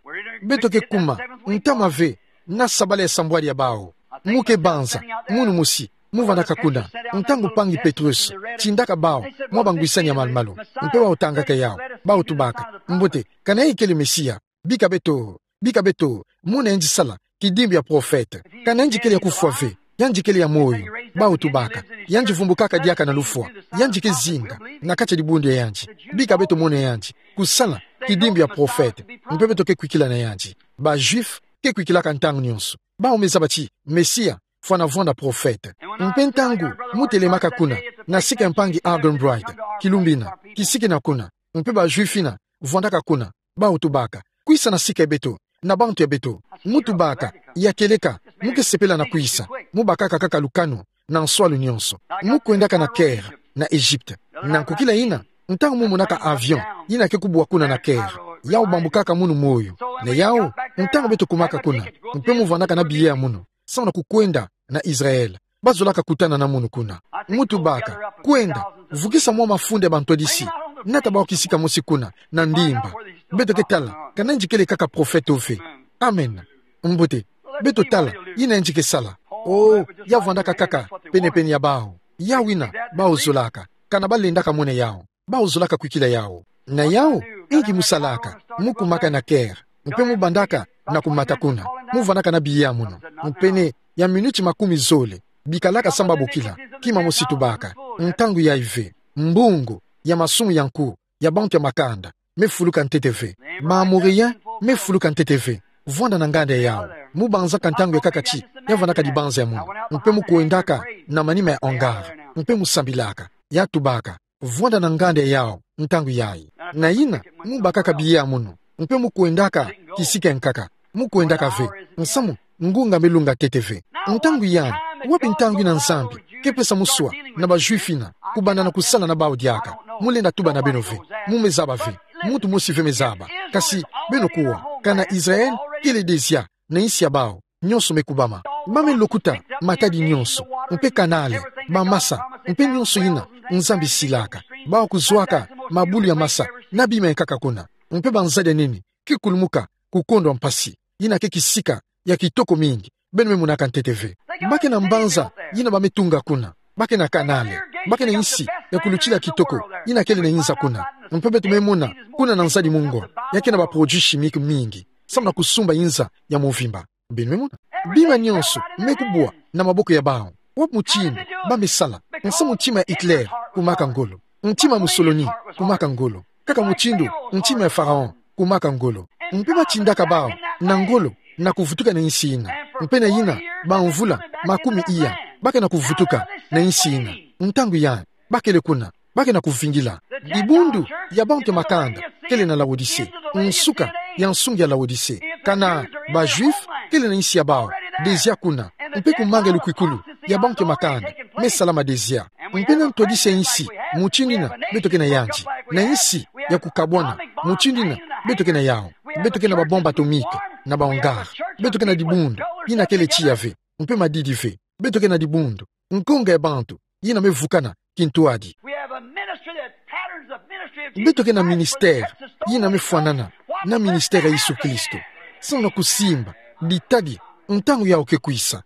Beto ke kuma ntama ve na sabala ya sambwadi ya bawu. Mu ke banza munu mosi mu vwandaka kuna, ntangu mpangi Petrus tindaka bawu mwa bangwisani ya malu-malu, mpe bawu tangaka yawu, bawu tubaka: Mbote, kana yandi kele Mesia, bika beto Bika beto mona yandi sala kidimbu ya profete. Ka nayandi kele ya kufwa ve, yandi kele ya moyo. Bawu tubaka, yandi vumbukaka diaka na lufwa, yandi ke zinga na kati ya dibundu ya yandi. Bika beto mona yandi kusala kidimbu ya profete, mpe beto ke kwikila na yandi. Ba Juifs ke kwikilaka ntangu nionso. Bawu me zaba ti Mesia fwana vwanda profete. Mpe ntangu mu telemaka kuna, na sika ya mpangi Arganbright, kilumbu ina, kisika ina kuna, mpe ba Juifs ina vwandaka kuna, bawu tubaka: Kwisa na sika ya beto, na bantu ya beto. Mu tubaka: Ya kieleka, mu ke sepela na kwisa. Mu bakaka kaka lukanu na nswalu nionso. Mu kwendaka na Caire, na Egypte. Na nkokila ina, ntangu mu monaka avion ina ke kubwa kuna na Caire, yawu bambukaka munu moyo. Na yawu, ntangu beto kumaka kuna, mpe mu vwandaka na billet ya munu, samu na kukwenda na Israël, bazolaka kutana na munu kuna. Mu tubaka: Kwenda, vukisa mwa mafunda ya bantwadisi, nata bawu kisika mosi kuna, na ndimba. Beto ke tala ka nayandi kele kaka profete to ve. Amen. Mbote. Beto tala ina yandi ke sala. Oh, ya vwandaka kaka penepene ya bawu. Yawu ina bawu zolaka, kana balendaka mona yawu. Bawu zolaka kwikila yawu. Na yawu, inki mu salaka? Mu kumaka na Caire, mpe mu bandaka na kumata kuna. Mu vwandaka na billet ya munu. Mpene ya minuti makumi zole, bikalaka samu babokila. Kima mosi tubaka: Ntangu yayi ve. Mbungu ya masumu ya nku ya bantu ya makanda me fuluka ntete ve. Ba Moréens me fuluka ntete ve. Vwanda na nganda ya yawu. Mu banzaka ntangu ya kaka ti ya vwandaka dibanza ya munu. Mpe mu kwendaka na manima ya hangar, mpe mu sambilaka. Ya tubaka: Vwanda na nganda ya yawu ntangu yayi. Na ina, mu bakaka billet ya munu, mpe mu kwendaka kisika ya nkaka. Mu kwendaka ve, nsamu ngunga me lunga ntete ve. Ntangu yandi, wapi ntangu ina Nzambi ke pesa muswa na ba Juifs ina kubanda na kusala na bawu diaka? Mu lenda tuba na beno ve. Mu me zaba ve. Muntu mosi ve me zaba. Kasi beno kuwa, kana Israël kele dezia na insi ya bawu, nionso me kubama. Ba me lokuta matadi nionso, mpe kanale, bamasa, mpe nionso ina Nzambi silaka. Bawu kuzwaka mabulu ya masa na bima ya nkaka kuna, mpe banzadi ya nene ke kulumuka ku kondo ya mpasi. Ina ke kisika ya kitoko mingi. Beno me monaka ntete ve. Ba ke na mbanza ina ba me tunga kuna. Ba ke na kanale. Ba ke na insi ya kulutila kitoko ina kele na inza kuna. Mpe beto me mona kuna na nzadi mungwa, ya ke na ba produits chimiques mingi samu na kusumba inza ya movimba. Beno me mona? Bima nionso me kubwa na maboko ya bawu. Wapi mutindu ba me sala? Nsamu ntima ya Hitler kumaka ngolo. Ntima ya Mussolini kumaka ngolo. Kaka mutindu ntima ya Pharaon kumaka ngolo. Mpe ba tindaka bawu na ngolo na kuvutuka na insi ina. Mpe na ina, bamvula makumi iya, ba ke na kuvutuka na insi ina. Ntangu yandi, ba kele kuna, ba ke na kuvingila. Dibundu ya bantu ya makanda kele na Laodicée. Nsuka ya nsungi ya Laodicée. Kana ba Juifs kele na insi ya bawu dezia kuna. Mpe ku manga ya lukwikulu ya bantu ya makanda me salama dezia. Mpe na ntwadisi ya insi mutindu ina beto ke na yandi, na insi ya kukabwana mutindu ina beto ke na yawu. Beto ke na ba bombe atomique na ba hangar. Beto ke na dibundu ina kele tiya ve, mpe madidi ve. Beto ke na dibundu, ngonga ya bantu ina me vukana kintwadi. We have a ministry that patterns the ministry of Jesus Christ. Beto ke na ministère ina me fwanana na ministère ya Yesu Kristo. Samu na kusimba ditadi ntangu yawu ke kwisa.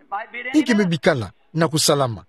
Inki me bikala na kusalama?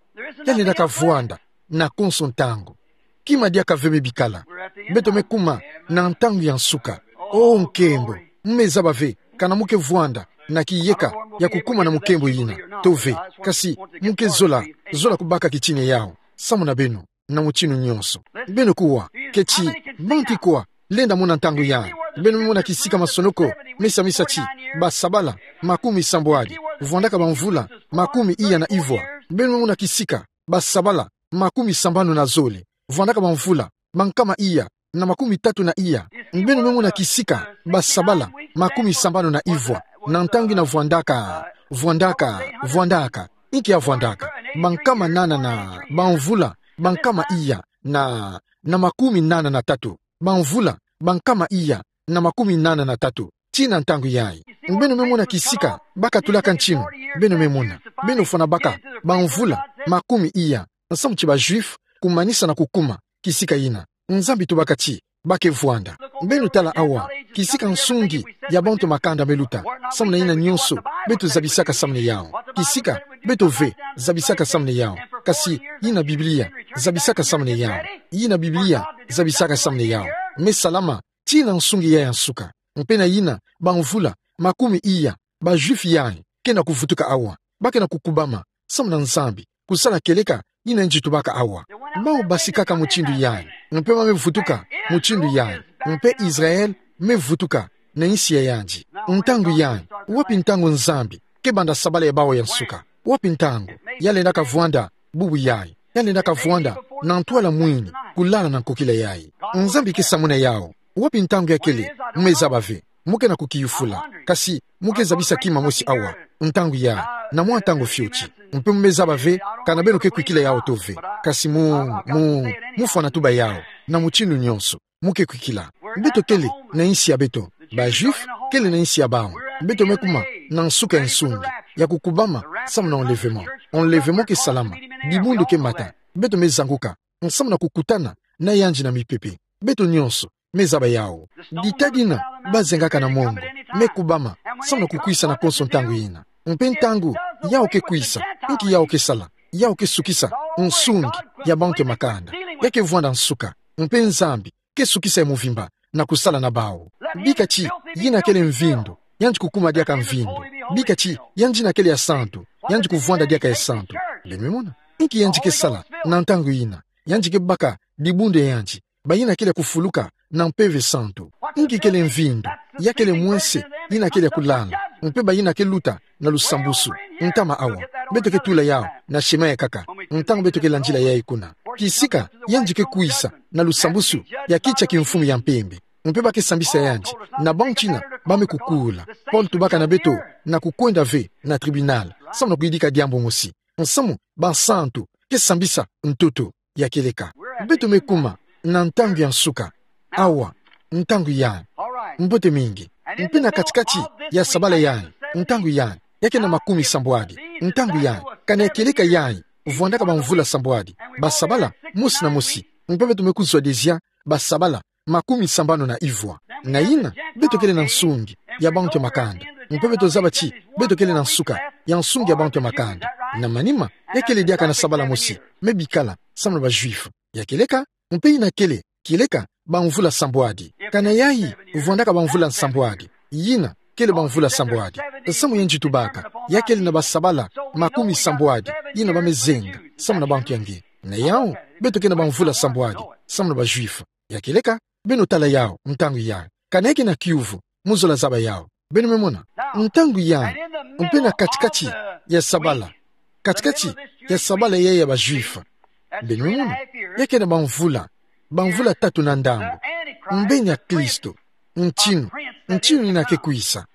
Ya lenda kavwanda na konso ntangu. Kima diaka ve me bikala. Beto me kuma na ntangu ya nsuka. Oh, nkembo. Mu me zaba ve kana mu ke vwanda na kiyeka ya kukuma na mukembo ina to ve. Kasi mu ke zola, zola kubaka kitina yawu samu na beno na mutinu nionso. Beno kuwa, keti, bantu kwa lenda mona ntangu yandi? Beno me mona kisika masonoko me samisa ti basabala makumi sambwadi, vwandaka bamvula makumi iya na ivwa? Beno me mona kisika basabala makumi sambanu na zole, vwandaka bamvula bankama iya na makumi tatu na iya? Beno me mona kisika basabala makumi sambanu na ivwa? Na ntangu ina vwandaka, vwandaka, vwandaka. Inki ya vwandaka? Bankama nana na bamvula bankama iya na, na makumi nana na tatu. Bamvula bankama iya na makumi nana na tatu. Tii na ntangu yayi. Beno me mona kisika bakatulaka ntinu? Beno me mona. Beno fwana baka bamvula makumi iya nsamu ti ba Juifs kumanisa na kukuma kisika ina. Nzambi tubaka ti ba ke vwanda. Beno tala awa kisika nsungi ya bantu makanda me luta. Samu na ina nionso beto zabisaka samu na yawu. Kisika beto ve zabisaka samu na yawu. Kasi ina Biblia zabisaka samu na yawu. Ina Biblia zabisaka samu na yawu. Me salama tii na nsungi ya ya nsuka. Mpe na ina bamvula makumi iya ba Juifs yayi ke na kuvutuka awa, ba ke na kukubama samu na Nzambi, kusala kieleka yina yandi tubaka awa. Bau basikaka mutindu yayi, mpe ba me vutuka mutindu yayi, mpe Israel me vutuka na insi ya yandi. Ntangu yayi, wapi ntangu Nzambi ke banda sabala ya bau ya nsuka? Wapi ntangu? Ya lendaka vwanda bubu yayi, ya lendaka vwanda na ntwala mwini, kulala na nkokila yayi. Nzambi ke samuna yau. Wapi ntangu ya kele? Me zaba ve. Mo ke na kukiyufula. Kasi mo ke zabisa kima mosi awa. Ntangu yayi, na mwa ntangu fioti. Mpe mo me zaba ve, kana beno ke kwikila yau to ve. Kasi mo, mo, mo fwana tuba yau na mutindu nyonso. Mo ke kwikila. Beto kele na insi ya beto. Ba Juifs kele na insi ya bau. Beto me kuma na nsuka ya nsungi ya kukubama samu na enlèvement. Enlèvement ke salama. Dibundu ke mata. Beto me zanguka samu na kukutana na yandi na mipepe. Beto nyonso me zaba yau. Dita dina ba zengaka na mongo me kubama samu na kukwisa na konso ntangu yina. Mpe ntangu yau ke kwisa, inki yau ke sala? Yau ke sukisa nsungi ya bantu ya makanda. Ya ke vwanda nsuka. Mpe Nzambi ke sukisa ya muvimba na kusala na bau. Bika ti yina kele mvindu, yandi kukuma diaka mvindu. Bika ti yandi yina kele ya santu, yandi kuvwanda diaka ya santu. Beno me mona? Inki yandi ke sala na ntangu yina? Yandi ke baka dibundu ya yandi, bayina kele ya kufuluka na Mpeve Santu. Inki kele mvindu? Ya kele mwense yina kele ya kulala, mpe bayina ke luta na lusambusu. Ntama awa, beto ke tula yau na chemin ya nkaka ntangu beto ke landila yayi kuna. Kisika yandi ke kwisa na lusambusu ya kiti ya kimfumu ya mpembe, mpe ba ke sambisa yandi na bantu yina ba me kukula. Paul tubaka na beto na kukwenda ve na tribunal samu na kuyidika diambu mosi, nsamu bansantu ke sambisa ntoto. Ya kieleka, beto me kuma na ntangu ya nsuka. Awa, ntangu yayi. Mbote mingi. Mpe na kati-kati ya sabala yayi, ntangu yayi, ya ke na makumi sambwadi. Ntangu yayi, kana ya kieleka yayi, vwandaka bamvula sambwadi, ba sabala mosi na mosi. Mpe beto me kuzwa dezia ba sabala makumi sambanu na ivwa. Na yina, beto kele na nsungi ya bantu ya makanda. Mpe beto zaba ti beto kele na nsuka ya nsungi ya bantu ya makanda. Na manima, ya kele diaka na sabala mosi me bikala samu na ba Juifs. Ya kieleka, mpe yina kele, kieleka bamvula sambwadi. Kana yayi vwandaka bamvula sambwadi, yina kele bamvula sambwadi. Nsamu yandi tubaka, ya kele na ba sabala makumi sambwadi yina ba me zenga samu na bantu ya nge. Na yau, beto ke na bamvula sambwadi samu na ba Juifs. Ya kieleka, beno tala yau ntangu yayi. Kana ya ke na kiuvu, mo zola zaba yau. Beno me mona? Ntangu yayi, mpe na kati-kati ya sabala, kati-kati ya sabala yayi ya ba Juifs, beno me mona, ya ke na bamvula, bamvula tatu na ndambu, mbeni ya Kristo, ntinu, ntinu yina ke kwisa.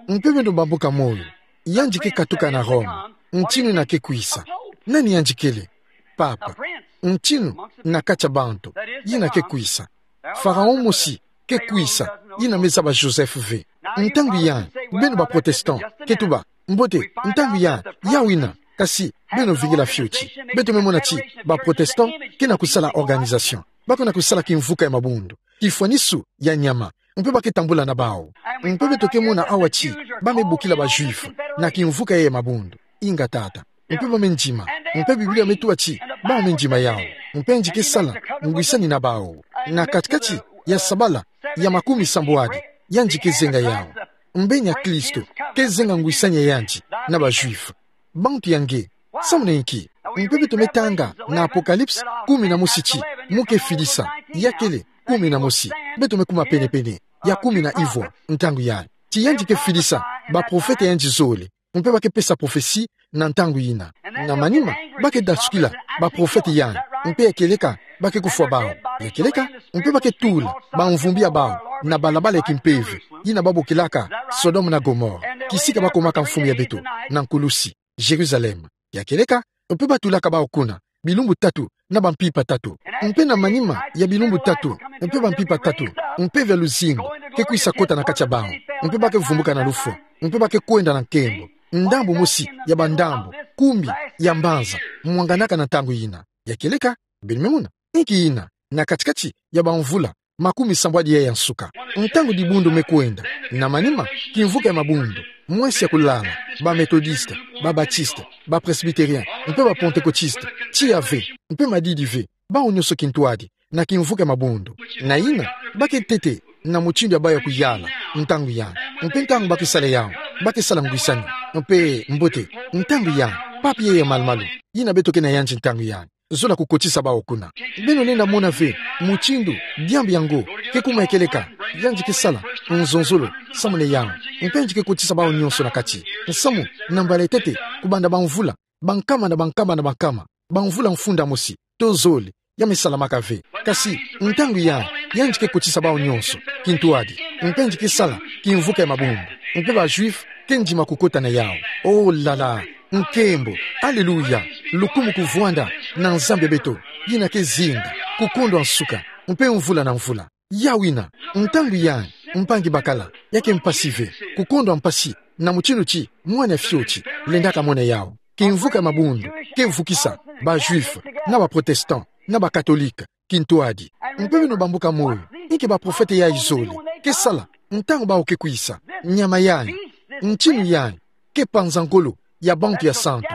Mpe beno bambuka moyo, yandi ke katuka na Roma. Ntinu yina ke kwisa. Nani yandi kele? Papa. Ntinu na kati ya bantu yina ke kwisa. Pharaon mosi ke kwisa, yina me zaba Joseph ve. Ntangu yayi, beno ba protestant ke tuba: Mbote, ntangu yayi, yau yina. Kasi beno vingila fioti. Beto me mona ti ba protestant ke na kusala organisation. Ba ke na kusala kimvuka ya mabundu, kifwanisu ya nyama, mpe ba ke tambula na bau. Mpe beto ke mona awa ti ba me bokila ba Juifs na kimvuka ya mabundu. Inga tata. Mpe ba me ndima. Mpe Biblia me tuba ti ba me ndima yau. Mpe yandi ke sala ngwisani na bau. Na kati-kati ya sabala ya makumi sambwadi, yandi ke zenga yau. Mbeni ya Kristo ke zenga ngwisani ya yandi na ba Juifs. Bantu ya nge, samu na inki? Mpe beto me tanga na Apocalypse kumi na mosi ti mo ke fidisa. Ya kele kumi na mosi. Beto me kuma pene-pene ya kumi na ivwa, ntangu yayi. Ti yandi ke fidisa ba prophète ya yandi zole. Mpe ba ke pesa prophetie na ntangu yina. Na manima, ba ke dasukila ba prophète yayi. Mpe ya kieleka, ba ke kufwa bau. Ya kieleka, mpe ba ke tula bamvumbi ya bau na balabala ya kimpeve, yina ba bokilaka Sodome na Gomorrhe, kisika ba komaka mfumu ya beto na nkulusi, Jérusalem. Ya kieleka, mpe ba tulaka bau kuna bilumbu tatu na bampimpa tatu. Mpe na manima ya bilumbu tatu, mpe bampimpa tatu, mpeve ya luzingu ke kwisa kota na kati ya bau. Mpe ba ke vumbuka na lufwa. Mpe ba ke kwenda na nkembo. Ndambu mosi ya bandambu kumi ya mbanza mwanganaka na ntangu yina. Ya kieleka, beno me mona? Inki yina? Na kati-kati ya bamvula makumi sambwadi yayi ya nsuka, ntangu dibundu me kwenda, na manima, kimvuka ya mabundu, mwensi ya kulala, ba Methodiste, ba Baptiste, ba Presbytérien, mpe ba Pentecôtiste, tiya ve, mpe madidi ve, bau nyonso kintwadi na kimvuka ya mabundu. Na yina, ba ke ntete na mutindu ya bawu ya kuyala, ntangu yandi. Mpe ntangu ba ke sala yawu, ba ke sala ngwisani, mpe mbote, ntangu yandi, papi ya malumalu, yina beto ke na yandi ntangu yandi. Zola kukotisa bawu kuna. Beno lenda mona ve, mutindu, diambu yango, ke kuma ekeleka, yandi ke sala, nzonzolo, samu na yawu. Mpe yandi ke kotisa bawu nionso na kati. Nsamu, na mbala ya ntete, kubanda bamvula, bankama na bankama na bankama, bamvula mfunda mosi, to zole, ya me salamaka ve. Kasi, ntangu yandi, yandi ke kotisa bawu nionso, kintwadi, mpe yandi ke sala, kimvuka ya mabundu, mpe ba Juifs, ke ndima kukota na yawu. Oh là là, nkembo, alléluia, lukumu kuvwanda, na Nzambi ya beto, yina ke zinga, kukondwa nsuka, mpe mvula na mvula. Yawu yina, ntangu yandi, mpangi bakala, ya ke mpasi ve, kukondwa mpasi, na mutindu ti, mwana fioti, lendaka mona yawu. Kimvuka ya mabundu, ke vukisa, ba Juifs, na ba Protestants, na ba Catholiques, kintwadi. Mpe beno bambuka moyo, inki baprofete ya zole, ke sala, ntangu bawu ke kwisa, nyama yandi, ntinu yandi, ke panza ngolo, ya bantu ya santu.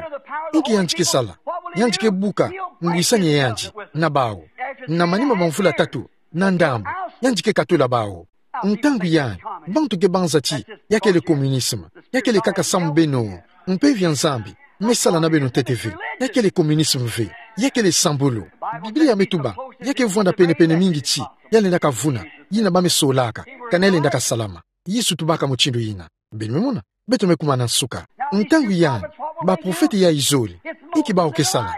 Inki yandi ke sala, yandi ke buka, ngwisani ya yandi, na bawu. Na manima bamvula tatu, na ndambu, yandi ke katula bawu. Ntangu yandi, bantu ke banza ti, ya kele communisme, ya kele kaka samu beno, mpeve ya Nzambi, me sala na beno ntete ve, ya kele communisme ve, ya kele sambulu. Biblia me tuba, ya ke vwanda penepene mingi ti, ya lendaka vuna, yina ba me solaka, kana ya lendaka salama. Yesu tubaka mutindu yina. Beno me mona, beto me kuma na nsuka. Ntangu yandi, baprofete ya zole, inki bawu ke sala.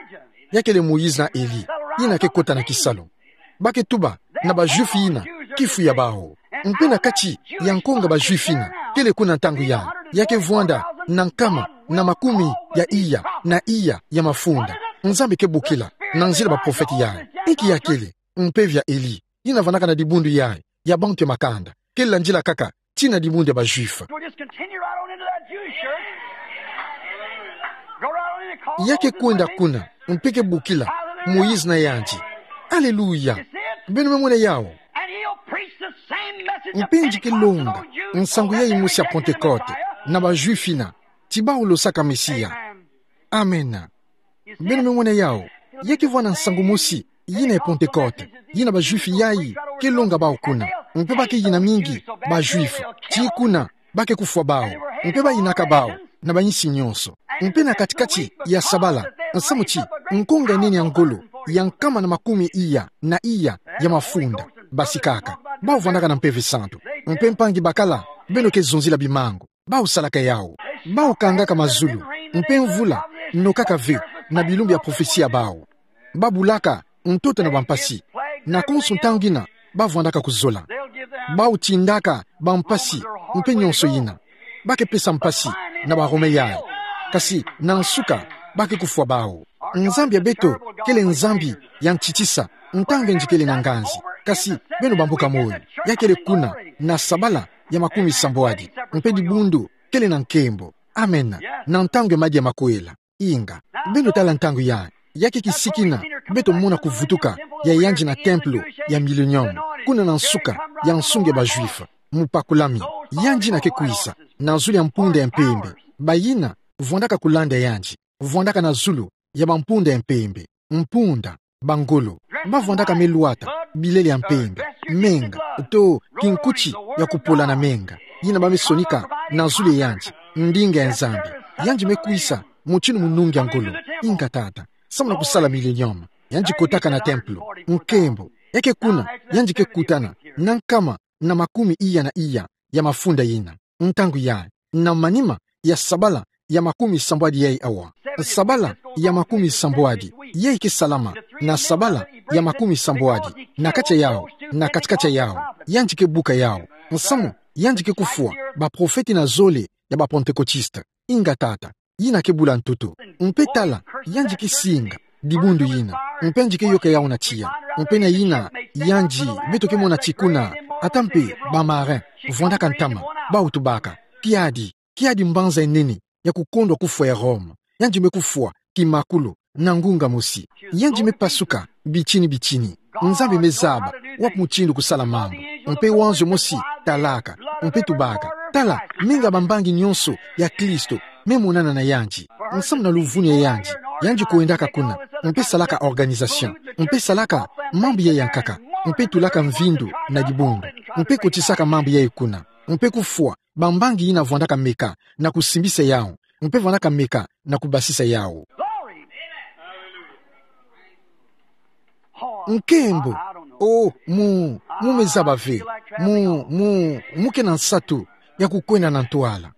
Ya kele Moïse na Élie, yina ke kota na kisalu. Ba ke tuba, na ba Juifs yina, kifu ya bawu. Mpe na kati, ya nkonga ba Juifs yina, kele kuna ntangu yandi. Ya ke vwanda, na nkama, na makumi, ya iya, na iya, ya mafunda. Nzambi ke bokila, na nzila baprofete yandi. Inki ya kele, mpeve ya Élie. Yina vwandaka na dibundu yayi, ya bantu ya makanda. Ke landila kaka, tii na dibundu ya ba Juifs. We'll just continue right on into that Jewish church. Go right on into call Ya ke Moses kwenda name. Kuna, mpe ke bokila, Moïse na yandi. Alléluia. You see it? Beno me mona yawu. And he'll preach the same message of Mpe yandi ke Pentecost to longa, those Jews. Nsangu yayi mosi ya Pentecote, na ba Juifs yina, ti bawu losaka Mesia. Amen. Amen. Beno me mona yawu, ya ke vwanda nsangu mosi, yina ya Pentecote, yina ba Juifs yayi, ke longa bawu kuna, mpe ba ke yina mingi, ba Juifs, tii kuna, ba ke kufwa bawu, mpe ba yinaka bawu, na ba insi nionso. Mpe na kati-kati ya sabala, nsamu ti, nkonga nene ya ngolo, ya nkama na makumi iya, na iya, ya mafunda, basikaka, bawu vwandaka na Mpeve Santu. Mpe mpangi bakala, beno ke zonzila bimangu. Bawu salaka yawu. Bawu kangaka mazulu. Mpe mvula, nokaka ve, na bilumbu ya profesi ya bawu. Ba bulaka, ntoto na bampasi. Na konso ntangu yina, ba vwandaka kuzola. Bawu tindaka, bampasi, mpe nionso yina. Ba ke pesa mpasi, na ba Romains yayi. Kasi, na nsuka, ba ke kufwa bawu. Nzambi ya beto, kele Nzambi, ya ntitisa, ntangu yandi kele na nganzi. Kasi, beno bambuka moyo. Ya kele kuna, na sabala, ya makumi sambwadi. Mpe dibundu, kele na nkembo. Amen. Na ntangu ya madi ya makwela. Inga. Beno tala ntangu yayi. Ya ke kisiki yina. Beto mona kuvutuka. Ya yandi na templo. Ya millennium. Kuna na nsuka. Ya nsunga ya ba Juifs. Mupakulami. Yandi yina ke kwisa. Na zulu ya mpunda ya mpembe. Bayina. Vwandaka kulanda yandi. Vwandaka na zulu. Ya bampunda ya mpembe. Mpunda. Bangolo. Ba vwandaka me lwata, bilele ya mpembe, menga, to, kinkuti, ya kupola na menga. Yina ba me sonika, na zulu ya yandi, ndinga ya Nzambi. Yandi me kwisa, mutindu munungi ya ngolo, inga tata. Samu na kusala millennium, yandi kotaka na templo, nkembo, ya ke kuna, yandi ke kutana, na nkama, na makumi iya na iya, ya mafunda yina. Ntangu yayi, na manima, ya sabala, ya makumi sambwadi yayi awa. Sabala, ya makumi sambwadi, yayi ke salama, na sabala, ya makumi sambwadi, na kati yawu, na kati-kati yawu, yandi ke buka yawu. Nsamu, yandi ke kufwa, baprofete na zole, ya ba Pentecôtistes. Inga tata, yina ke bula ntoto. Mpe tala, yandi ke singa, dibundu yina. Mpe yandi ke yoka yawu na tiya. Mpe na yina, yandi, beto ke mona ti kuna, ata mpe, ba marins, vwandaka ntama, bawu tubaka. Kiadi, kiadi mbanza ya nene, ya kukondwa kufwa ya Rome. Yandi me kufwa, kimakulu, na ngunga mosi. Yandi me pasuka, bitini bitini. Nzambi me zaba, wapi mutindu kusala mambu. Mpe wanzio mosi, talaka, mpe tubaka. Tala, menga bambangi nionso, ya Kristo, me monana na yandi. Nsamu na luvunu ya yandi, yandi kwendaka kuna, mpe salaka organisation, mpe salaka, mambu yayi ya nkaka. mpe tulaka mvindu na dibundu, mpe kotisaka mambu yayi kuna, mpe kufwa bambangi yina vwandaka meka na kusimbisa yawu, mpe vwandaka meka na kubasisa yawu. Nkembo. O, mu, mu me zaba ve. Mu, mu, mu kena nsatu ya kukwenda na ntwala.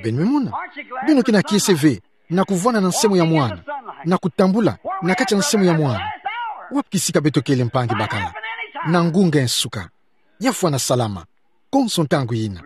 Beno me mona. Beno kena kiese ve na kuvwanda na nsemu'ya mwana, na kutambula na kati ya nsemu'ya mwana. Wapi kisika beto kele, mpangi bakala? Na ngunga nsuka. Ya fwana salama. Konso ntangu yina.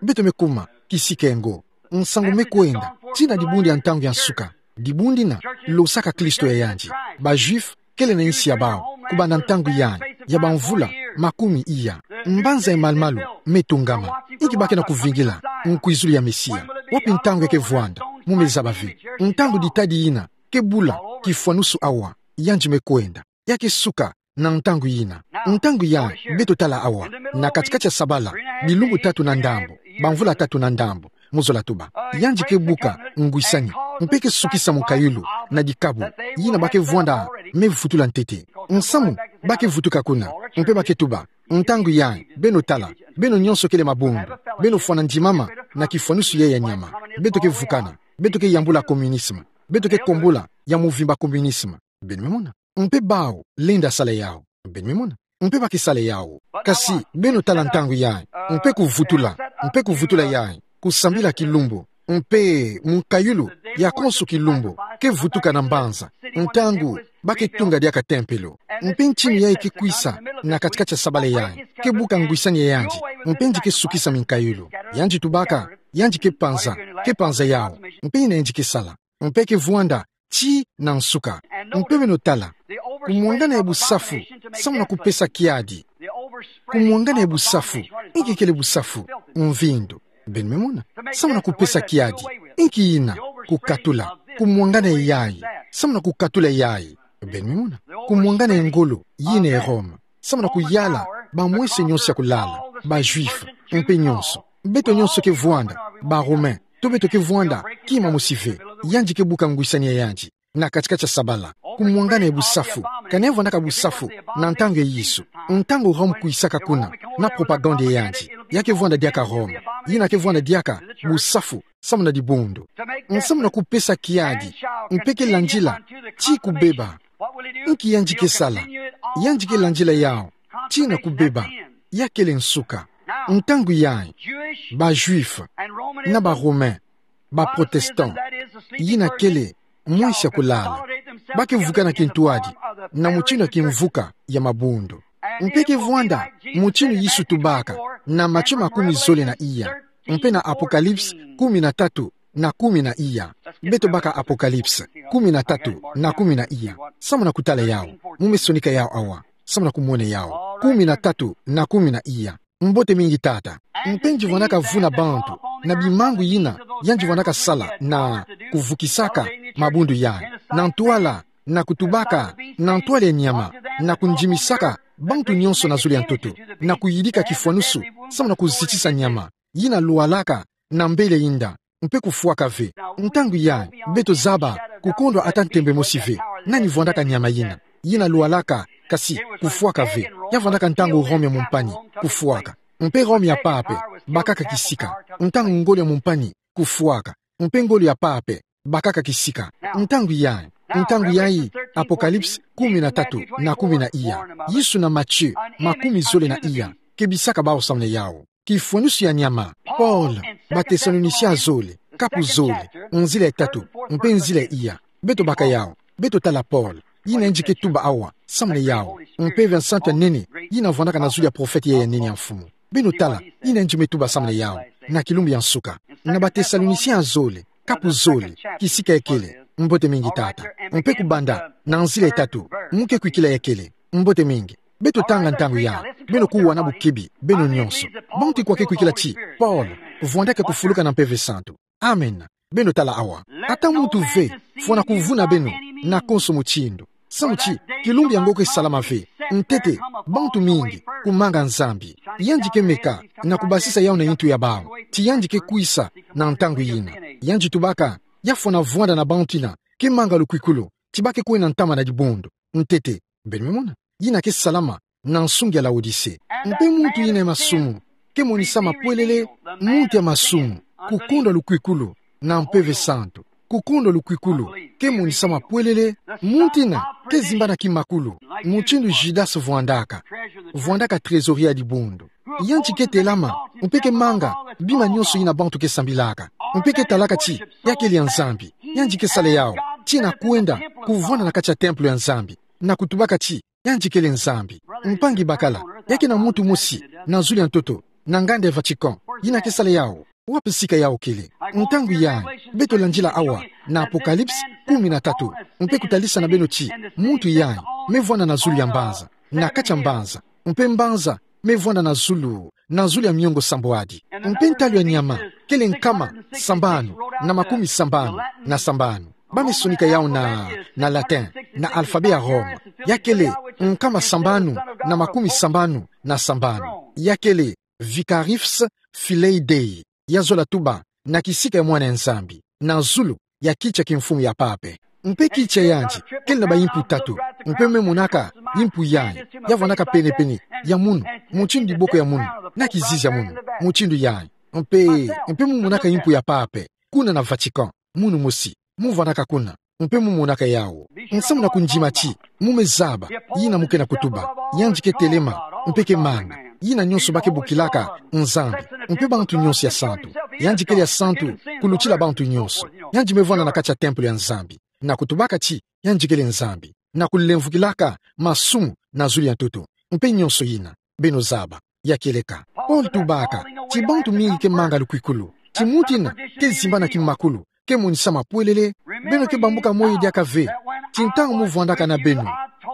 Beto me kuma, kisika ngo. Nsangu me kwenda tii na dibundu ya ntangu ya nsuka. Dibundu dina losaka Kristo ya yandi. Ba Juifs kele na insi ya bawu kubanda ntangu yandi ya bamvula makumi iya. Mbanza ya malu-malu me tungama. Inki ba kena kuvingila? Nkwizulu ya Mesia. Wapi ntangu ya kevwanda? Mu me zaba ve. Ntangu ditadi yina ke bula kifwanusu awa, yandi me kwenda. Ya ke suka na ntangu yina. Ntangu yayi beto tala awa, na kati-kati ya sabala, bilumbu tatu na ndambu, bamvula tatu na ndambu, mu zola tuba, yandi ke buka ngwisani, mpe ke sukisa munkayulu na dikabu yina ba ke vwanda me vutula ntete. Nsamu ba ke vutuka kuna, mpe ba ke tuba, ntangu yayi, beno tala, beno nyonso kele mabundu, beno fwana ndimama na kifwanusu yayi ya nyama. Beto ke vukana, beto ke yambula communisme, beto ke kombola ya muvimba communisme. Beno me mona. Mpe bawu lenda sala yawu. Beno me mona. Mpe ba ke sala yawu. Kasi beno tala ntangu yayi, mpe kuvutula, mpe kuvutula yayi, kusambila kilumbu, mpe munkayulu ya konso kilumbu ke vutuka na mbanza, ntangu ba ke tunga diaka tempelo. Mpe ntinu yayi ke kwisa na kati-kati ya sabala yayi, ke buka ngwisani ya yandi, mpe yandi ke sukisa minkayulu. Yandi tubaka, yandi ke panza, ke panza yawu, mpe yina yandi ke sala. Mpe ke vwanda tii na nsuka. Mpe beno tala, kumwangana ya busafu samu na kupesa kiadi. Kumwangana ya busafu. Inki kele busafu? Mvindu. Beno me mona. Samu na kupesa kiadi. Inki yina? Kukatula. Kumwangana yayi. Samu na kukatula yayi. Beno me mona. Kumwangana ya ngolo yina ya Roma. Samu na kuyala bamwese nyonso ya kulala, ba Juifs, mpe nyonso. Beto nyonso ke vwanda ba Romains, to beto ke vwanda kima mosi ve. Yandi ke buka ngwisani ya yandi na kati-kati ya sabala. Kumwangana ya busafu. Kana ya vwandaka busafu na ntangu ya Yesu. Ntangu Rome kwisaka kuna na propagande ya yandi, ya ke vwanda diaka Rome. Yina ke vwanda diaka busafu samu na dibundu. Samu na kupesa kiadi, mpe ke landila tii kubeba. Inki yandi ke sala? Yandi ke landila yawu tii na kubeba. Ya kele nsuka. Ntangu yayi, ba Juifs na ba Romains, ba Protestants, yina kele mwese ya kulala, ba ke vukana kintwadi na mutinu ya kimvuka ya mabundu. Mpe ke vwanda mutinu Yesu tubaka na Matthieu makumi zole na iya, mpe na Apocalypse kumi na tatu na kumi na iya. Beto baka Apocalypse kumi na tatu na kumi na iya. Samu na kutala yawu. Mu me sonika yawu awa. Samu na kumona yawu. Kumi na tatu na kumi na iya. Mbote mingi, tata. Mpe yandi vwandaka vuna bantu na bimangu yina yandi vwandaka sala na kuvukisaka mabundu yayi, na ntwala, na kutubaka na ntwala ya nyama, na kundimisaka bantu nyonso na zulu ya ntoto, na kuyidika kifwanusu samu na kuzitisa nyama yina lwalaka na mbele inda, mpe kufwaka ve. Ntangu yayi, beto zaba, kukondwa ata ntembe mosi ve nani vwandaka nyama yina, yina lwalaka, kasi kufwaka ve. Ya vwandaka ntangu Rome ya mumpani, kufwaka. Mpe Rome ya pape bakaka kisika. Ntangu ngolo ya mumpani, kufwaka. Mpe ngolo ya pape bakaka kisika. Ntangu yayi, ntangu yayi, Apocalypse kumi na tatu na kumi na iya. Yesu na Matthieu makumi zole na iya ke bisaka bawu samu na yawu. Kifwanusu ya nyama. Paul, Batesalonicia zole, kapu zole, nzila ya tatu mpe nzila ya iya. Beto baka yawu. Beto tala Paul, yina yandi ke tuba awa samu na yawu, mpe Mpeve ya Nsantu ya nene yina vwandaka na zulu ya prophète yayi ya nene ya Mfumu. Beno tala yina yandi me tuba samu na yawu na kilumbu ya nsuka. Na Batesalonicia zole, kapu zole, kisika ya kele. Mbote mingi, tata. Mpe kubanda na nzila ya tatu, mu ke kwikila ya kele. Mbote mingi. Beto tanga ntangu yayi. Beno kuwa na bukibi, beno nyonso. Bantu ikwa ke kwikila ti Paul vwandaka kufuluka na Mpeve Santu? Amen. Beno tala awa. Ata muntu ve fwana kuvuna beno na konso mutindu. Samu ti kilumbu yango ke salama ve. Ntete, bantu mingi kumanga Nzambi. Yandi ke meka na kubasisa yawu na yintu ya bawu. Ti yandi ke kwisa na ntangu yina. Yandi tubaka ya fwana vwanda na bantu yina ke manga lukwikulu, ti ba ke kwenda ntama na dibundu. Ntete. Beno me mona. Yina ke salama na nsungi ya Laodicée. Mpe muntu yina ya masumu, ke monisa mapwelele, muntu ya masumu, kukondwa lukwikulu, na mpeve santu, kukondwa lukwikulu, ke monisa mapwelele, muntu yina, ke zimbana kimakulu, mutindu Judas vwandaka, vwandaka trésorier ya dibundu. Yandi ke telama, mpe ke manga, bima nyonso yina bantu ke sambilaka. Mpe ke talaka ti, ya kele ya Nzambi, yandi ke sala yawu, tina kwenda, kuvwanda na kati ya temple ya Nzambi, na kutubaka ti, yandi kele Nzambi. Mpangi bakala, ya ke na muntu mosi, na zulu ya ntoto, na nganda ya Vatican, yina ke sala yawu, wapi sika yawu kele. Ntangu yayi, beto landila awa, na Apocalypse kumi na tatu, mpe kutalisa na beno ti, muntu yayi, me vwanda na zulu ya mbanza, na kati ya mbanza, mpe mbanza, me vwanda na zulu, na zulu ya miongo sambwadi. Mpe ntalu ya nyama, kele nkama, sambanu, na makumi sambanu, na sambanu. Ba me sonika yawu na, na latin, na alphabet ya Roma. Ya kele, nkama sambanu, na makumi sambanu, na sambanu. Ya kele, Vicarius Filii Dei. Ya zola tuba, na kisika ya mwana ya Nzambi. Na zulu, ya kiti ya kimfumu ya pape. Mpe kiti ya yandi, kele na ba impu tatu. Mpe me monaka, impu yayi, ya vwandaka pene-pene, ya munu, mutindu diboko ya munu, na kizizi ya munu, mutindu yayi. Mpe, mpe mu monaka impu ya pape, kuna na Vatican, munu mosi, mu vwandaka kuna, mpe mu monaka yawu. Nsamu na kundima ti, mu me zaba, yina mu ke na kutuba, yandi ke telema, mpe ke manga, yina nyonso ba ke bokilaka, Nzambi, mpe bantu nyonso ya santu, yandi kele ya santu, kulutila bantu nyonso, yandi me vwanda na kati ya temple ya Nzambi, na kutubaka ti, yandi kele Nzambi, na kulemvukilaka, masumu, na zulu ya ntoto, mpe nyonso yina, beno zaba, ya kieleka. Paul tubaka, ti bantu mingi ke manga lukwikulu, ti muntu yina, ke zimbana kimakulu, ke monisa mapwelele, beno ke bambuka moyo diaka ve, ti ntangu mu vwandaka na beno,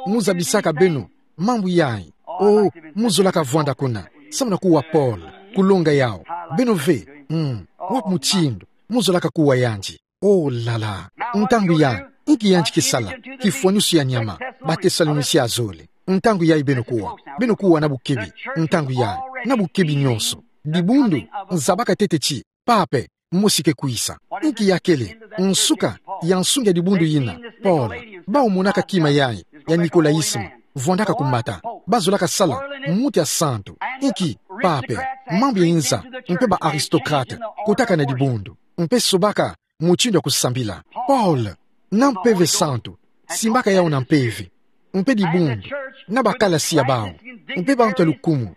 mu zabisaka beno, mambu yayi, o, mu zolaka vwanda kuna, samu na kuwa Paul, kulonga yawu, beno ve, mm, wapi mutindu, mu zolaka kuwa yandi. Oh, la la. Ntangu yayi, inki yandi ke sala, kifwanisu ya nyama, ba Tesalonisia zole. Ntangu yayi beno kuwa, beno kuwa na bukebi, ntangu yayi, na bukebi nyonso. Dibundu, nzabaka ntete ti, pape, mosi ke kwisa. Inki ya kele, nsuka, ya nsungi ya dibundu yina, Paul, bawu monaka kima yayi, ya Nicolaïsme, vwandaka kumata, ba zolaka sala, muntu ya santu, inki, pape, mambu ya inza, mpe ba aristocrate, kotaka na dibundu, mpe sobaka, mutindu ya kusambila. Paul, na mpeve santu, simbaka yawu na mpeve, mpe dibundu, na bakalasi ya bawu, mpe bantu ya lukumu,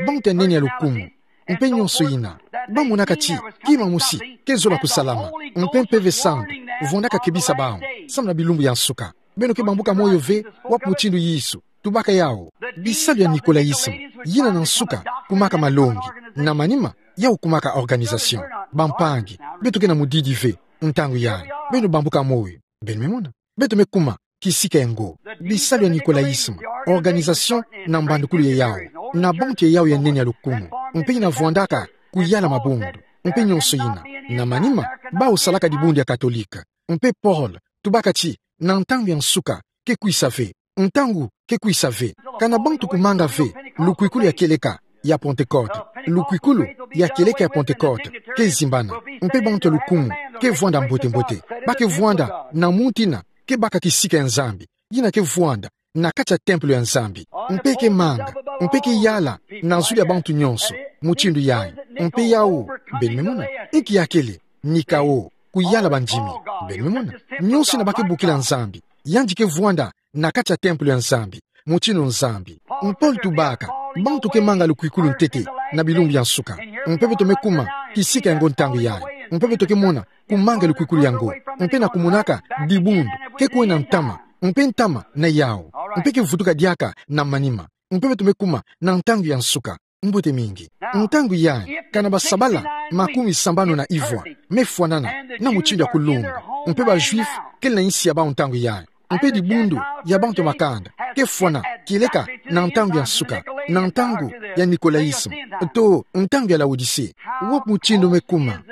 bantu ya nene ya lukumu, mpe nyonso yina, ba monaka ti, kima mosi, ke zola kusalama, mpe mpeve santu, vwandaka kebisa bawu, samu na bilumbu ya nsuka. Beno ke bambuka moyo ve, wapi mutindu Yesu, tubaka yawu. Bisalu ya Nicolaïsme, yina na nsuka, kumaka malongi, na manima, yawu kumaka organisation. Bampangi, beto ke na mudidi ve, ntangu yayi, beno bambuka moyo, beno me mona. Beto me kuma, kisika ya ngo. Bisalu ya Nicolaïsme, organisation na mbandukulu ya yawu, na bantu ya yawu ya nene ya lukumu, mpe yina vwandaka, kuyala mabundu, mpe nyonso yina, na manima, bawu salaka dibundu ya Katolika, mpe Paul, tubaka ti, na ntangu ya nsuka, ke kwisa ve, ntangu, ke kwisa ve, kana bantu kumanga ve, lukwikulu ya kieleka, ya Pentecôte, lukwikulu, ya kieleka ya Pentecôte, ke zimbana, mpe bantu ya lukumu, ke vwanda mbote-mbote, ba ke vwanda, na muntu yina, ke baka kisika ya Nzambi, yina ke vwanda, na kati ya temple ya Nzambi, mpe ke manga, mpe ke yala, na zulu ya bantu nyonso, mutindu yayi, mpe yawu, beno me mona, inki ya kele, ni kawo, kuyala bandimi, beno me mona, nyonso yina ba ke bokila Nzambi, yandi ke vwanda, na kati ya temple ya Nzambi, mutindu Nzambi. Paul tubaka, bantu ke manga lukwikulu ntete, na bilumbu ya nsuka. Mpe beto me kuma, kisika ya ngo ntangu yayi. Mpe beto ke mona, kumanga lukwikulu ya ngo. Mpe na kumonaka, dibundu, ke kwenda ntama. Mpe ntama, na yawu. Mpe ke vutuka diaka, na manima. Mpe beto me kuma, na ntangu ya nsuka. Mbote mingi. Ntangu yayi, kana basabala, makumi sambanu na ivwa, me fwanana, na mutindu ya kulunga. Mpe ba Juifs, kele na insi ya bawu ntangu yayi. Mpe dibundu, ya bantu ya makanda, ke fwana, kieleka, na ntangu ya nsuka, na ntangu, ya Nicolaïsme, to, ntangu ya Laodicée. Wapi mutindu me kuma,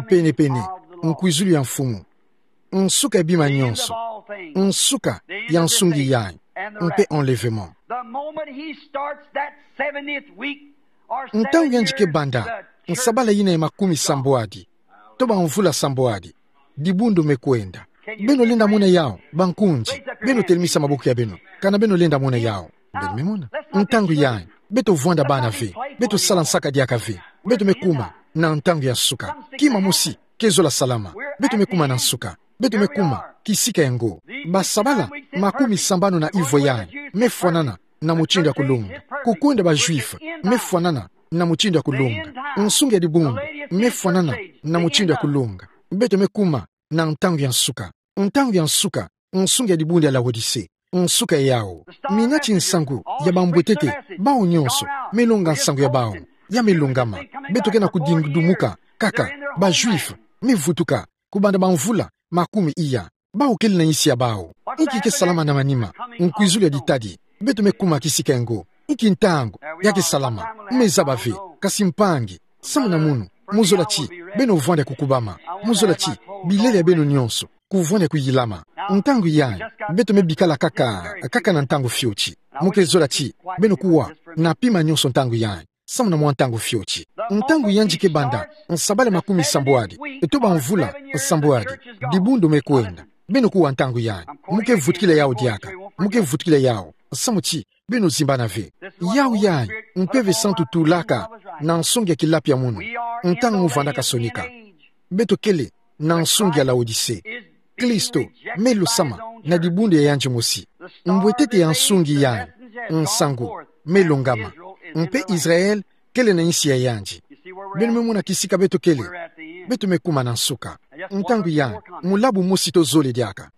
pene-pene, nkwizulu ya mfumu. Nsuka ya bima nyonso. Nsuka ya nsungi yayi. Mpe enlèvement. The moment he starts that seventieth week, or ntangu yandi ke banda, nsabala yina ya makumi sambwadi, to ba mvula sambwadi, dibundu me kwenda. Beno lenda mona yawu, bankunzi, beno telemisa maboko ya beno, kana beno lenda mona yawu. Beno me mona. Ntangu yayi, beto vwanda bana ve, beto sala nsaka diaka ve, beto me kuma na ntangu ya nsuka. Kima mosi ke zola salama. Beto me kuma na nsuka. Beto me kuma kisika ya ngo. Basabala makumi sambanu na ivwa yayi me fwanana na mutindu ya kulonga. Kukwenda ba Juifs me fwanana na mutindu ya kulonga. Nsungi ya dibundu me fwanana na mutindu ya kulonga. Beto me kuma na ntangu ya nsuka. Ntangu ya nsuka, nsungi ya dibundu ya Laodicee. Nsuka yau. Minati nsangu ya bambwetete bawu nyonso me longa nsangu ya bawu. Ya me longama. Beto ke na kudingudumuka kaka. Ba Juifs me vutuka kubanda bamvula makumi iya. Bawu kele na insi ya bawu. Inki ke salama na manima nkwizulu ya ditadi? Beto me kuma kisika ya ngo. Inki ntangu ya ke salama? Me zaba ve. Kasi mpangi, samu na munu, mu zola ti beno vwanda kukubama. Mu zola ti bilele ya beno nyonso kuvwanda kuyilama. Ntangu yayi, beto me bikala kaka, kaka na ntangu fioti. Mu ke zola ti beno kuwa na pima nyonso ntangu yayi, samu na mwa ntangu fioti. Ntangu yandi ke banda nsabala makumi sambwadi, eto bamvula sambwadi, dibundu me kwenda. Beno kuwa ntangu yayi. Mu ke vutukila yau diaka. Mu ke vutukila yau, samu ti beno zimbana ve. Yau yayi, Mpeve Santu tulaka na nsungi ya kilapi ya munu. Ntangu mu vwandaka sonika, beto kele na nsungi ya Laodicee. Kristo me lusama na dibundu ya yandi mosi. Mbwetete ya nsungi yayi, nsangu, me longama. Mpe Israel kele na insi ya yandi. Beno me mona kisika beto kele. Beto me kuma na nsuka. Ntangu yayi, mulabu mosi to zole diaka.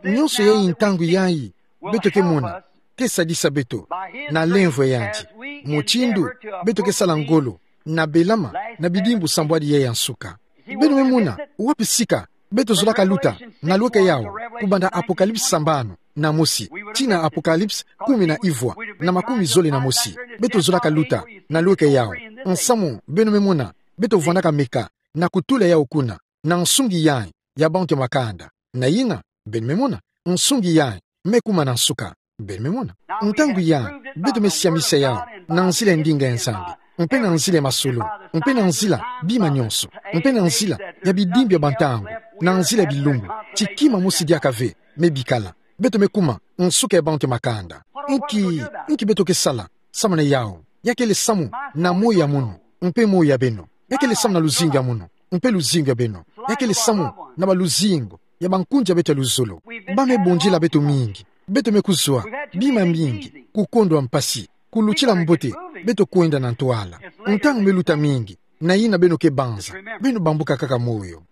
Nyonso yayi, ntangu yayi, beto ke mona, ke sadisa beto na lemvo ya yandi, mutindu beto ke sala ngolo na belama na bidimbu sambwadi yayi ya nsuka. Beno me mona wapi sika beto zolaka luta na lweka yau, kubanda Apocalypse sambanu na mosi tii na Apocalypse kumi na ivwa na makumi zole na mosi. Beto zolaka luta na lweka yau, nsamu beno me mona beto vwandaka meka na kutula yau kuna na nsungi yayi ya bantu ya makanda. Na yina, beno me mona, nsungi yayi me kuma na nsuka. Beno me mona. Ntangu yayi, beto me siamisa yau na nzila ya ndinga ya Nzambi, mpe na nzila ya masolo, mpe na nzila bima nyonso, mpe na nzila ya bidimbu ya bantangu, na nzila ya bilumbu, ti kima mosi diaka ve me bikala. Beto me kuma nsuka ya bantu ya makanda. Inki, inki beto ke sala samu na yau? Ya kele samu na moyo ya munu mpe moyo ya beno. Ya kele samu na luzingu ya munu mpe luzingu ya beno. Ya kele samu na baluzingu ya bankundi ya beto ya luzolo. Ba me bondila beto mingi. Beto me kuzwa bima mingi, kukondwa mpasi, kulutila mbote beto kwenda na ntwala. Ntangu me luta mingi, na yina beno ke banza, beno bambuka kaka moyo.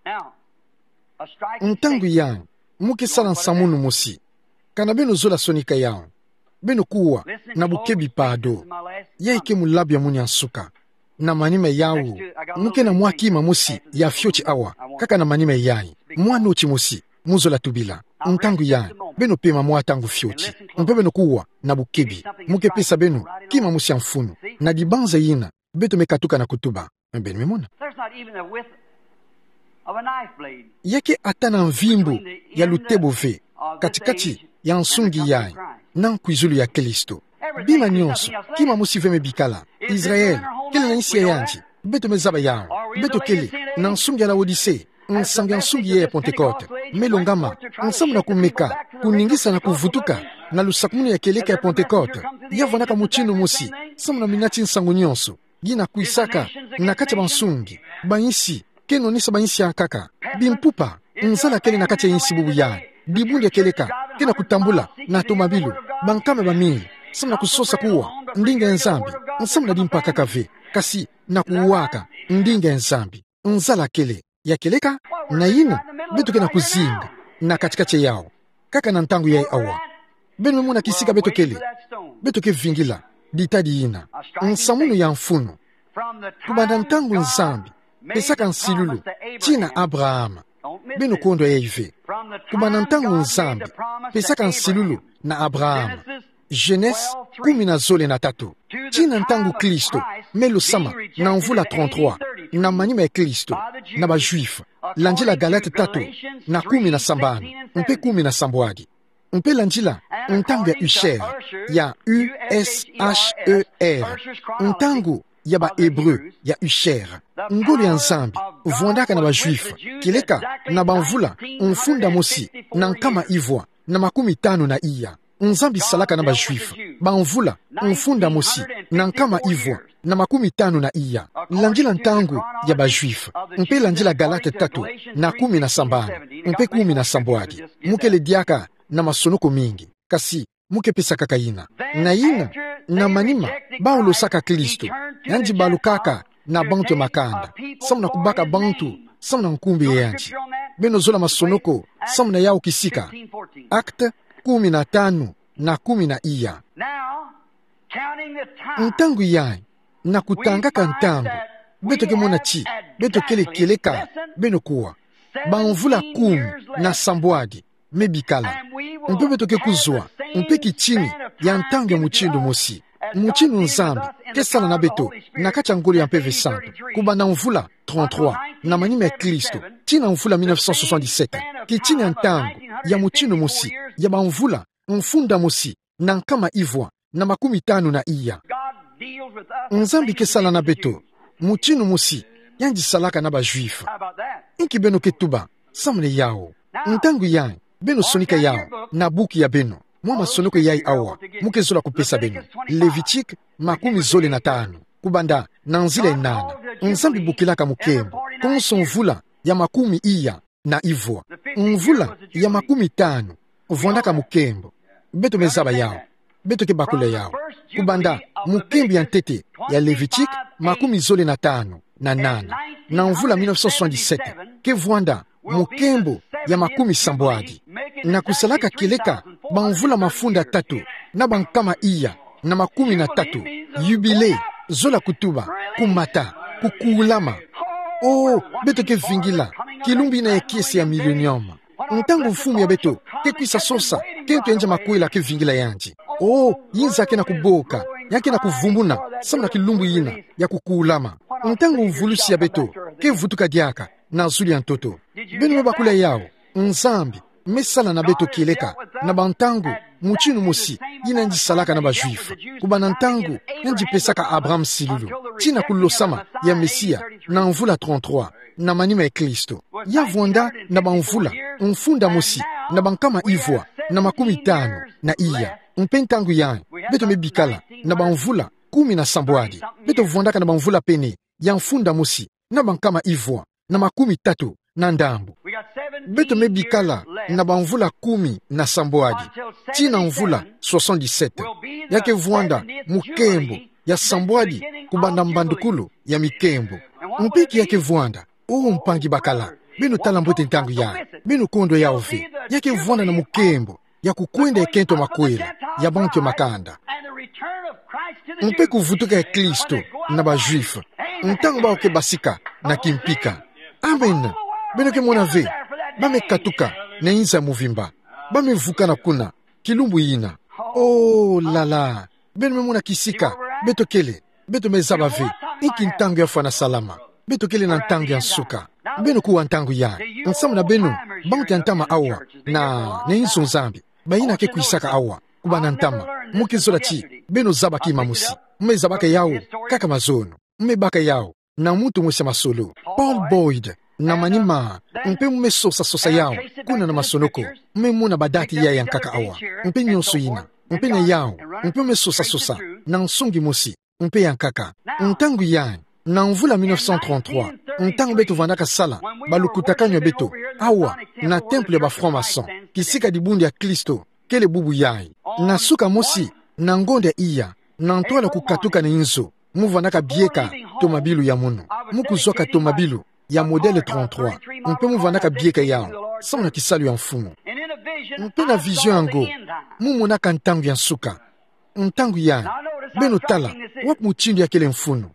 Ntangu yayi, mu ke sala nsamu mosi. Kana beno zola sonika yau, beno kuwa na bukebi pado. Yayi ke mulabu ya munu ya nsuka. Na manima yau, mu ke na mwa kima mosi ya fioti awa, kaka na manima yayi. Mwa noti mosi, mu zola tubila. Ntangu yayi, beno pema mwa ntangu fioti. Mpe beno kuwa na bukebi. Mu ke pesa beno kima mosi ya mfunu. Na dibanza yina, beto me katuka na kutuba. Beno me mona. There's not even the width of a knife blade. Ya ke ata na mvimbu ya lutebo ve katikati ya nsungi yayi na nkwizulu ya Kristo. Bima nyonso, kima mosi ve me bikala. Israel kele na insi ya yandi. Beto me zaba yau. Beto kele na nsungi ya Laodicee, nsangu ya nsungi yayi ya Pentecote. Me longama, nsamu na kumeka, kuningisa na kuvutuka na lusakumunu ya kieleka ya Pentecote. Ya vwandaka mutindu mosi samu na minati nsangu nyonso yina kwisaka na kati ya bansungi, bainsi, ke nonisa bainsi ya nkaka, bimpupa. Nzala kele na kati ya insi bubu yayi. Dibundu ya kieleka ke na kutambula na tomabilu, bankama bamingi, samu na kusosa kuwa ndinga ya Nzambi, nsamu na dimpaka kaka ve, kasi na kuwaka ndinga ya Nzambi. Nzala kele ya kieleka. Na yina, beto ke na kuzinga na katikati ya yau, kaka na ntangu yayi awa. Beno me mona kisika beto kele. Beto ke vingila ditadi yina. Nsamu ya mfunu. Kubanda ntangu Nzambi pesaka nsilulu tii na Abraham. Beno kondwa yayi ve. Kubanda ntangu Nzambi pesaka nsilulu na Abraham. Genese kumi na zole na tatu. Tii na ntangu Kristo me lusama na mvula trente-trois, na manima ya Kristo na ba Juifs, landila Galate tatu na kumi na sambanu mpe kumi na sambwadi. Mpe landila ntangu ya Usher, ya U S H E R, ntangu ya ba Hébreux ya Usher. Ngolo ya Nzambi vwandaka na ba Juifs kieleka na bamvula mfunda mosi na nkama ivwa na makumi tanu na iya. Nzambi salaka na ba-Juif bamvula mfunda mosi na nkama ivwa na makumi tanu na iya, landila ntangu ya ba-Juif, mpe landila Galate tatu na kumi na sambanu mpe kumi na sambwadi. Mu kele diaka na masonoko mingi, kasi mu ke pesa kaka yina. Na yina, na manima bawu losaka Kristo, yandi balukaka na bantu ya makanda, samu na kubaka bantu samu na nkumbu ya yandi. Beno zola masonoko samu na yawu kisika. Actes kumi na tanu na kumi na iya. Ntangu yayi, na kutangaka ntangu, beto ke mona ti beto kele kieleka beno kuwa. Bamvula kumi na sambwadi me bikala. Mpe beto ke kuzwa mpe kitini ya ntangu ya mutindu mosi, mutindu Nzambi ke sala na beto na kati ya ngolo ya Mpeve Santu, kubanda mvula trente-trois na manima ya Kristo tii na mvula mille neuf cent soixante-dix-sept. Kitini ya ntangu ya mutindu mosi ya bamvula mfunda mosi na nkama ivwa na makumi tanu na iya. Nzambi ke sala na beto mutindu mosi yandi salaka na ba-Juif. Inki beno ke tuba samu na yawu? Ntangu yayi, beno sonika yawu na buku ya beno, mwa masonoko yayi awa mu ke zola kupesa beno. Levitique makumi zole na tanu, kubanda na nzila ya nana. Nzambi bokilaka mukembo konso mvula ya makumi iya na ivwa. Mvula ya makumi tanu vwandaka mukembo. Beto me zaba yawu. Beto ke bakula yawu. Kubanda mukembo ya ntete ya Levitique makumi zole na tanu na nana, na mvula mille neuf cent soixante-dix-sept, ke vwanda mukembo ya makumi sambwadi. Na kusalaka kieleka bamvula mafunda tatu na bankama iya na makumi na tatu, yubile, zola kutuba, kumata, kukulama. Oh, beto ke vingila kilumbu yina ya kiese ya milenium, ntangu Mfumu ya beto ke kwisa sosa kento ya nza makwela ke vingila yandi. Oh, yinza ke na kuboka, ya ke na kuvumbuna samu na kilumbu yina ya kukulama, ntangu mvulusi ya beto ke vutuka diaka na zulu ya ntoto. Beno me bakula yawu. Nzambi me sala na beto kieleka na bantangu mutindu mosi yina yandi salaka na ba-Juif, kubanda ntangu yandi pesaka Abraham silulu tii na kulosama ya Mesia na mvula trente-trois na manima ya Kristo. Ya vwanda na bamvula mfunda mosi na bankama ivwa na makumi tanu na iya. Mpe ntangu yayi, beto me bikala na bamvula kumi na sambwadi. Beto vwandaka na bamvula pene ya mfunda mosi na bankama ivwa na makumi tatu na ndambu. Beto me bikala na bamvula kumi na sambwadi tii na mvula soixante-dix-sept. Ya ke vwanda mukembo ya sambwadi kubanda mbandukulu ya mikembo. Mpe inki ya ke vwanda? Oh, mpangi bakala, beno tala mbote ntangu yayi. Beno kondwa yawu ve. Ya ke vwanda na mukembo ya kukwenda ya kento makwela ya bantu ya makanda, mpe kuvutuka ya Kristo na ba-Juif ntangu bawu ke basika na kimpika. Amen. Beno ke mona ve, ba me katuka na inza ya muvimba. Ba me vukana kuna kilumbu yina. Oh là là. Beno me mona kisika beto kele. Beto me zaba ve inki ntangu ya fwana salama. Beto kele na ntangu ya nsuka. Beno kuwa ntangu yayi. Nsamu na beno, bantu ya ntama awa na, na inzo Nzambi, bayina ke kwisaka awa kubanda ntama, mu ke zola ti beno zaba kima mosi. Mu me zabaka yawu kaka mazono. Mu me baka yawu na muntu mosi ya masolo, Paul Boyd, na manima, mpe mu me sosa sosa yawu kuna na masonoko. Mu me mona badati yayi ya nkaka awa, mpe nionso yina, mpe na yawu, mpe mu me sosa sosa na nsungi mosi, mpe ya nkaka. Ntangu yayi, na mvula mille neuf cent trente-trois, ntangu beto vandaka sala balukutakanu ya beto awa na temple ya ba francs-maçons, kisika dibundu ya Kristo kele bubu yayi. Na suka mosi na ngonda ya iya, na ntwala kukatuka na inzo, mu vandaka bieka tomabilu ya munu. Mu kuzwaka tomabilu ya modèle trente-trois, mpe mu vandaka bieka yawu samu na kisalu ya Mfumu. Mpe na vision yango, mu monaka ntangu ya nsuka. Ntangu yayi, beno tala wapi mutindu ya kele mfunu.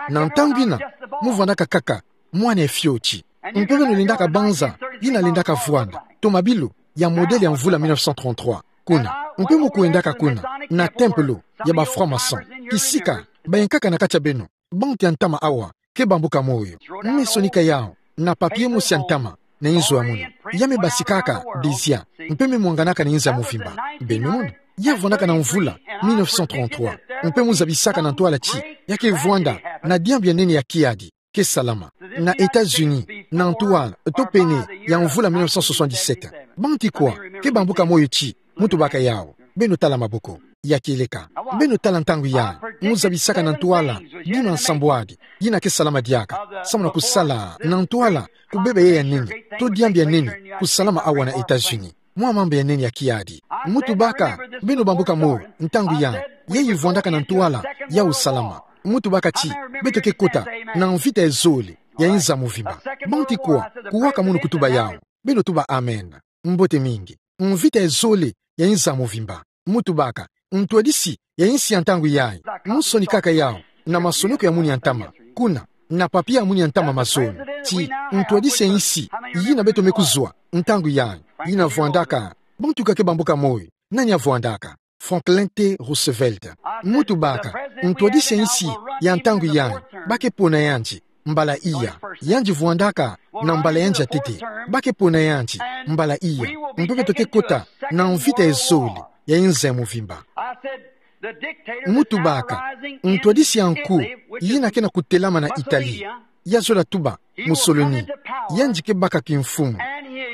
Na ntangu yina, mu vandaka kaka mwana ya fioti. Mpe beno lendaka banza yina lendaka vwanda tomabilu ya modèle ya mvula mille neuf cent trente-trois kuna. Mpe mu kwendaka kuna na temple ya ba francs-maçons, kisika bayankaka na kati ya beno, bantu ya ntama awa ke bambuka moyo. Mu me sonika yawu na papier mosi ya ntama na inzo ya munu. Ya me basikaka désir, mpe me mwanganaka na inza ya muvimba. Beno mona, ya vandaka na mvula mille neuf cent trente-trois, mpe mu zabisaka na ntwala ti ya ke vwanda na diambu ya nene ya kiadi ke salama na États-Unis na ntwala to pene ya mvula mille neuf cent soixante-dix-sept. Bantu kwa ke bambuka moyo ti mu tubaka yawu? Beno tala maboko. Ya kieleka. Beno tala ntangu yai. Mu zabisaka na ntwala bima nsambwadi yina ke salama diaka, samu na kusala na ntwala kubeba ya nene, to diambu ya nene kusalama awa na États-Unis. Mwa mambu ya nene ya kiadi. Mu tubaka, beno bambuka mo, ntangu yai, yai vwandaka na ntwala ya usalama. Mu tubaka ti, beto ke kota na mvita ya zole ya nza mvimba. Bantu kwa, kuwaka munu kutuba yau. Beno tuba amen. Mbote mingi. Mvita ya zole ya nza mvimba. Mu tubaka, ntwadisi ya nsi ya ntangu yai. Mu sonikaka yau na masonoko ya munu ya ntama. Kuna, na papia ya munu ya ntama mazoni. Ti, ntwadisi ya nsi yina beto me kuzwa ntangu yai. Yina vwandaka, bantu ka ke bambuka mo. Nani avwandaka? Franklin T. Roosevelt. Mu tubaka, ntwadisi ya nsi ya ntangu yai, ba ke pona yandi mbala iya. Yandi vwandaka na mbala yandi ya tete. Ba ke pona yandi mbala iya. Mpe beto ke kota na mvita ya zole ya nza ya mvimba. Mu tubaka, ntwadisi ya nku yina ke na kutelama na Italie, ya zola tuba Mussolini, yandi ke baka kimfumu.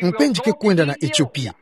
Mpe yandi ke kwenda na Ethiopie.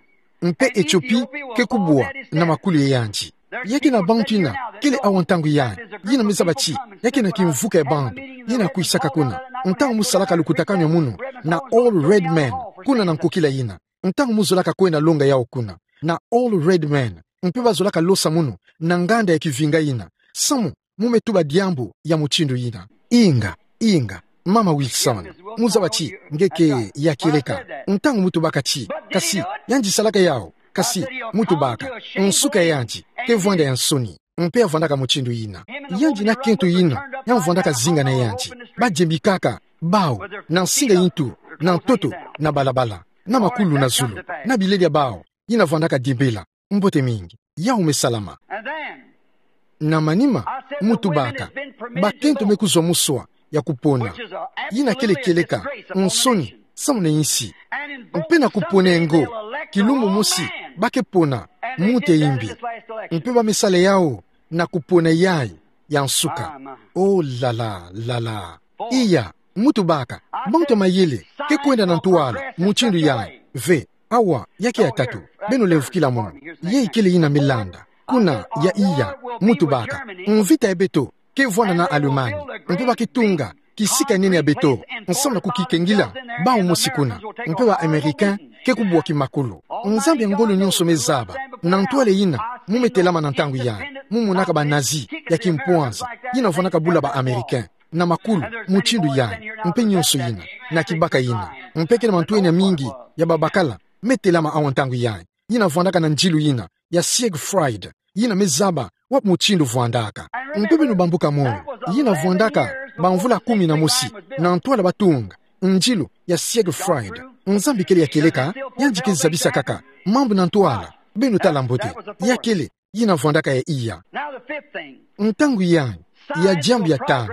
Mpe Ethiopie ke kubwa na makulu ya yandi. Ya ke na bantu yina kele awa ntangu yai, yina me zaba ti ya ke na kimvuka ya bantu yina kwisaka kuna. Ntangu mu salaka lukutakanu ya munu na Old Red Man, kuna na nkokila yina. Ntangu mu zolaka kwenda longa yau kuna na Old Red Man, mpe ba zolaka losa munu na nganda ya kivinga yina. Samu mu me tuba diambu ya mutindu yina. Inga, inga, Mama Wilson, mu zaba ti nge ke ya kieleka ntangu mu tubaka ti, kasi yandi salaka yau. Kasi mu tubaka, nsuka ya yandi ke vwanda ya nsoni. Mpe ya vwandaka mutindu yina. Yandi na kento yina ya vwandaka zinga na yandi, ba diembikaka bau na nsinga yi ntu, na ntoto, na balabala, na makulu na zulu, na bileli ya bau yina vwandaka diembela. Mbote mingi. Yau me salama. Na manima, mu tubaka, bakento me kuzwa muswa ya kupona, yina kele kieleka nsoni samu na nsi. Mpe na kupona ya ngo, kilumbu mosi ba ke pona muntu ya imbi. Mpe ba me sala yau na kupona yai ya nsuka. Oh, la la, la la. Iya, mu tubaka, bantu ya mayele ke kwenda na ntwala mutindu yai. Ve, awa, ya ke ya tatu. Beno lemvukila munu. Yai kele yina me landa. Kuna ya iya, mu tubaka, mvita ya beto ke vwanda na Allemagne. Mpe ba ke tunga kisika nene ya beto, nsamu na kukikengila bau mosi kuna. Mpe ba Américains ke kubwa kimakulu. Nzambi ya ngolo nyonso me zaba na ntwala yina mu me telama na ntangu yai. Mu monaka ba Nazi ya kimpwanza yina vwandaka bula ba Américains na makulu mutindu yai, mpe nyonso yina, na kibaka yina. Mpe ke na mantwenia mingi ya babakala me telama awa ntangu yai, yina vwandaka na nzilu yina ya Siegfried, yina me zaba wapi mutindu vwandaka. Mpe beno bambuka mo, yina vwandaka bamvula kumi na mosi na ntwala ba tunga nzilu ya Siegfried. Nzambi kele ya kieleka, yandi ke zabisa kaka mambu na ntwala. Beno tala mbote, ya kele yina vwandaka ya iya. Ntangu yai, ya diambu ya tanu,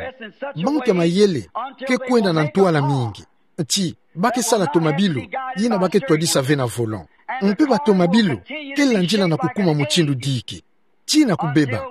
bantu ya mayele ke kwenda na ntwala mingi, ti ba ke sala tomabilu yina ba ke twadisa ve na volant. Mpe ba tomabilu ke landila na kukuma mutindu diki tii na kubeba.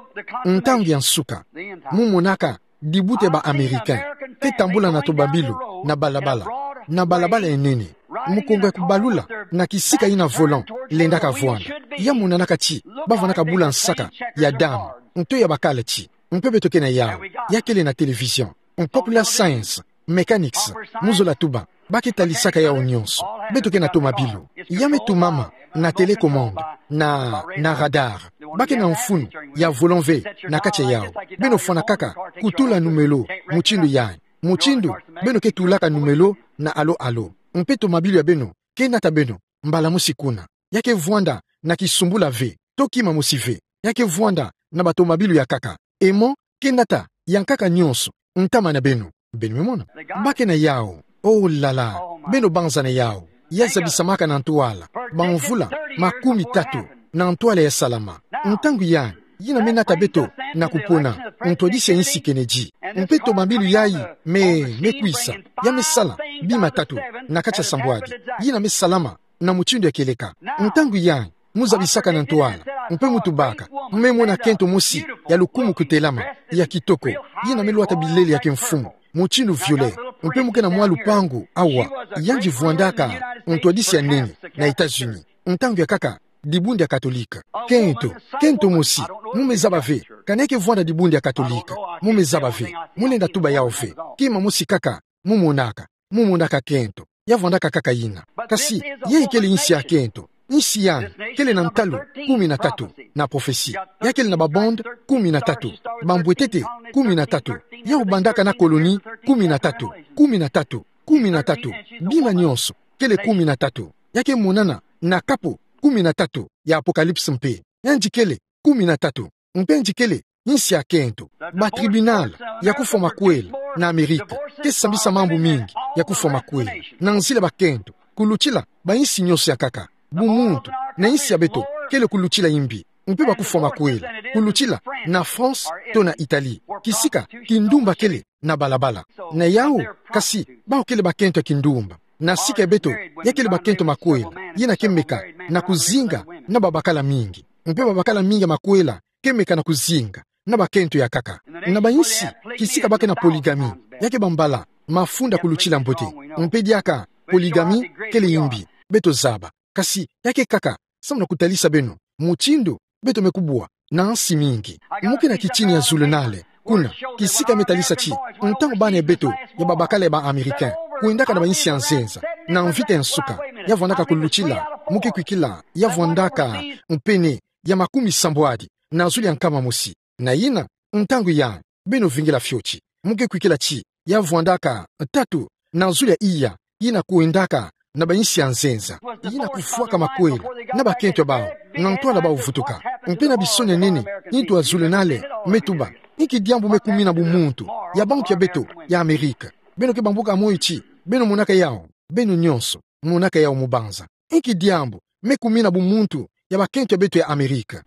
Ntangu ya nsuka, mu monaka dibuta ya ba Américains ke tambula na tomabilu na balabala, na balabala ya nene, mukongo ya kubalula na kisika yina volant lendaka vwanda. Ya monanaka ti ba vwandaka bula nsaka ya damu, nto ya bakala ti, mpe beto ke na yau. Ya kele na télévision, popular science, mécanics, mu zola tuba, ba ke talisaka yau nyonso. Beto ke na tomabilu. Ya me tumama na télécommande, na, na radar. Ba ke na mfunu ya volant ve na kati ya yau. Beno fwanakaka kutula numelo mutindu yai. Mutindu beno ke tulaka numelo na alo alo. Mpe tomabilu ya beno ke nata beno mbala mosi kuna. Ya ke vwanda na kisumbula ve, to kima mosi ve. Ya ke vwanda na ba tomabilu ya nkaka. Aimant ke nata ya nkaka nyonso, ntama na beno. Beno me mona? Ba ke na yau. Oh la la. Beno banza na yau. Ya zabisamaka na ntwala bamvula makumi tatu na ntwala ya salama. Ntangu yai, yina me nata beto na kupona ntwadisi ya insi Kennedy. Mpe tomabilu yai me, me kwisa. Ya me sala bima tatu na kati ya sambwadi. Yina me salama na mutindu ya kieleka. Ntangu yai, mu zabisaka na ntwala, mpe mu tubaka, me mona kento mosi ya lukumu kutelama, ya kitoko, yina me lwata bilele ya kimfumu, mutindu violet, mpe mu ke na mwa lupangu awa. Yandi vwandaka ntwadisi ya nene na États-Unis. Ntangu ya nkaka, dibundu dia Katolika. Kento, kento mosi, mu me zaba ve, kani ya ke vwanda dibundu dia Katolika, mu me zaba ve, mu lenda tuba yawu ve, kima mosi kaka, mu monaka, mu monaka kento, ya vwandaka kaka yina. Kasi, yayi kele insi ya kento, insi yai, kele na ntalu, kumi na tatu, na prophetie. Ya kele na ba bande, kumi na tatu, bambwetete, kumi na tatu, yawu bandaka na colonie, kumi na tatu, kumi na tatu, kumi na tatu, bima nyonso, kele kumi na tatu. Ya ke monana, na kapo, kumi na tatu, ya Apocalypse mpe. Yandi kele, kumi na tatu, mpe yandi kele, insi ya kento. Ba tribunal, ya kufwa makwela, na Amerika, ke sambisa mambu mingi, ya kufwa makwela, na nzila bakento, kulutila, ba insi nyonso ya nkaka, bumuntu, na insi ya beto, kele kulutila imbi, mpe ba kufwa makwela, kulutila, na France, to na Italie, kisika, kindumba kele, na balabala. Na yawu, kasi, bawu kele bakento ya kindumba. Na sika ya beto, ya kele bakento makwela, yina ke meka, na kuzinga, na babakala mingi. Mpe babakala mingi ya makwela, ke meka na kuzinga, na bakento ya nkaka. Na ba insi, kisika ba ke na polygamie, ya ke bambala, mafunda kulutila mbote. Mpe diaka, polygamie, kele imbi, beto zaba. Kasi, ya ke nkaka, samu na kutalisa beno, mutindu, beto me kubwa, na nsi mingi. Mu ke na kitini ya zulunale, kuna, kisika me talisa ti, ntangu bana ya beto, ya babakala ya ba Américain, kwendaka na ba insi ya nzenza, na mvita ya nsuka, ya vwandaka kulutila, mu ke kwikila, ya vwandaka, mpene, ya makumi sambwadi, na zulu ya nkama mosi. Na yina, ntangu yai, beno vingila fioti. Mu ke kwikila ti, ya vwandaka, tatu, na zulu ya iya, yina kwendaka, na ba insi ya nzenza. Yina kufwaka makwela, na bakento ya bawu, na ntwala bawu vutuka. Mpe na bisonia nene, ntu ya zulunale, me tuba. Inki diambu me kumina bumuntu, ya bantu ya beto, ya Amérique. Beno ke bambuka moyo ti, beno monaka yawu, beno nyonso, monaka yawu mu banza. Inki diambu, me kumina bumuntu, ya bakento ya beto ya Amérique.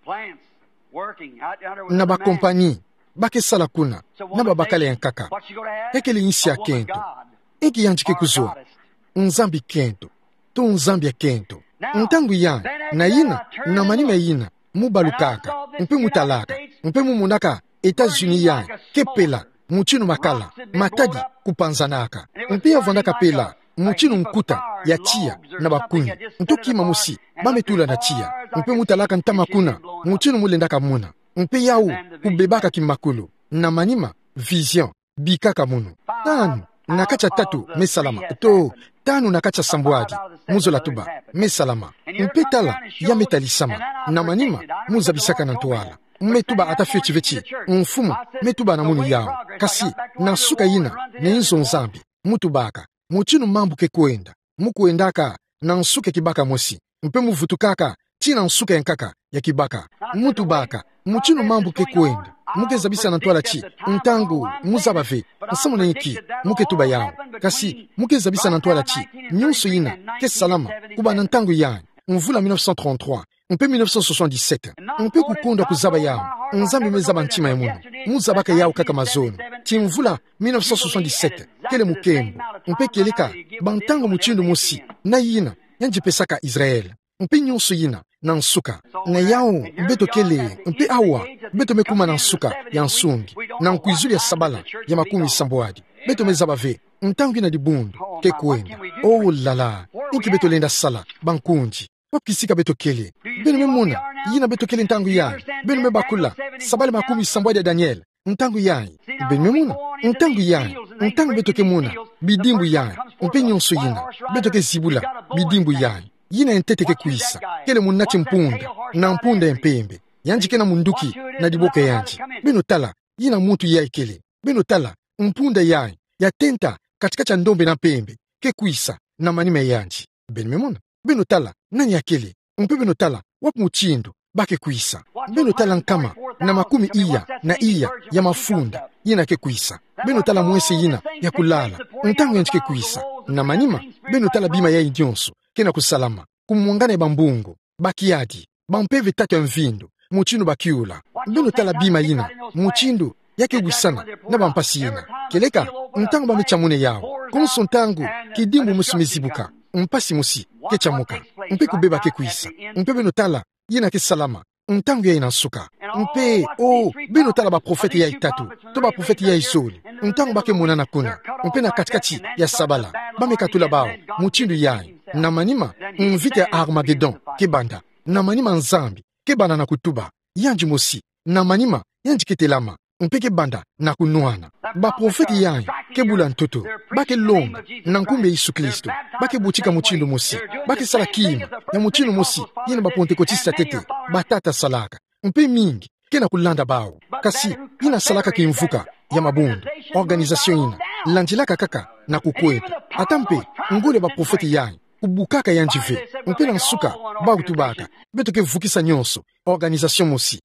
Na ba compagnie, ba ke sala kuna, na babakala ya nkaka. Ya kele insi ya kento. Inki yandi ke kuzwa. Nzambi kento. To Nzambi ya kento. Ntangu yai, na yina, na manima yina, mu balukaka, mpe mu talaka, mpe mu monaka, États-Unis yai, ke pela, mutinu makala, matadi, kupanzanaka. Mpe ya vwandaka pela, mutinu nkuta, ya tiya, na bakuni. Nto kima mosi, ba me tula na tiya. Mpe mu talaka ntama kuna, mutinu mu lendaka mona. Mpe yawu, kubebaka kimakulu. Na manima, vision, bikaka munu. Tanu, na kati ya tatu, me salama. To, tanu na kati ya sambwadi, mu zola tuba, me salama. Mpe tala, ya me talisama. Na manima, mu zabisaka na ntwala. Me tuba ata fioti ve ti, mfumu, me tuba na munu yawu. Kasi, na nsuka yina, na inzo Nzambi, mu tubaka, mutinu mambu ke kwenda, mu kwendaka, na nsuka ya kibaka mosi, mpe mu vutukaka, tii na nsuka ya nkaka, ya kibaka. Mu tubaka, mutinu mambu ke kwenda, mu ke zabisa na ntwala ti, ntangu, mu zaba ve, nsamu na inki, mu ke tuba yawu. Kasi, mu ke zabisa na ntwala ti, nyonso yina, ke salama, kubanda ntangu yai, mvula mille neuf cent trente-trois, mpe mille neuf cent soixante-dix-sept. Mpe kukondwa kuzaba yawu. Nzambi me zaba ntima ya munu. Mu zabaka yawu kaka mazono. Ti mvula mille neuf cent soixante-dix-sept. Kele mukembo. Mpe kieleka. Ba ntangu mutindu mosi. Na yina. Yandi pesaka Israël. Mpe nyonso yina. Na nsuka. Na yawu. Beto kele. Mpe awa. Beto me kuma na nsuka. Ya nsungi. Na nkwizulu ya sabala. Ya makumi sambwadi. Beto me zaba ve. Ntangu yina dibundu. Ke kwenda. Oh là là. Inki beto lenda sala. Bankundi. Wapi kisika beto kele? Beno me mona, yina beto kele ntangu yai. Beno me bakula, sabala makumi sambwadi ya Daniel, ntangu yai. Beno me mona, ntangu yai, ntangu beto ke mona, bidimbu yai, mpe nyonso yina, beto ke zibula, bidimbu yai. Yina ya ntete ke kwisa, kele muna ti mpunda, na mpunda ya mpembe. Yandi ke na munduki, na diboko ya yandi. Beno tala, yina muntu yai kele. Beno tala, mpunda yai, ya tenta, kati-kati ya ndombe na mpembe, ke kwisa, na manima ya yandi. Beno me mona. Beno tala, nani akele. Mpe beno tala, wapi mutindu, ba ke kwisa. Beno tala nkama, na makumi iya, na iya, ya mafunda, yina ke kwisa. Beno tala mwese yina, ya kulala, ntangu yandi ke kwisa. Na manima, beno tala bima yai nyonso, ke na kusalama, kumwangana ya bambungu, bakiadi, bampeve tatu ya mvindu, mutindu ba kiula. Beno tala bima yina, mutindu, ya ke wisana, na bampasi yina. Kieleka, ntangu ba me tia muna yawu. Konso ntangu, kidimbu mosi me zibuka, mpasi mosi, ke tiamuka. Mpe kubeba ke kwisa. Mpe beno tala, yina ke salama. Ntangu yai na nsuka. Mpe, oh, beno tala baprofete yai tatu. To baprofete yai zole. Ntangu ba ke monana kuna. Mpe na kati-kati, ya sabala. Ba me katula bawu. Mutindu yai. Na manima, mvita ya Armagedon. Ke banda. Na manima Nzambi kebanda na kutuba. Yandi mosi, na manima, yandi ketelama, mpe kebanda na kunwana. Baprofete yayi kebula ntoto, ba kelonga na nkumbu ya Yesu Kristo, ba kebutika mutindu mosi, ba kesala kima ya mutindu mosi yina ba Pantekotiste ya ntete batata salaka. Mpe mingi kena kulanda bawu. Kasi yina salaka kimvuka ya mabundu, organisation yina landilaka kaka na kukweta. Ata mpe ngolo ya baprofete yayi kubukaka yandi ve. Mpe na nsuka, bawu tubaka: Beto kevukisa nyonso organisation mosi.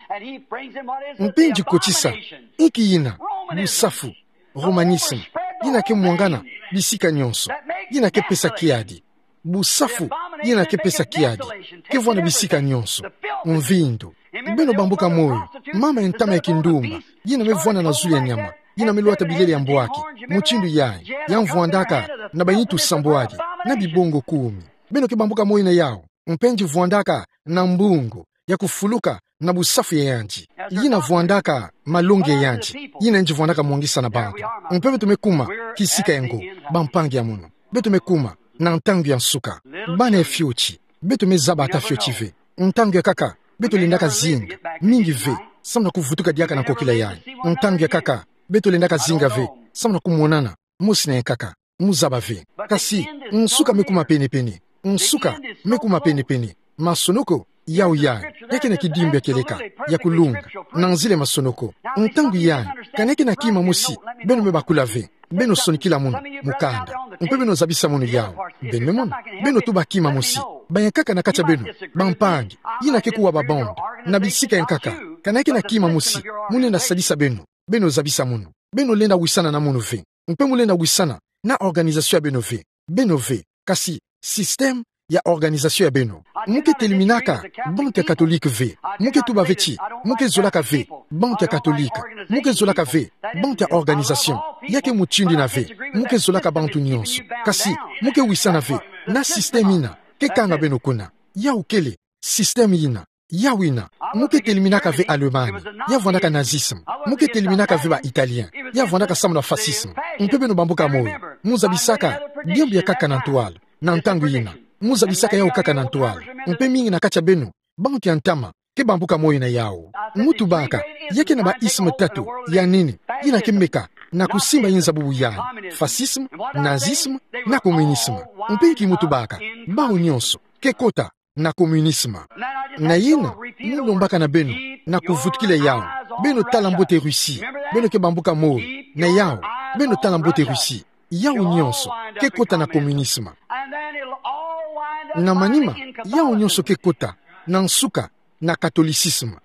Mpe yandi kotisa inki yina? Busafu, romanisme, yina kemwangana bisika nyonso, yina kepesa kiadi. Busafu, yina kepesa kiadi, kevwanda bisika nyonso. Mvindu. Beno bambuka moyo, mama ya ntama ya kindumba yina mevwanda na zulu ya nyama, yina melwata bilele ya mbwaki mutindu yayi, ya mvwandaka na banitu sambwadi na bibongo kumi. Beno kebambuka moyo na yawu. Mpe yandi vwandaka na mbungu ya kufuluka na busafu ya yandi, yina vwandaka malongi ya yandi, yina yandi vwandaka mwangisa na bantu. Mpe beto mekuma kisika yango, bampangi ya mono. Beto mekuma na ntangu ya nsuka. Bana ya fioti, beto mezaba ata fioti ve. Ntangu ya nkaka beto lendaka zinga mingi ve, samu na kuvutuka diaka na nkokila yayi. Ntangu ya nkaka beto lendaka zinga ve, samu na kumonana mosi na ya nkaka. Muzaba ve. Kasi nsuka mekuma pene-pene. Nsuka mekuma pene-pene. Masonoko yawu yayi, ya kena kidimbu ya kieleka ya kulunga na nzila ya masonoko. Ntangu yayi, kana ya kena kima mosi, beno mebakula ve. Beno sonikila munu mukanda, mpe beno zabisa munu yawu. Beno mona, beno tuba kima mosi. Bayankaka na kati ya beno, bampangi yina ke kuwa ba bande na bisika ya nkaka, kana ya kena kima mosi, munu lenda sadisa beno, beno zabisa munu. Beno lenda wisana na munu ve. Mpe munu lenda wisana na organisation ya beno ve. Beno ve. Kasi système ya organisation ya beno. Mu keteliminaka bantu ya katolike ve. Mu ketuba ve ti mu kezolaka ve bantu ya katolike. Mu kezolaka ve bantu ya organisation. Ya ke mutindu yina ve. Mu kezolaka bantu nyonso. Kasi mu kewisana ve na système yina kekanga beno kuna. Yawu kele système yina. Yawu yina. Mu keteliminaka ve Allemagne, ya vwandaka nazisme. Mu keteliminaka ve ba Italien, ya vwandaka samu na fascisme. Mpe beno bambuka moyo, muzabisaka diambu ya nkaka na ntwala na ntangu yina. Muzabisaka yawu nkaka na ntwala. Mpe mingi na kati ya beno, bantu ya ntama, kebambuka moyo na yawu. Mu tubaka, ya kena ba isme tatu ya nene yina kemeka na kusimba inza bubu yayi: fascisme, nazisme, na communisme. Mpe nki mu tubaka? Bawu nyonso kekota na communisme. Na yina, mu lombaka na beno na kuvutukila yawu: beno tala mbote Russie. Beno kebambuka moyo na yawu: beno tala mbote Russie. Yawu nyonso kekota na communisme. Na manima, yawu nyonso kekota na nsuka na catholicisme.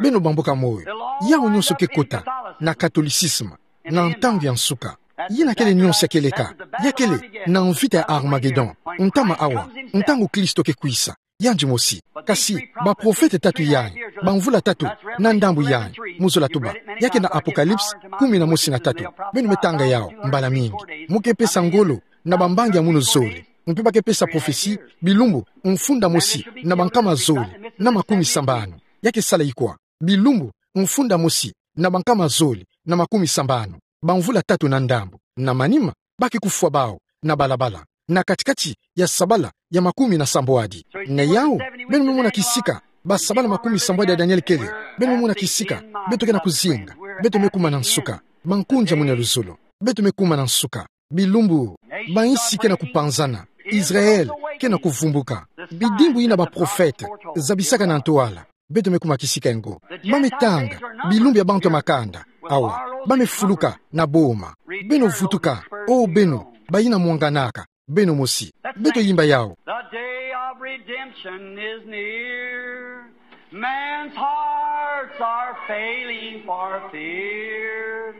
Beno bambuka moyo, yawu nyonso kekota na catholicisme na ntangu ya nsuka. Yina kele nyonso ya kieleka. Ya kele na mvita ya Armagedon, ntama awa, ntangu Kristo kekwisa. Yandi mosi. Kasi baprofete tatu yayi, bamvula tatu na ndambu yayi, muzola tuba, ya kena Apocalypse kumi na mosi na tatu. Beno metanga yawu mbala mingi. Mu kepesa ngolo na bambangi ya munu zole. Mpe ba kepesa prophetie bilumbu mfunda mosi na bankama zole na makumi sambanu. Ya kesala ikwa? Bilumbu mfunda mosi na bankama zole na makumi sambanu. Bamvula tatu na ndambu. Na manima, ba ke kufwa bawu na balabala, na kati-kati ya sabala ya makumi na sambwadi. Na yawu, beno memona kisika basabala makumi sambwadi ya Daniel kele. Beno memona kisika beto kena kuzinga. Beto mekuma na nsuka. Bankunzi ya munu ya luzolo, beto mekuma na nsuka. Bilumbu, bayinsi kena kupanzana. Israël kena kuvumbuka. Bidimbu yina baprofete zabisaka na ntwala, beto mekuma kisika yango. Ba metanga bilumbu ya bantu ya makanda. Awa, ba mefuluka na boma. Beno vutuka, o beno bayina mwanganaka, beno mosi. Beto yimba yawu. The day of redemption is near. Man's hearts are failing for fear.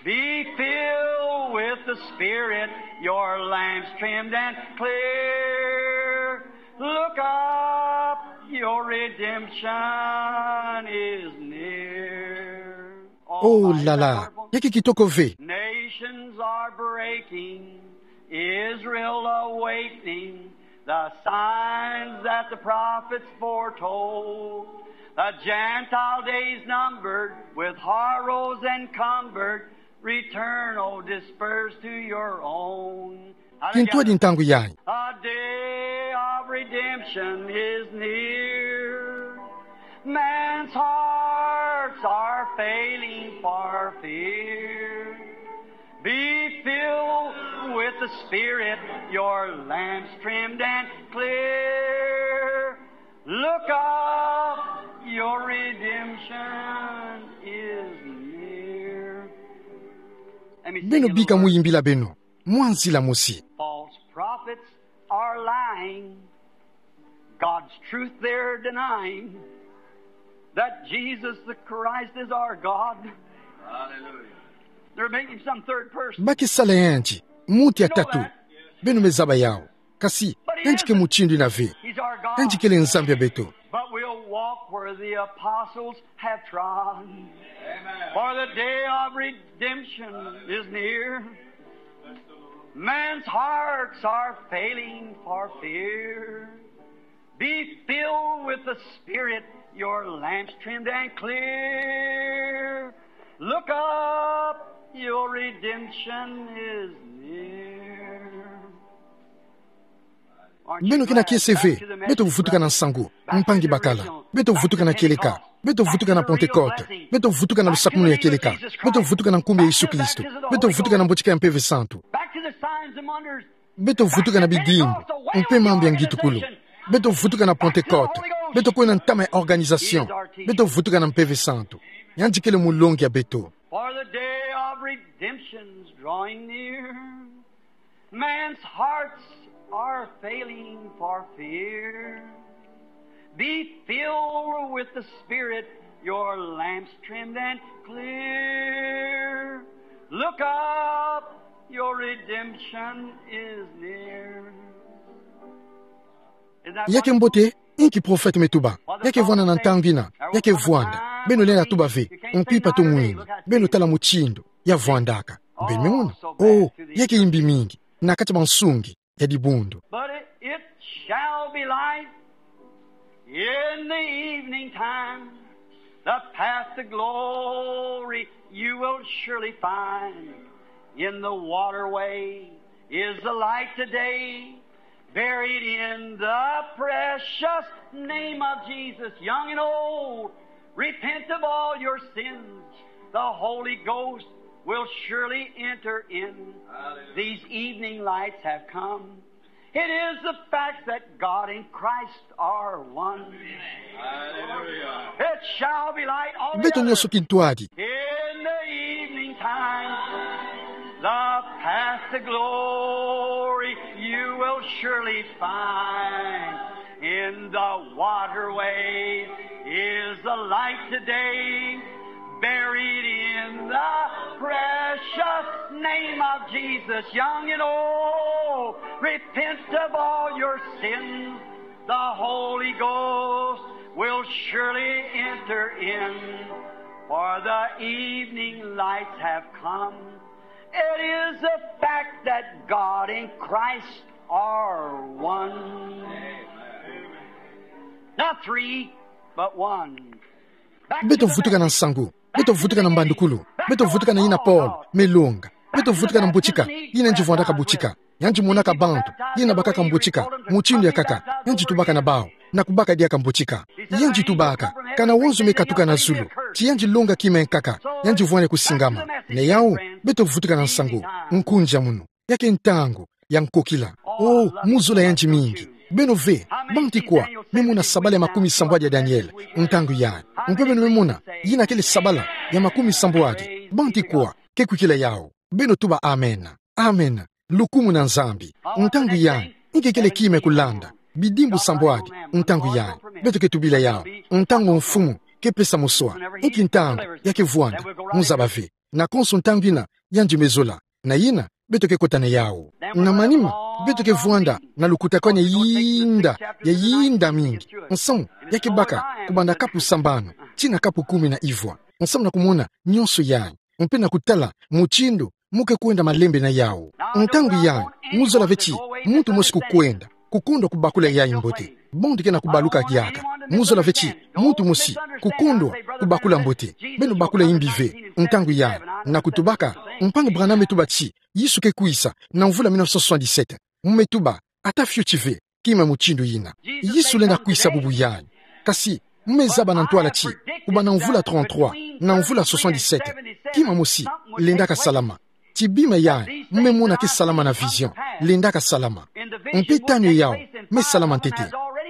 Be filled with the Spirit, your lamps trimmed and clear. Look up, your redemption is near. Oh là là, ya ke kitoko ve. Nations are breaking, Israel awakening, the signs that the prophets foretold. The Gentile days numbered, with horrors encumbered, return, O dispersed, to your own. Kintwadi ntangu yayi. A day of redemption is near. Hearts are failing for fear. Be filled with the Spirit, your lamps trimmed and clear. Look up, your redemption is near. Let me sing you a little verse. Beno bika muyimbila beno mwa nzila mosi. False prophets are lying. God's truth they're denying. That Jesus the Christ is our God. Hallelujah. They're making some third person. Bakisala yandi, muntu ya tatu. Beno me zaba yawu. Kasi, yandi ke mutindu ina ve. He's our God. Yandi kele Nzambi ya beto. But we'll walk where the apostles have trod. Amen. For the day of redemption is near. Man's hearts are failing for fear. Be filled with the Spirit, your lamps trimmed and clear. Look up, your redemption is near. Beno kena kiese ve, beto vutuka na nsangu, mpangi bakala, beto vutuka na kieleka, beto vutuka na Pentecote, beto vutuka na lusakumunu ya kieleka, beto vutuka na nkumbu ya Yesu Kristo, beto vutuka na mbotika ya Mpeve Santu. Back to the signs and wonders. Beto vutuka na bidimbu, mpe mambu ya ngitukulu. Beto vutuka na Pentecote, beto kwenda ntama ya organisation, beto vutuka na Mpeve Santu. Yandi kele mulongi ya beto. For the day of redemption's drawing near. Man's hearts are failing for fear. Be filled with the Spirit, your lamps trimmed and clear. Look up, your redemption is near. Ya ke mbote, inki prophète me tuba. Ya ke vwanda na ntangu ina, ya ke vwanda. Beno lenda tuba ve, mpipa tu mwini. Beno tala mutindu ya vwandaka. Beno me mona. Oh, ya ke yimbi mingi na kati ya bansungi ya dibundu. But it, it shall be light in the evening time. The path to glory you will surely find. In the waterway is the light today. Buried in the precious name of Jesus, young and old, repent of all your sins. The Holy Ghost will surely enter in. Hallelujah. These evening lights have come. It is the fact that God and Christ are one. Hallelujah. It shall be light all the other. Beto nyonso kintwadi. In the evening time, the path to glory you will surely find. In the waterway is the light today, buried in the precious name of Jesus. Young and old, repent of all your sins. The Holy Ghost will surely enter in, for the evening lights have come. It is a fact that God and Christ are one. Not three, but one. Beto vutuka na nsangu. Beto vutuka na mbandukulu. Beto vutuka na yina Paul me longa. Beto vutuka na mbotika yina yandi vwandaka botika. Yandi monaka bantu yina bakaka mbotika mutindu ya nkaka. Yandi tubaka na bawu na kubaka diaka mbotika. Yandi tubaka, kana wonso me katuka na zulu, ti yandi longa kima ya nkaka, yandi vwani kusingama. Na yawu, beto vutuka na nsangu. Nkunzi ya munu. Ya ke ntangu ya nkokila. Oh, mu zola yandi mingi. Beno ve, banti kwa me mona sabala ya makumi sambwadi ya Daniel ntangu yayi? Mpe beno me mona yina kele sabala ya makumi sambwadi? Banti kwa ke kwikila yawu? Beno tuba amen. Amen. Lukumu na Nzambi. Ntangu yayi, inki kele kima ya kulanda? Bidimbu sambwadi ntangu yayi. Beto ke tubila yawu. Ntangu Mfumu ke pesa moswa. Inki ntangu ya ke vwanda? Mu zaba ve. Na konso ntangu yina yandi me zola. Na yina, beto ke kota na yawu. Na manima, beto ke vwanda na lukutakanu ya yinda, ya yinda mingi. Nsamu ya ke baka kubanda kapu sambanu tii na kapu kumi na ivwa. Nsamu na kumona nyonso yayi, mpe na kutala mutindu mu ke kwenda malembe na yawu. Ntangu yayi, mu zola ve ti muntu mosi kukwenda, kukondwa kubakula yayi mbote. Bantu ke na kubaluka diaka. Mu zola ve ti muntu mosi kukondwa kubakula mbote. Beno bakula yimbi ve ntangu yayi, na kutubaka, mpangi Branham me tuba ti Yesu ke kwisa na mvula mille neuf cent soixante-dix-sept. Mu me tuba, ata fioti ve kima mutindu yina. Yesu lenda kwisa bubu yayi. Kasi Mme zaba na ntwala ti, kubâ na mvula trente-trois, na mvula soixante-dix-sept. Kima mosi, lendaka salama. Ti bima ya, mme mona ke salama na vision, lendaka salama. Mpe tanu yao, mme salama ntete.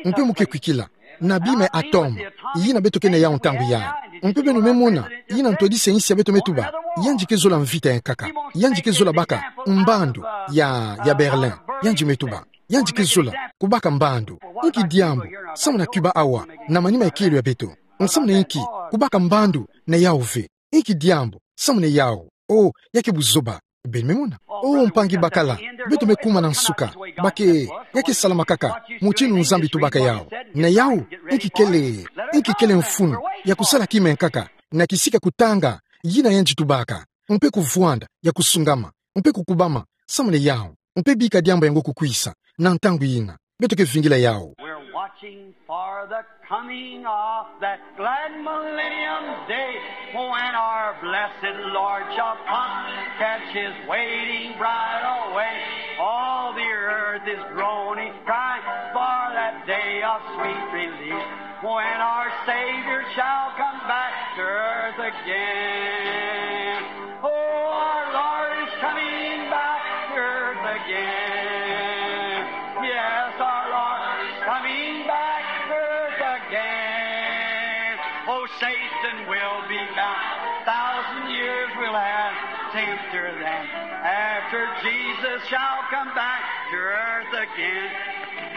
Mpe muke kwikila, na bima atome, yina beto ke na yao ntangu ya. Mpe beno mme mona, yina ntwadisi nsi ya beto mme tuba, yandi ke zola mvita ya nkaka, yandi ke zola baka, mbandu, ya, ya Berlin, yandi mme tuba. Yandi ke zola, kubaka mbandu. Nki diambu, samu na Cuba awa, na manima ya kielo ya beto. Nsamu na nki, kubaka mbandu, na yao ve. Nki diambu, samu na yao. O, ya ke buzoba, beno mme mona. O, mpangi bakala, beto mme kuma na nsuka, bake, ya ke salama kaka, mutinu Nzambi tubaka yao. Na yao, nki kele, nki kele mfunu, ya kusala kima ya nkaka, na kisika kutanga, yina yandi tubaka. Mpe kuvwanda, ya kusungama, mpe kukubama, samu na yao. Mpe bika diambu yango kukwisa, na ntangu yina. Beto ke vingila yao. We're watching for the coming of that glad millennium day, when our blessed Lord shall come, catch his waiting bride away. All the earth is groaning, crying for that day of sweet release, when our Savior shall come back to earth again. Oh, our Lord is coming back to earth again. Yes, our Lord is coming back to earth again. Oh, Satan will be bound. Thousand years will have tempter then. After Jesus shall come back to earth again.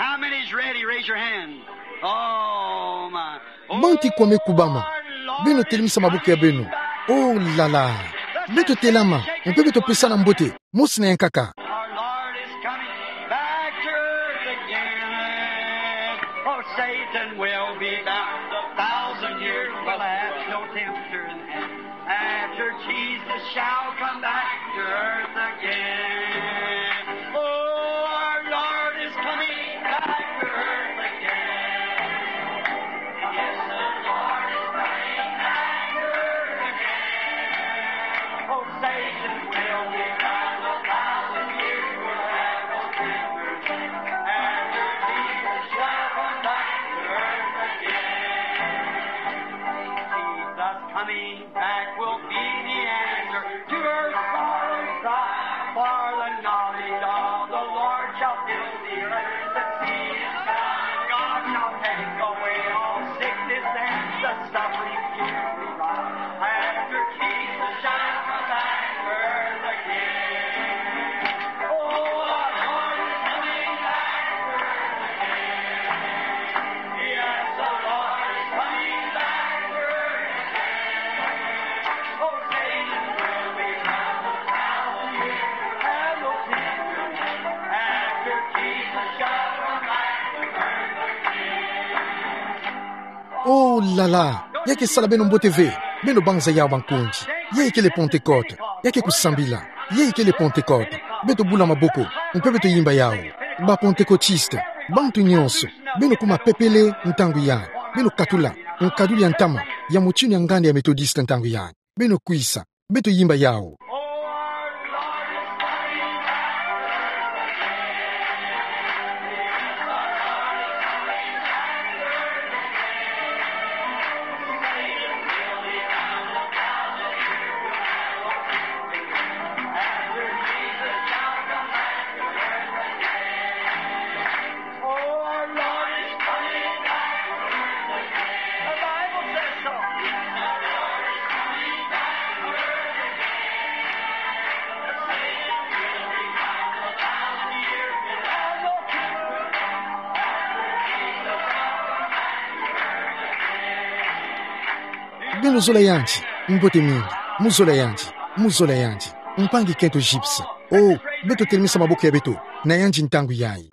How many's ready? Raise your hand. Oh, my. Bantu ikua mme kubama. Beno telemisa maboko ya beno. Oh là là. Beto telama. Mpe beto pesana mbote. Mosi na ya nkaka. Our Lord is coming back to earth again. Oh, Satan will be bound. A thousand years will have no tempter in heaven. After Jesus shall come back to earth again. Oh, our Lord is coming back to earth again. Yes, the Lord is coming back to earth again. Oh, Satan will be bound, a thousand years will have no tempter. After Jesus shall come back to earth again. Jesus coming back will be the answer to her sorrow cry. For the knowledge of the Lord shall fill the earth. The seed is found. God shall take away all sickness and the suffering here we rise. After Jesus shall come back to earth again. Oh, our Lord is coming back to earth again. Yes, the Lord is coming back to earth again. Oh, Satan will be bound, a thousand years will have no tempter. After Jesus shall come back to earth again. Oh là là. Ya ke sala beno mbote ve. Beno banza yao bankundi. Ya ikele Pentecôte. Ya ke kusambila. Ya ikele Pentecôte. Beto bula maboko. Mpe beto yimba yao. Ba Pentecôtistes. Bantu nyonso. Beno kuma pepele ntangu yayi. Beno katula nkaduli ya ntama ya mutinu ya nganda ya Methodiste ntangu yayi. Beno kwisa. Beto yimba yao. Oh, our Lord is coming back. The Bible says so. Beno zola yandi, mbote mingi, mu zola yandi, mu zola yandi, mpangi kento Gypsy. Oh, beto telemisa maboko ya beto na yandi ntangu yayi.